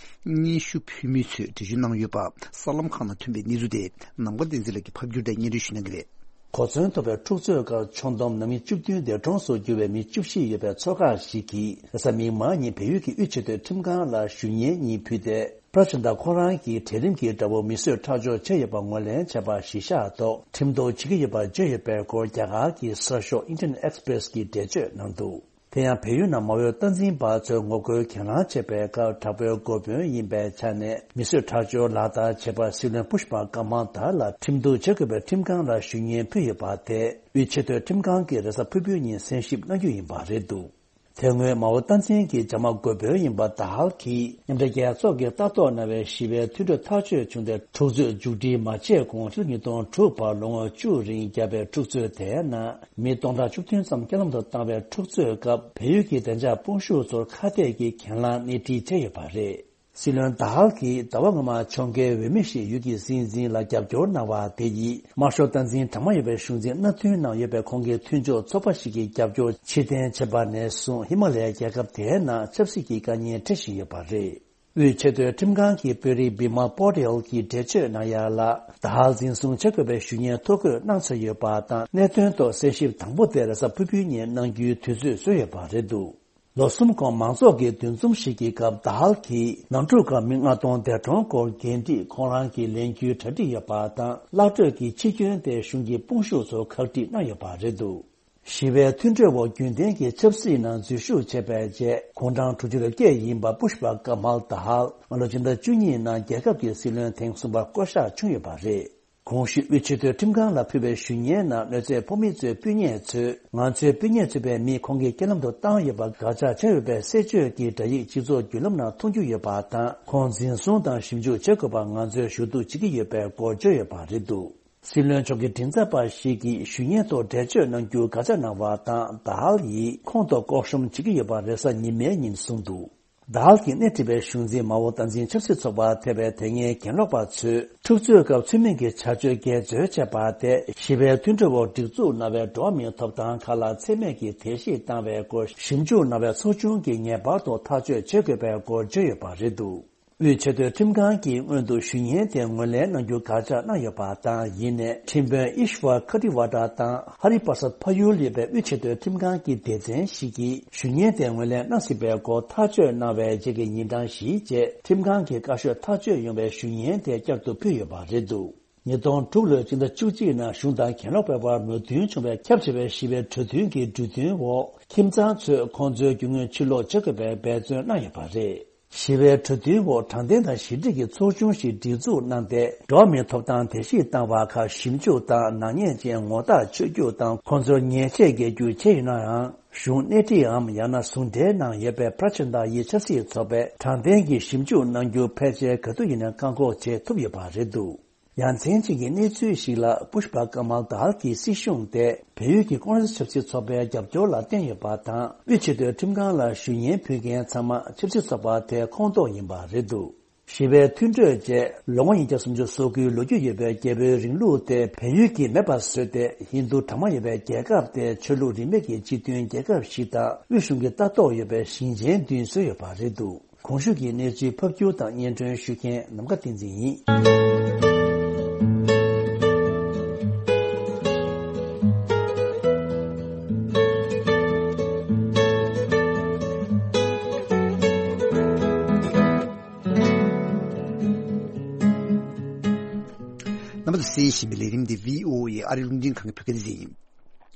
སྙན་ཞུ་ཕུལ་མི་ཚོས་འགྲེལ་བརྗོད་གནང་ཡོད་པ། གསར་ལམ་ཁག་ནང་ཐོན་པའི་གནས་ཚུལ་དེ་ནམ་མཁའ་བསྟན་འཛིན་ལགས་ཀྱིས་ཕབ་བསྒྱུར་དང་སྙན་སྒྲོན་ཞུ་གནང་གི་རེད། གོ་མཚོན་ཐོབ་པའི་འཁྲུག་རྩོད་ཁག་ཆུང་བསྡོམས་ནང་མི་བཅུ་བདུན་འདས་གྲོངས་སུ་གྱུར་བའི་མི་བཅུ་བཞི་ཡོད་པའི་ཚོགས་ཁག་ཞིག་གིས་རེས་གཟའ་མིག་དམར་ཉིན་བལ་ཡུལ་གྱི་དབུས་ཆེས་མཐོའི་ཁྲིམས་ཁང་ལ་ཞུ་སྙན་གཉིས་ཕུལ་ཏེ། པྲ་ཅན་ད་ཁོ་རང་གིས་གྲལ་རིམ་གྱི་དགྲ་བོ་མིས་བཟོས་ཁྲག་སྦྱོར་བྱས་ཡོད་པ་ངོས་ལེན་བྱས་པ་གཞི་བཞག་ཐོག་ཁྲིམས་གཏུག་བྱེད་ཀྱི་ཡོད་པ་བརྗོད་ཡོད་པའི་སྐོར་རྒྱ་གར་གྱི་གསར་ཤོག་Indian Express་གིས་འགྲེལ་བརྗོད་གནང་འདུག་དེ་ཡང་བལ་ཡུལ་ནང་མའོ་སྟངས་འཛིན་པ་ཚོས་ངོ་རྒོལ་གྱེན་ལངས་བྱས་པའི་སྐབས་དྲག་པོའི་འགོ་དཔོན་ཡིན་པའི་ཆ་ནས་མིས་བཟོས་ཁྲག་སྦྱོར་ལག་བསྟར་བྱས་པར་སྲིད་བློན་པུཤ་པ་ཀ་མལ་དྷ་ལ་ཁྲིམས་གཏུག་བྱེད་དགོས་པའི་ཁྲིམས་ཁང་ལ་ཞུ་སྙན་ཕུལ་ཡོད་པ་དེ་དབུས་ཆེས་མཐོའི་ཁྲིམས་ཁང་གིས་རེས་གཟའ་ཕུར་བུའི་ཉིན་གསན་ཞིབ་གནང་རྒྱུ་ཡིན་པ་རེད་འདུག་དེ་སྔོན་མའོ་སྟངས་འཛིན་གྱི་བྱ་དམག་འགོ་དཔོན་ཡིན་པ་དཱ་ཧལ་གྱིས་མཉམ་འབྲེལ་རྒྱལ་ཚོགས་ཀྱིས་ལྟ་རྟོག་གནང་བའི་ཞི་བའི་མཐུན་གྲོས་ཐག་གཅོད་བྱུང་སྟེ་འཁྲུག་རྩོད་མཇུག་སྒྲིལ་མ་བྱས་གོང་ཕྱི་ལོ་ཉིས་སྟོང་དྲུག་བར་ལོ་ངོ་བཅུ་རིང་བརྒྱབ་པའི་འཁྲུག་རྩོད་དེའི་ནང་མི་སྟོང་ཕྲག་བཅུ་བདུན་ཙམ་རྐྱེན་ལམ་དུ་བཏང་བའི་འཁྲུག་རྩོད་སྐབས་བལ་ཡུལ་གྱི་བདེ་འཇགས་དཔུང་ཤུགས་ཚོར་ཁ་གཏད་ཀྱིས་གྱེན་ལངས་སྣེ་ཁྲིད་བྱས་ཡོད་པ་རེད། སྲིད་བློན་དཱ་ཧལ་གྱིས་ཟླ་བ་སྔོན་མ་ཕྱོགས་འགལ་འོས་མི་ཞིག་ཡུལ་གྱི་སྲིད་འཛིན་ལ་རྒྱབ་སྐྱོར་གནང་བ་དེ་ཡིས་དམར་ཤོག་སྟངས་འཛིན་གྲངས་མང་ཡོད་པའི་གཞུང་འཛིན་མནའ་མཐུན་གནང་ཡོད་པའི་ཁོང་གི་མཐུན་ཕྱོགས་ཚོགས་པ་ཞིག་གི་རྒྱབ་སྐྱོར་ཕྱིར་འཐེན་བྱས་པ་ནས་བཟུང་ཧི་མ་ལ་ཡའི་རྒྱལ་ཁབ་དེའི་ནང་ཆབ་སྲིད་ཀྱི་དཀའ་ངལ་འཕྲད་བཞིན་ཡོད་པ་རེད། དབུས་ཆེས་མཐོའི་ཁྲིམས་ཁང་གི་དཔོན་རིགས་བི་མལ་པོ་ཏེལ་གྱིས་འགྲེལ་བརྗོད་གནང་ཡ་ལ། ད་ཧལ་འཛིན་བཟུང་བྱེད་དགོས་པའི་ཞུ་སྙན་ཐོ་འགོད་གནང་ཚར་ཡོད་པ་དང་གནད་དོན་ཐོག་གསན་ཞིབ་དང་པོ་དེ་རེས་གཟའ་ཕུར་བུའི་ཉིན་གནང་རྒྱུའི་དུས་ཚོད་བཟོས་ཡོད་པ་རེད་འདུག་ལོ་གསུམ་གོང་མང་ཚོགས་ཀྱི་འདུ་འཛོམས་ཤིག་གི་སྐབས་ད་ཧལ་གྱིས་ནང་འཁྲུག་སྐབས་མི་ལྔ་སྟོང་འདས་གྲོངས་སྐོར་འགན་འཁྲི་ཁོང་རང་གིས་ལེན་རྒྱུའི་གྲ་སྒྲིག་ཡོད་པ་དང་གླ་སྤྲོད་ཀྱི་ཕྱིར་སྐྱོན་དེ་གཞུང་གི་དཔུང་ཤུགས་ཚོར་ཁག་དཀྲིས་གནང་ཡོད་པ་རེད་འདུག་ཞི་བའི་མཐུན་གྲོས་འོག་རྒྱུན་ལྡན་གྱི་ཆབ་སྲིད་ནང་འཛུལ་ཞུགས་བྱས་པའི་རྗེས་དགུང་གྲངས་དྲུག་ཅུ་རེ་བརྒྱད་ཡིན་པ་པུཤ་པ་ཀ་མལ་ད་ཧལ་སྔ་ལོ་སྤྱི་ཟླ་བཅུ་གཉིས་ནང་རྒྱལ་ཁབ་ཀྱི་སྲིད་བློན་ཐེངས་གསུམ་པ་བསྐོ་གཞག་བྱུང་ཡོད་པ་རེད། གོང་ཞུས་དབུས་ཆེས་མཐོའི་ཁྲིམས་ཁང་ལ་ཕུལ་བའི་ཞུ་སྙན་ནང་གནོད་འཚེ་ཕོག་མི་ཚོའི་སྤུན་ཉེ་ཚོས་ང་ཚོའི་སྤུན་ཉེ་ཚུད་པའི་མི་ཁོང་གིས་རྐྱེན་ལམ་དུ་བཏང་ཡོད་པ་དགག་བྱ་བྱས་ཡོད་པའི་གསལ་བརྗོད་ཀྱི་སྒྲ་ཡིག་སྤྱི་ཚོགས་བརྒྱུད་ལམ་ནང་མཐོང་རྒྱུ་ཡོད་པ་དང་ཁོང་འཛིན་བཟུང་དང་ཞིབ་འཇུག་བྱེད་དགོས་པར་ང་ཚོས་ཞུ་གཏུག་བྱེད་ཀྱི་ཡོད་པའི་སྐོར་བརྗོད་ཡོད་པ་རེད་འདུག་སྲིད་བློན་མཆོག་གི་མགྲིན་ཚབ་པ་ཞིག་གིས་ཞུ་སྙན་ཐོག་འགྲེལ་བརྗོད་གནང་རྒྱུར་དགག་བྱ་གནང་བ་དང་ད་ཧལ་ཡིས་ཁོང་ཐོག་ལྐོག་ཤམ་བྱེད་ཀྱི་ཡོད་པ་རེས་གཟའ་ཉི་མའི་ཉིན་གསུངས་འདུག་ད་ཧལ་གྱིས་སྣེ་ཁྲིད་པའི་གཞུང་འཛིན་མའོ་སྟངས་འཛིན་ཆབ་སྲིད་ཚོགས་པ་ཐེ་བའི་དེ་སྔའི་གྱེན་ལོག་པ་ཚོས་འཁྲུག་རྩོད་སྐབས་ཚུལ་མིན་གྱི་བྱ་སྤྱོད་འགལ་འཛོལ་བྱས་པ་དེ་ཞི་བའི་མཐུན་གྲོས་འོག་སྒྲིག་འཛུགས་གནང་བའི་འགྲོ་བ་མིའི་ཐོབ་ཐང་ཁག་ལ་ཚད་མེད་ཀྱིས་དད་གཤིས་བཏང་བའི་སྐོར་ཞིབ་འཇུག་གནང་བའི་ཚོགས་ཆུང་གིས་ངེས་པར་དུ་ཐག་གཅོད་བྱེད་དགོས་པའི་སྐོར་བརྗོད་ཡོད་པ་རེད་འདུག་དབུས་ཆེས་མཐོའི་ཁྲིམས་ཁང་གིས་སྔོན་དུ་ཞུ་སྙན་དེ་ངོས་ལེན་གནང་རྒྱུ་དགག་བྱ་གནང་ཡོད་པ་དང་། ཡིན་ནའི་ཁྲིམས་དཔོན་ཨིཤ་ཝར་ཁ་ཏི་ཝ་ཏྲ་དང་ཧ་རི་པར་སད་ཕ་ཡུལ་ཡོད་པའི་དབུས་ཆེས་མཐོའི་ཁྲིམས་ཁང་གི་སྡེ་ཚན་ཞིག་གིས་ཞུ་སྙན་དེ་ངོས་ལེན་གནང་སྲིད་པའི་སྐོར་ཐག་གཅོད་གནང་བའི་རྗེས་ཀྱི་ཉིན་གྲངས་བཞིའི་རྗེས་ཁྲིམས་ཁང་གི་བཀའ་ཤོག་ཐག་གཅོད་ཡོང་བའི་ཞུ་སྙན་དེ་བསྐྱར་དུ་ཕུལ་ཡོད་པ་རེད་འདུག་ཉིས་སྟོང་དྲུག་ལོའི་སྤྱི་ཟླ་བཅུ་གཅིག་ནང་གཞུང་དང་གྱེན་ལོག་པའི་བར་མོས་མཐུན་བྱུང་བའི་ཁྱབ་ཆེ་བའི་ཞི་བའི་གྲོས་མཐུན་གྱི་གྲོས་མཐུན་འོག་ཁྱིམ་ཚང་ཚོས་ཁོང་ཚོའི་རྒྱུ་དངོས་ཕྱིར་སློག་བྱེད་དགོས་པའི་འབད་བརྩོན་གནང་ཡོད་པ་རེད། ཞི་བའི་གྲོས་མཐུན་འོག་དྲང་བདེན་དང་ཞི་འགྲིག་གི་ཚོགས་ཆུང་ཞིག་སྒྲིག་འཛུགས་གནང་སྟེ། འགྲོ་བ་མིའི་ཐོབ་ཐང་དེ་བཞིན་བཏང་བ་ཁག་ཞིབ་འཇུག་དང་ནག་ཉེས་ཅན་ངོ་རྟགས་ཆོད་རྒྱུ་དང་ཁོང་ཚོར་ཉེས་ཆད་འགེལ་རྒྱུ་བྱས་ཡོད་ནའང་། གཞུང་སྣེ་ཁྲིད་འམ་ཡང་ན་ཟུང་འབྲེལ་གནང་ཡོད་པའི་པྲ་ཆན་ཏཱ་ཡི་ཆབ་སྲིད་ཚོགས་པས་དྲང་བདེན་གྱིས་ཞིབ་འཇུག་གནང་རྒྱུ་ཕལ་ཆེར་ག་དུས་ཡིན་ན་བཀག་འགོག་བྱེད་ཐུབ་ཡོད་པ་རེད་འདུག་ཡ་མཚན་ཅན་གྱི་གནས་ཚུལ་ཞིག་ལ་པུཤ་པ་ཀ་མལ་དཱལ་གྱི་སྲིད་གཞུང་དེ་བལ་ཡུལ་གྱི་ཀོང་རེས་ཆབ་སྲིད་ཚོགས་པའི་རྒྱབ་སྐྱོར་ལ་བརྟེན་ཡོད་པ་དང་། དབུས་ཆེས་མཐོའི་ཁྲིམས་ཁང་ལ་ཞུ་སྙན་ཕུལ་མཁན་ཚང་མ་ཆབ་སྲིད་ཚོགས་པ་དེའི་ཁོངས་གཏོགས་ཡིན་པ་རེད་འདུག་ཞི་བའི་མཐུན་གྲོས་བཅས་ལོ་ངོ་ཉིས་བརྒྱ་སུམ་ཅུ་སོ་དགུའི་ལོ་རྒྱུས་ཡོད་པའི་རྒྱལ་པོའི་རིང་ལུགས་དེ་བལ་ཡུལ་གྱིས་མེད་པར་བཟོས་ཏེ། ཧིན་རྡུ་གྲངས་མང་ཡོད་པའི་རྒྱལ་ཁབ་དེ་ཆོས་ལུགས་རིས་མེད་ཀྱི་སྤྱི་མཐུན་རྒྱལ་ཁབ་ཞིག་དང་དབུས་གཞུང་གི་ལྟ་རྟོག་ཡོད་པའི་ཞིང་ཆེན་བདུན་བཟོས་ཡོད་པ་རེད་འདུག་གོང་ཞུས་ཀྱི་གནས་ཚུལ་ཕབ་སྒྱུར་དང་སྙན་སྒྲོན་ཞུ་མཁན་ནམ་མཁའ་བསྟན་འཛིན་ཡིན། རྣམ་པ་ཚོས་གསན་བཞིན་པའི་ལས་རིམ་འདི་བྷི་ཨོ་ཨེ་ཨ་རིའི་རླུང་འཕྲིན་ཁང་གི་བོད་སྐད་སྡེ་ཚན་ཡིན།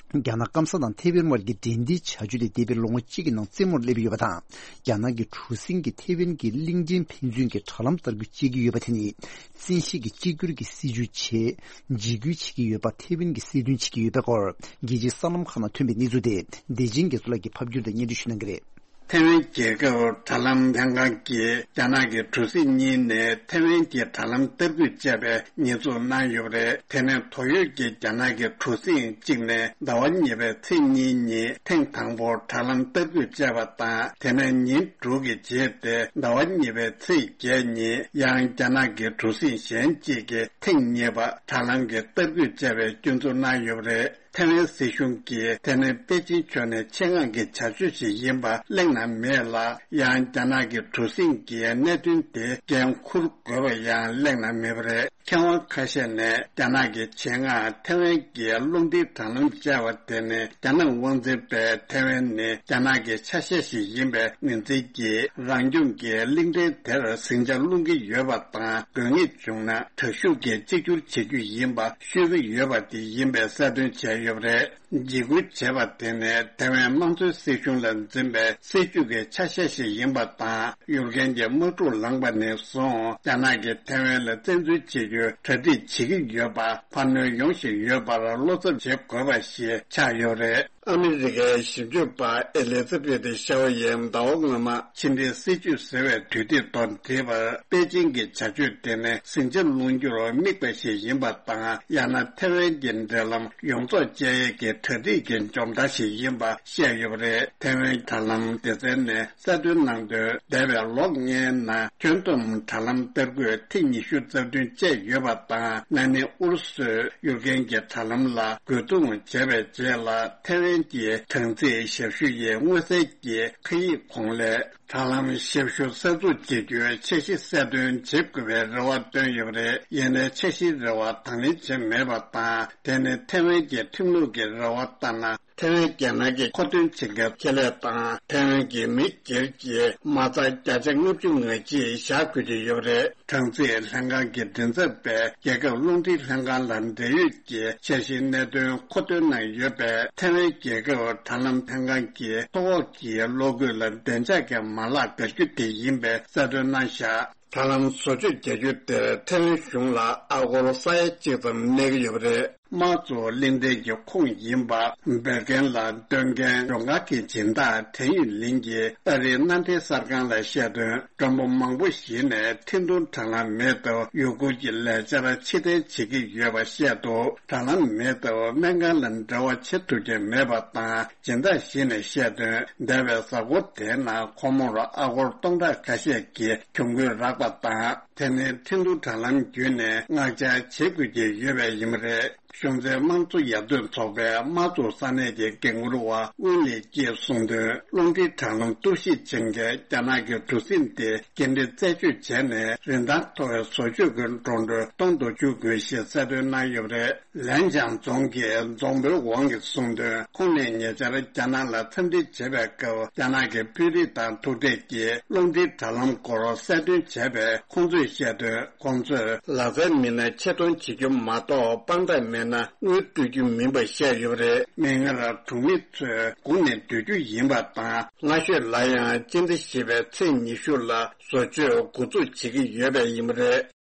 རྒྱ་ནག་སྐམ་ས་དང་ཐེ་ཝན་དབར་གྱི་འབྲེལ་འདྲིས་བྱ་སྤྱོད་དེ་འདས་པའི་ལོ་ངོ་གཅིག་གི་ནང་རྩེད་མོར་སླེབས་ཡོད་པ་དང་། རྒྱ་ནག་གི་གྲུ་གཟིངས་ཀྱིས་ཐེ་ཝན་གྱི་གླིང་ཕྲན་ཕན་ཚུན་གྱི་དྲ་ལམ་བསྟར་སྐུལ་བྱེད་ཀྱི་ཡོད་པ་དེ་ནི། བཙན་ཤེད་ཀྱིས་གཅིག་གྱུར་གྱི་སྲིད་བྱུས་ཆེད་འཇིགས་སྐུལ་བྱེད་ཀྱི་ཡོད་པ་ཐེ་ཝན་གྱིས་གསལ་སྟོན་བྱེད་ཀྱི་ཡོད་པའི་སྐོར། རྒྱལ་སྤྱིའི་གསར་ལམ་ཁག་ནང་ཐོན་པའི་གནས་ཚུལ་དེ་བདེ་ཆེན་རྒྱ་མཚོ་ལགས་ཀྱིས་ཕབ་སྒྱུར་དང་སྙན་སྒྲོན་ཞུ་གནང་གི་རེད། ཐེ་ཝན་རྒྱལ་ཁབ་དྲ་ལམ་ལྷན་ཁང་གིས་རྒྱ་ནག་གི་གྲུ་གཟིངས་གཉིས་ནས་ཐེ་ཝན་གྱི་དྲ་ལམ་བསྟར་སྐུལ་བྱས་པའི་ཉེས་འཛུགས་གནང་ཡོད་པ་རེད། དེ་ནས་དོགས་ཡོད་ཀྱི་རྒྱ་ནག་གི་གྲུ་གཟིངས་གཅིག་ནས་ཟླ་བ་གཉིས་པའི་ཚེས་གཉིས་ཉིན་ཐེངས་དང་པོར་དྲ་ལམ་བསྟར་སྐུལ་བྱས་པ་དང་། དེ་ནས་ཉིན་དྲུག་གི་རྗེས་ཏེ་ཟླ་བ་གཉིས་པའི་ཚེས་བརྒྱད་ཉིན་ཡང་རྒྱ་ནག་གི་གྲུ་གཟིངས་གཞན་གཅིག་གིས་ཐེངས་གཉིས་པ་དྲ་ལམ་གྱི་བསྟར་སྐུལ་བྱས་པའི་སྐྱོན་འཛུགས་གནང་ཡོད་པ་རེད། ཐེ་ཝན་སྲིད་གཞུང་གིས་དེ་ནི་པེ་ཅིན་ཕྱོགས་ནས་ཆེད་མངགས་ཀྱི་བྱ་སྤྱོད་ཞིག་ཡིན་པ་གླེང་ན་མེད་ལ། ཡང་རྒྱ་ནག་གི་གྲུ་གཟིངས་ཀྱིས་གནད་དོན་དེ་འགན་འཁུར་དགོས་པ་ཡང་གླེང་ན་མེད་པ་རེད། མཁས་དབང་ཁ་ཤས་ནས་རྒྱ་ནག་གི་ཆེད་མངགས་ཐེ་ཝན་གྱི་རླུང་འཕྲིན་དྲ་ལམ་བཅའ་བ་དེ་ནི་རྒྱ་ནག་དབང་འཛིན་པས་ཐེ་ཝན་ནི་རྒྱ་ནག་གི་ཆ་ཤས་ཤིག་ཡིན་པའི་ངོས་འཛིན་གྱིས་རང་སྐྱོང་གི་གླིང་ཕྲན་དེར་ཟིང་ཆ་སློང་གི་ཡོད་པ་དང་། དགོས་ངེས་བྱུང་ན་དྲག་ཤུགས་ཀྱིས་གཅིག་གྱུར་བྱེད་རྒྱུ་ཡིན་པ་ཤོད་ཀྱི་ཡོད་པ་དེ་ཡིན་པའི་གསལ་སྟོན་བྱས་ཡོད་པ་རེད། འཇིགས་སྐུལ་བྱས་པ་དེ་ནི་ཐེ་ཝན་དམངས་གཙོའི་སྲིད་གཞུང་ལ་འཛིན་པའི་སྲིད་བྱུས་ཀྱི་ཆ་ཤས་ཤིག་ཡིན་པ་དང་། གཡུལ་རྒྱལ་གྱི་དམག་འཁྲུག་ལངས་པ་ནས་བཟུང་རྒྱ་ནག་གིས་ཐེ་ཝན་ལ་བཙན་འཛུལ་བྱེད་རྒྱུའི་གྲ་སྒྲིག་བྱེད་ཀྱི་ཡོད་པ་འཕར་སྣོན་ཡོང་བཞིན་ཡོད་པར་བློ་འཚབ་བྱེད་དགོས་པ་ཞིག་ཆགས་ཡོད་རེད། ཨ་མི་རི་ཀའི་ཞིབ་འཇུག་པ་ཨེ་ལི་ཛ་བེད་ཤ་ཝ་ཡིས་ཟླ་བ་སྔོན་མ་ཕྱི་འབྲེལ་སྲིད་བྱུས་ཟེར་བའི་དུས་དེབ་ཐོག་བྲིས་པར། པེ་ཅིང་གི་བྱ་སྤྱོད་དེ་ནི་ཟིང་ཆ་སློང་རྒྱུར་དམིགས་པ་ཞིག་ཡིན་པ་དང་། ཡང་ན་ཐེ་ཝན་གྱི་འབྲེལ་ལམ་ཡོངས་རྫོགས་བཅད་ཡས་ཀྱི་གྲ་སྒྲིག་གི་འཇོམས་ཐང་ཞིག་ཡིན་པ་བཤད་ཡོད་པ་རེད། ཐེ་ཝན་དྲ་ལམ་སྡེ་ཚན་ནས་གསལ་སྟོན་གནང་དོན། འདས་པའི་ལོ་ལྔའི་ནང་ཁྱོན་བསྡོམས་དྲ་ལམ་བསྟར་སྒུག་ཐེངས་ཉི་ཤུ་རྩ་བདུན་བཅད་ཡོད་པ་དང་། ན་ནིང་ཨུ་རུ་སུས་ཡུཀ་རེན་གྱི་དྲ་ལམ་ལ་རྒོལ་རྡུང་བྱས་པའི་རྗེས་ལ། ཐེ་ཝན་གྱི་དྲང་ཚིགས་ཞབས་ཞུ་ཡི་མངོན་གསལ་གྱི་ཁ་ཡིག་གོང་ལས། དྲ་ལམ་ཞབས་ཞུ་གསར་འཛུགས་བྱེད་རྒྱུའི་འཆར་གཞི་གསལ་སྟོན་བྱེད་དགོས་པའི་རེ་བ་བཏོན་ཡོད་པ་རེད། ཡིན་ནའི་འཆར་གཞིའི་རེ་བ་དང་ལེན་བྱས་མེད་པ་དང་། དེ་ནི་ཐེ་ཝན་གྱི་ཁྲིམས་ལུགས་ཀྱི་རེ་བ་ལྟར་ན། ཐེ་ཝན་རྒྱལ་ནང་གི་མཁོ་འདོན་བྱེད་མཁན་ཁེ་ལས་དང་། ཐེ་ཝན་གྱི་མི་སྒེར་གྱི་མ་རྩ་བརྒྱ་ཆ་ལྔ་བཅུ་ང་གཅིག་བཞག་དགོས་ཀྱི་ཡོད་པ་རེད། དྲང་ཚིགས་ལྷན་ཁང་གི་མགྲིན་ཚབ་པས་རྒྱལ་ཁབ་རླུང་འཕྲིན་ལྷན་ཁང་ལ་འབྲེལ་ཡོད་ཀྱི་འཆར་གཞིའི་གནད་དོན་མཁོ་འདོན་གནང་ཡོད་པས། ཐེ་ཝན་རྒྱལ་ཁབ་དྲ་ལམ་ལྷན་ཁང་གིས་མཐོ་འོག་གི་གློག་སྐུད་ལ་བདེ་འཇགས་ཀྱི་མ་ལག་བརྒལ་རྒྱུ་དེ་ཡིན་པའི་གསལ་སྟོན་གནང་བཞག་དྲ་ལམ་བཟོ་བཅོས་བྱ་རྒྱུ་དེར་ཐེ་ཝན་གཞུང་ལ་ཨ་སྒོར་ས་ཡ་གཅིག་ཙམ་གནས་ཀྱི་ཡོད་པ་རེད། དམངས་གཙོ་གླེང་སྟེགས་ཀྱི་ཁོངས་ཡིན་པ། འབོད་མཁན་ལ་འདོན་མཁན་ལྗོངས་མཁར་གྱི་སྦྱིན་བདག་ཐན་ཡུས་ལིན་གྱིས་ཨ་རིའི་མནའ་འབྲེལ་གསར་ཁང་ལ་བཤད་དོན། མགྲོན་པོ་མང་པོ་ཞིག་ནས་འཕྲིན་ཐུང་དྲ་ལམ་མེད་སྟབས་ཡུ་གུར་གྱི་ལས་འཆར་ཕྱིར་འཐེན་བྱེད་ཀྱི་ཡོད་པ་བཤད་འདུག་དྲ་ལམ་མེད་སྟབས་སྨན་ཁང་ལ་འབྲེལ་བ་བྱེད་ཐུབ་ཀྱི་མེད་པ་དང་། སྦྱིན་བདག་ཞིག་ནས་བཤད་དོན། འདས་པའི་གཟའ་འཁོར་དེའི་ནང་ཁོ་མོར་ཨ་སྒོར་སྟོང་ཕྲག་ཁ་ཤས་ཀྱི་གྱོང་གུན་རག་པ་དང་། དེ་ནི་འཕྲིན་ཐུང་དྲ་ལམ་བརྒྱུད་ནས་མངགས་ཆ་བྱེད་དགོས་ཀྱི་ཡོད་པས་ཡིན་པ་རེད། གཞུང་འཛིན་དམངས་གཙོ་ཡར་ཐོན་ཚོགས་པས་དམངས་གཙོ་ས་གནས་ཀྱི་འགན་འཁུར་བ་ཝུན་ལི་ཀྱིས་གསུངས་དོན། རླུང་འཕྲིན་དྲ་ལམ་གཏོར་བཤིག་བྱེད་མཁན་རྒྱ་ནག་གི་གྲུ་གཟིངས་དེ་འགན་འཁྲི་རྩད་གཅོད་བྱས་ནས། རིན་ཐང་མཐོ་བའི་བཟོ་བཅོས་ཀྱི་འགྲོ་གྲོན་གཏོང་དུ་འཇུག་དགོས་ཞེས་གསལ་སྟོན་གནང་ཡོད་པ་རེད། ལན་ཅང་རྫོང་གི་རྫོང་དཔོན་ཝང་གིས་གསུངས་དོན། ཁོང་ནས་ཉེ་ཆར་རྒྱ་ནག་ལ་འཚམས་འདྲི་བྱེད་པའི་སྐབས། རྒྱ་ནག་གི་དཔོན་རིགས་དང་ཐུག་འཕྲད་ཀྱིས་རླུང་འཕྲིན་དྲ་ལམ་སྐོར་གསལ་སྟོན་བྱས་པས། ཁོང་ཚོས་བཤད་དོན། ཁོང་ཚོས་ལག་རྩལ་མེད་ན་ཆེད་གཏོང་བྱེད་རྒྱུ་མ་གཏོགས། དཔང་རྟགས་མེད་ན་དངུལ་སྤྲོད་རྒྱུ་མིན་པ་བཤད་ཡོད་པ་རེད། མིག་སྔར་གྲོང་མི་ཚོས་སྒུག་ནས་སྡོད་རྒྱུ་ཡིན་པ་དང་། སྔ་ཤོས་ལ་ཡང་སྤྱི་ཟླ་བཞི་པའི་ཚེས་ཉི་ཤུ་ལ་བཟོ་བཅོས་འགོ་འཛུགས་བྱེད་ཀྱི་ཡོད་པ་ཡིན་པ་རེད།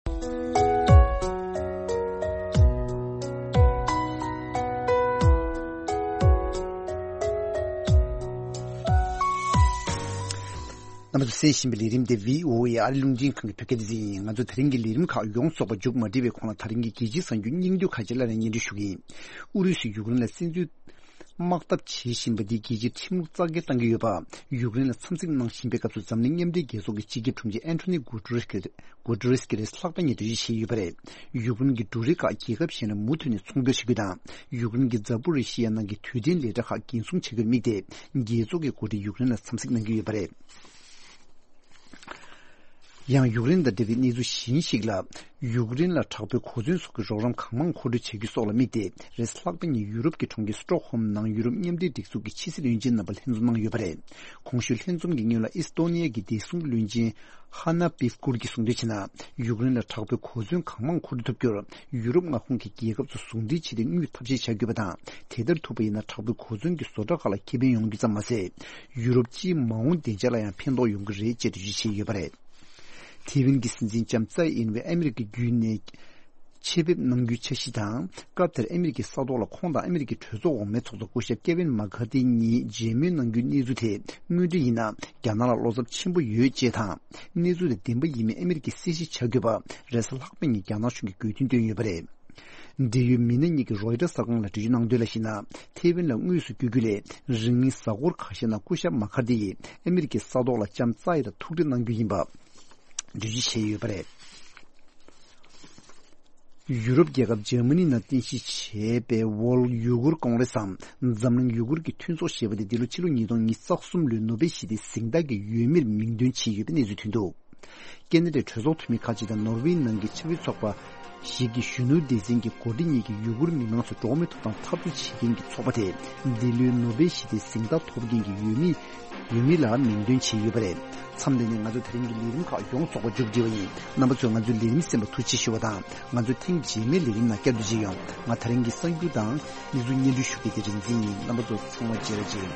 རྣམ་པ་ཚོས་གསན་བཞིན་པའི་ལས་རིམ་དེ་བྷི་ཨོ་ཨེ་ཨ་རི་རླུང་འཕྲིན་ཁང་གི་བོད་སྐད་སྡེ་ཚན་ཡིན། ང་ཚོ་དེ་རིང་གི་ལས་རིམ་ཁག་ཡོངས་རྫོགས་པ་མཇུག་མ་སྒྲིལ་བའི་གོང་ལ། དེ་རིང་གི་རྒྱལ་སྤྱིའི་གསར་འགྱུར་སྙིང་བསྡུས་ཁག་ཅིག་སླར་ཡང་སྙན་སྒྲོན་ཞུ་གི་ཡིན། ཨུ་རུ་སུས་ཡུཀ་རེན་ལ་བཙན་འཛུལ་དམག་འཐབ་བྱེད་བཞིན་པ་འདིས་རྒྱལ་སྤྱིའི་ཁྲིམས་ལུགས་རྩ་འགེངས་བཏང་གི་ཡོད་པ། ཡུཀ་རེན་ལ་འཚམས་གཟིགས་གནང་བཞིན་པའི་སྐབས་སུ། འཛམ་གླིང་མཉམ་འབྲེལ་རྒྱལ་ཚོགས་ཀྱི་སྤྱི་ཁྱབ་དྲུང་ཆེ་ཨན་ཐོ་ནི་གུ་ཏུ་རེ་སི་གི་གུ་ཏུ་རེ་སི་གིས་རེས་གཟའ་ལྷག་པ་ཉིན་འགྲེལ་བརྗོད་བྱས་ཡོད་པ་རེད། ཡུཀ་རེན་གྱི་འབྲུ་རིགས་ཁག་རྒྱལ་ཁབ་གཞན་ལ་མུ་མཐུད་ནས་ཚོང་སྦྱོར་བྱེད་རྒྱུ་དང་། ཡུཀ་རེན་གྱི་ཛ་པོ་རི་ཤི་ཡ་ནང་གི་དུས་དྲན་ལས་གྲྭ་ཁག་འགན་སྲུང་བྱ་རྒྱུར་དམིགས་ཏེ། རྒྱལ་ཚོགས་ཀྱི་འགོ་ཁྲིད་ཡུཀ་རེན་ལ་འཚམས་གཟིགས་གནང་གི་ཡོད་པ་རེད། ཡང་ཡུཀ་རེན་དང་འབྲེལ་བའི་གནས་ཚུལ་གཞན་ཞིག་ལ། ཡུཀ་རེན་ལ་དྲག་པོའི་གོ་མཚོན་སོགས་ཀྱི་རོགས་རམ་གང་མང་མཁོ་སྤྲོད་བྱ་རྒྱུ་སོགས་ལ་དམིགས་ཏེ། རེས་གཟའ་ལྷག་པ་ཉིན་ཡུ་རོབ་ཀྱི་གྲོང་ཁྱེར་སི་ཀྲོག་ཧོམ་ནང་ཡུ་རོབ་མཉམ་འབྲེལ་སྒྲིག་འཛུགས་ཀྱི་ཕྱི་སྲིད་བློན་ཆེན་རྣམ་པ་ལྷན་འཛོམས་གནང་ཡོད་པ་རེད། གོང་ཞུས་ལྷན་འཛོམས་ཀྱི་སྔོན་ལ་ཨི་སི་ཏོ་ནི་ཡ་གི་བདེ་སྲུང་བློན་ཆེན་ཧ་ན་པིབ་ཀུར་གྱིས་གསུངས་དོན་བྱས་ན། ཡུཀ་རེན་ལ་དྲག་པོའི་གོ་མཚོན་གང་མང་མཁོ་སྤྲོད་ཐུབ་རྒྱུར། ཡུ་རོབ་མངའ་ཁོངས་ཀྱི་རྒྱལ་ཁབ་ཚོ་ཟུང་འབྲེལ་བྱས་ཏེ་དངུལ་ཐབས་ཤེས་བྱ་དགོས་པ་དང་། དེ་ལྟར་ཐུབ་པ་ཡིན་ན། དྲག་པོའི་གོ་མཚོན་གྱི་བཟོ་གྲྭ་ཁག་ལ་ཁེ་ཕན་ཡོང་རྒྱུ་ཙམ་མ་ཟད། ཡུ་རོབ་སྤྱིའི་མ་འོངས་བདེ་འཇགས་ལ་ཡང་ཕན་ཐོགས་ཡོང་གི་རེད་ཅེས་འགྲེལ་བརྗོད་བྱས་ཡོད་པ་རེད། ཐེ་ཝན་གྱི་སྲིད་འཛིན་ལྕམ་ཙའེ་ཨིན་ཝེ་ཨ་མི་རི་ཀ་བརྒྱུད་ནས་ཆེད་ཕེབས་གནང་རྒྱུའི་འཆར་གཞི་དང་། སྐབས་དེར་ཨ་མི་རི་ཀའི་ས་ཐོག་ལ་ཁོང་དང་ཨ་མི་རི་ཀའི་གྲོས་ཚོགས་འོག་མའི་ཚོགས་གཙོ་སྐུ་ཞབས་ཀེ་ཝིན་མ་ཁར་ཐི་གཉིས་མཇལ་མོལ་གནང་རྒྱུའི་གནས་ཚུལ་དེ། དངོས་འབྲེལ་ཡིན་ན། རྒྱ་ནག་ལ་བློ་འཚབ་ཆེན་པོ་ཡོད་ཅེས་དང་། གནས་ཚུལ་དེ་བདེན་པ་ཡིན་མིན་ཨ་མི་རི་ཀས་གསལ་བཤད་བྱ་དགོས་པ། རེས་གཟའ་ལྷག་པ་ཉིན་རྒྱ་ནག་གཞུང་གིས་དགོས་འདུན་བཏོན་ཡོད་པ་རེད། འབྲེལ་ཡོད་མི་སྣ་གཉིས་ཀྱིས་རོའི་ཊར་གསར་ཁང་ལ་འགྲེལ་བརྗོད་གནང་དོན་ལ་གཞིགས་ན། ཐེ་ཝན་ལ་དངོས་སུ་བསྐྱོད་རྒྱུ་ལས། རིང་མིན་གཟའ་འཁོར་ཁ་ཤས་ནང་སྐུ་ཞབས་མ་ཁར་ཐི་ཡིས་ཨ་མི་རི་ཀའི་ས་ཐོག་ལ་ལྕམ་ཙའེ་དང་ཐུག་འཕྲད་གནང་རྒྱུ་ཡིན་པ་འགྲེལ་བརྗོད་བྱས་ཡོད་པ་རེད། ཡུ་རོབ་རྒྱལ་ཁབ་འཇར་མ་ནི་ནང་རྟེན་གཞི་བྱས་པའི་World Uyghur Congress་འམ། འཛམ་གླིང་ཡུ་གུར་གྱི་མཐུན་ཚོགས་ཞེས་པ་དེ། འདི་ལོ་ཕྱི་ལོ་ཉིས་སྟོང་ཉི་ཤུ་རྩ་གསུམ་ལོའི་ནོ་བེལ་ཞི་བདེའི་གཟེངས་རྟགས་ཀྱི་འོས་མིར་མིང་འདོན་བྱས་ཡོད་པའི་གནས་ཚུལ་ཐོན་འདུག་ཀེ་ན་ཌའི་གྲོས་ཚོགས་འཐུས་མི་ཁག་ཅིག་དང་ནོར་ཝེ་ནང་གི་ཕྱི་དབུས་ཚོགས་པ་ཞིག་གི་གཞོན་ནུ་སྡེ་ཚན་གྱི་འགོ་ཁྲིད་གཉིས་ཀྱིས་ཡུ་གུར་མི་མང་ཚོ་འགྲོ་བ་མིའི་ཐོབ་ཐང་འཐབ་རྩོད་བྱེད་མཁན་གྱི་ཚོགས་པ་དེ་འདི་ལོའི་ནོ་བེལ་ཞི་བདེའི་གཟེངས་རྟགས་ཐོབ་མཁན་གྱི་འོས་མི་འོས་མི་ལ་མིང་འདོན་བྱས་ཡོད་པ་རེད། མཚམས་འདི་ནས་ང་ཚོ་དེ་རིང་གི་ལས་རིམ་ཁག་ཡོངས་རྫོགས་པ་མཇུག་བསྒྲིལ་བ་ཡིན། རྣམ་པ་ཚོས་ང་ཚོའི་ལས་རིམ་གསན་པར་ཐུགས་རྗེ་ཆེ་ཞུ་བ་དང་། ང་ཚོ་ཐེངས་རྗེས་མའི་ལས་རིམ་ནང་བསྐྱར་དུ་མཇལ་ཡོང་། ང་དེ་རིང་གི་གསར་འགྱུར་དང་གནས་ཚུལ་སྙན་སྒྲོན་ཞུ་མཁན་དེ་རིག་འཛིན་ཡིན། རྣམ་པ་ཚོ་ཚང་མ་བརྗེ་རེ་བྱེད།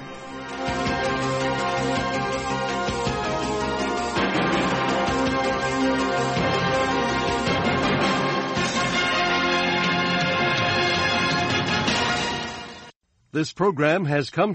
This program has come to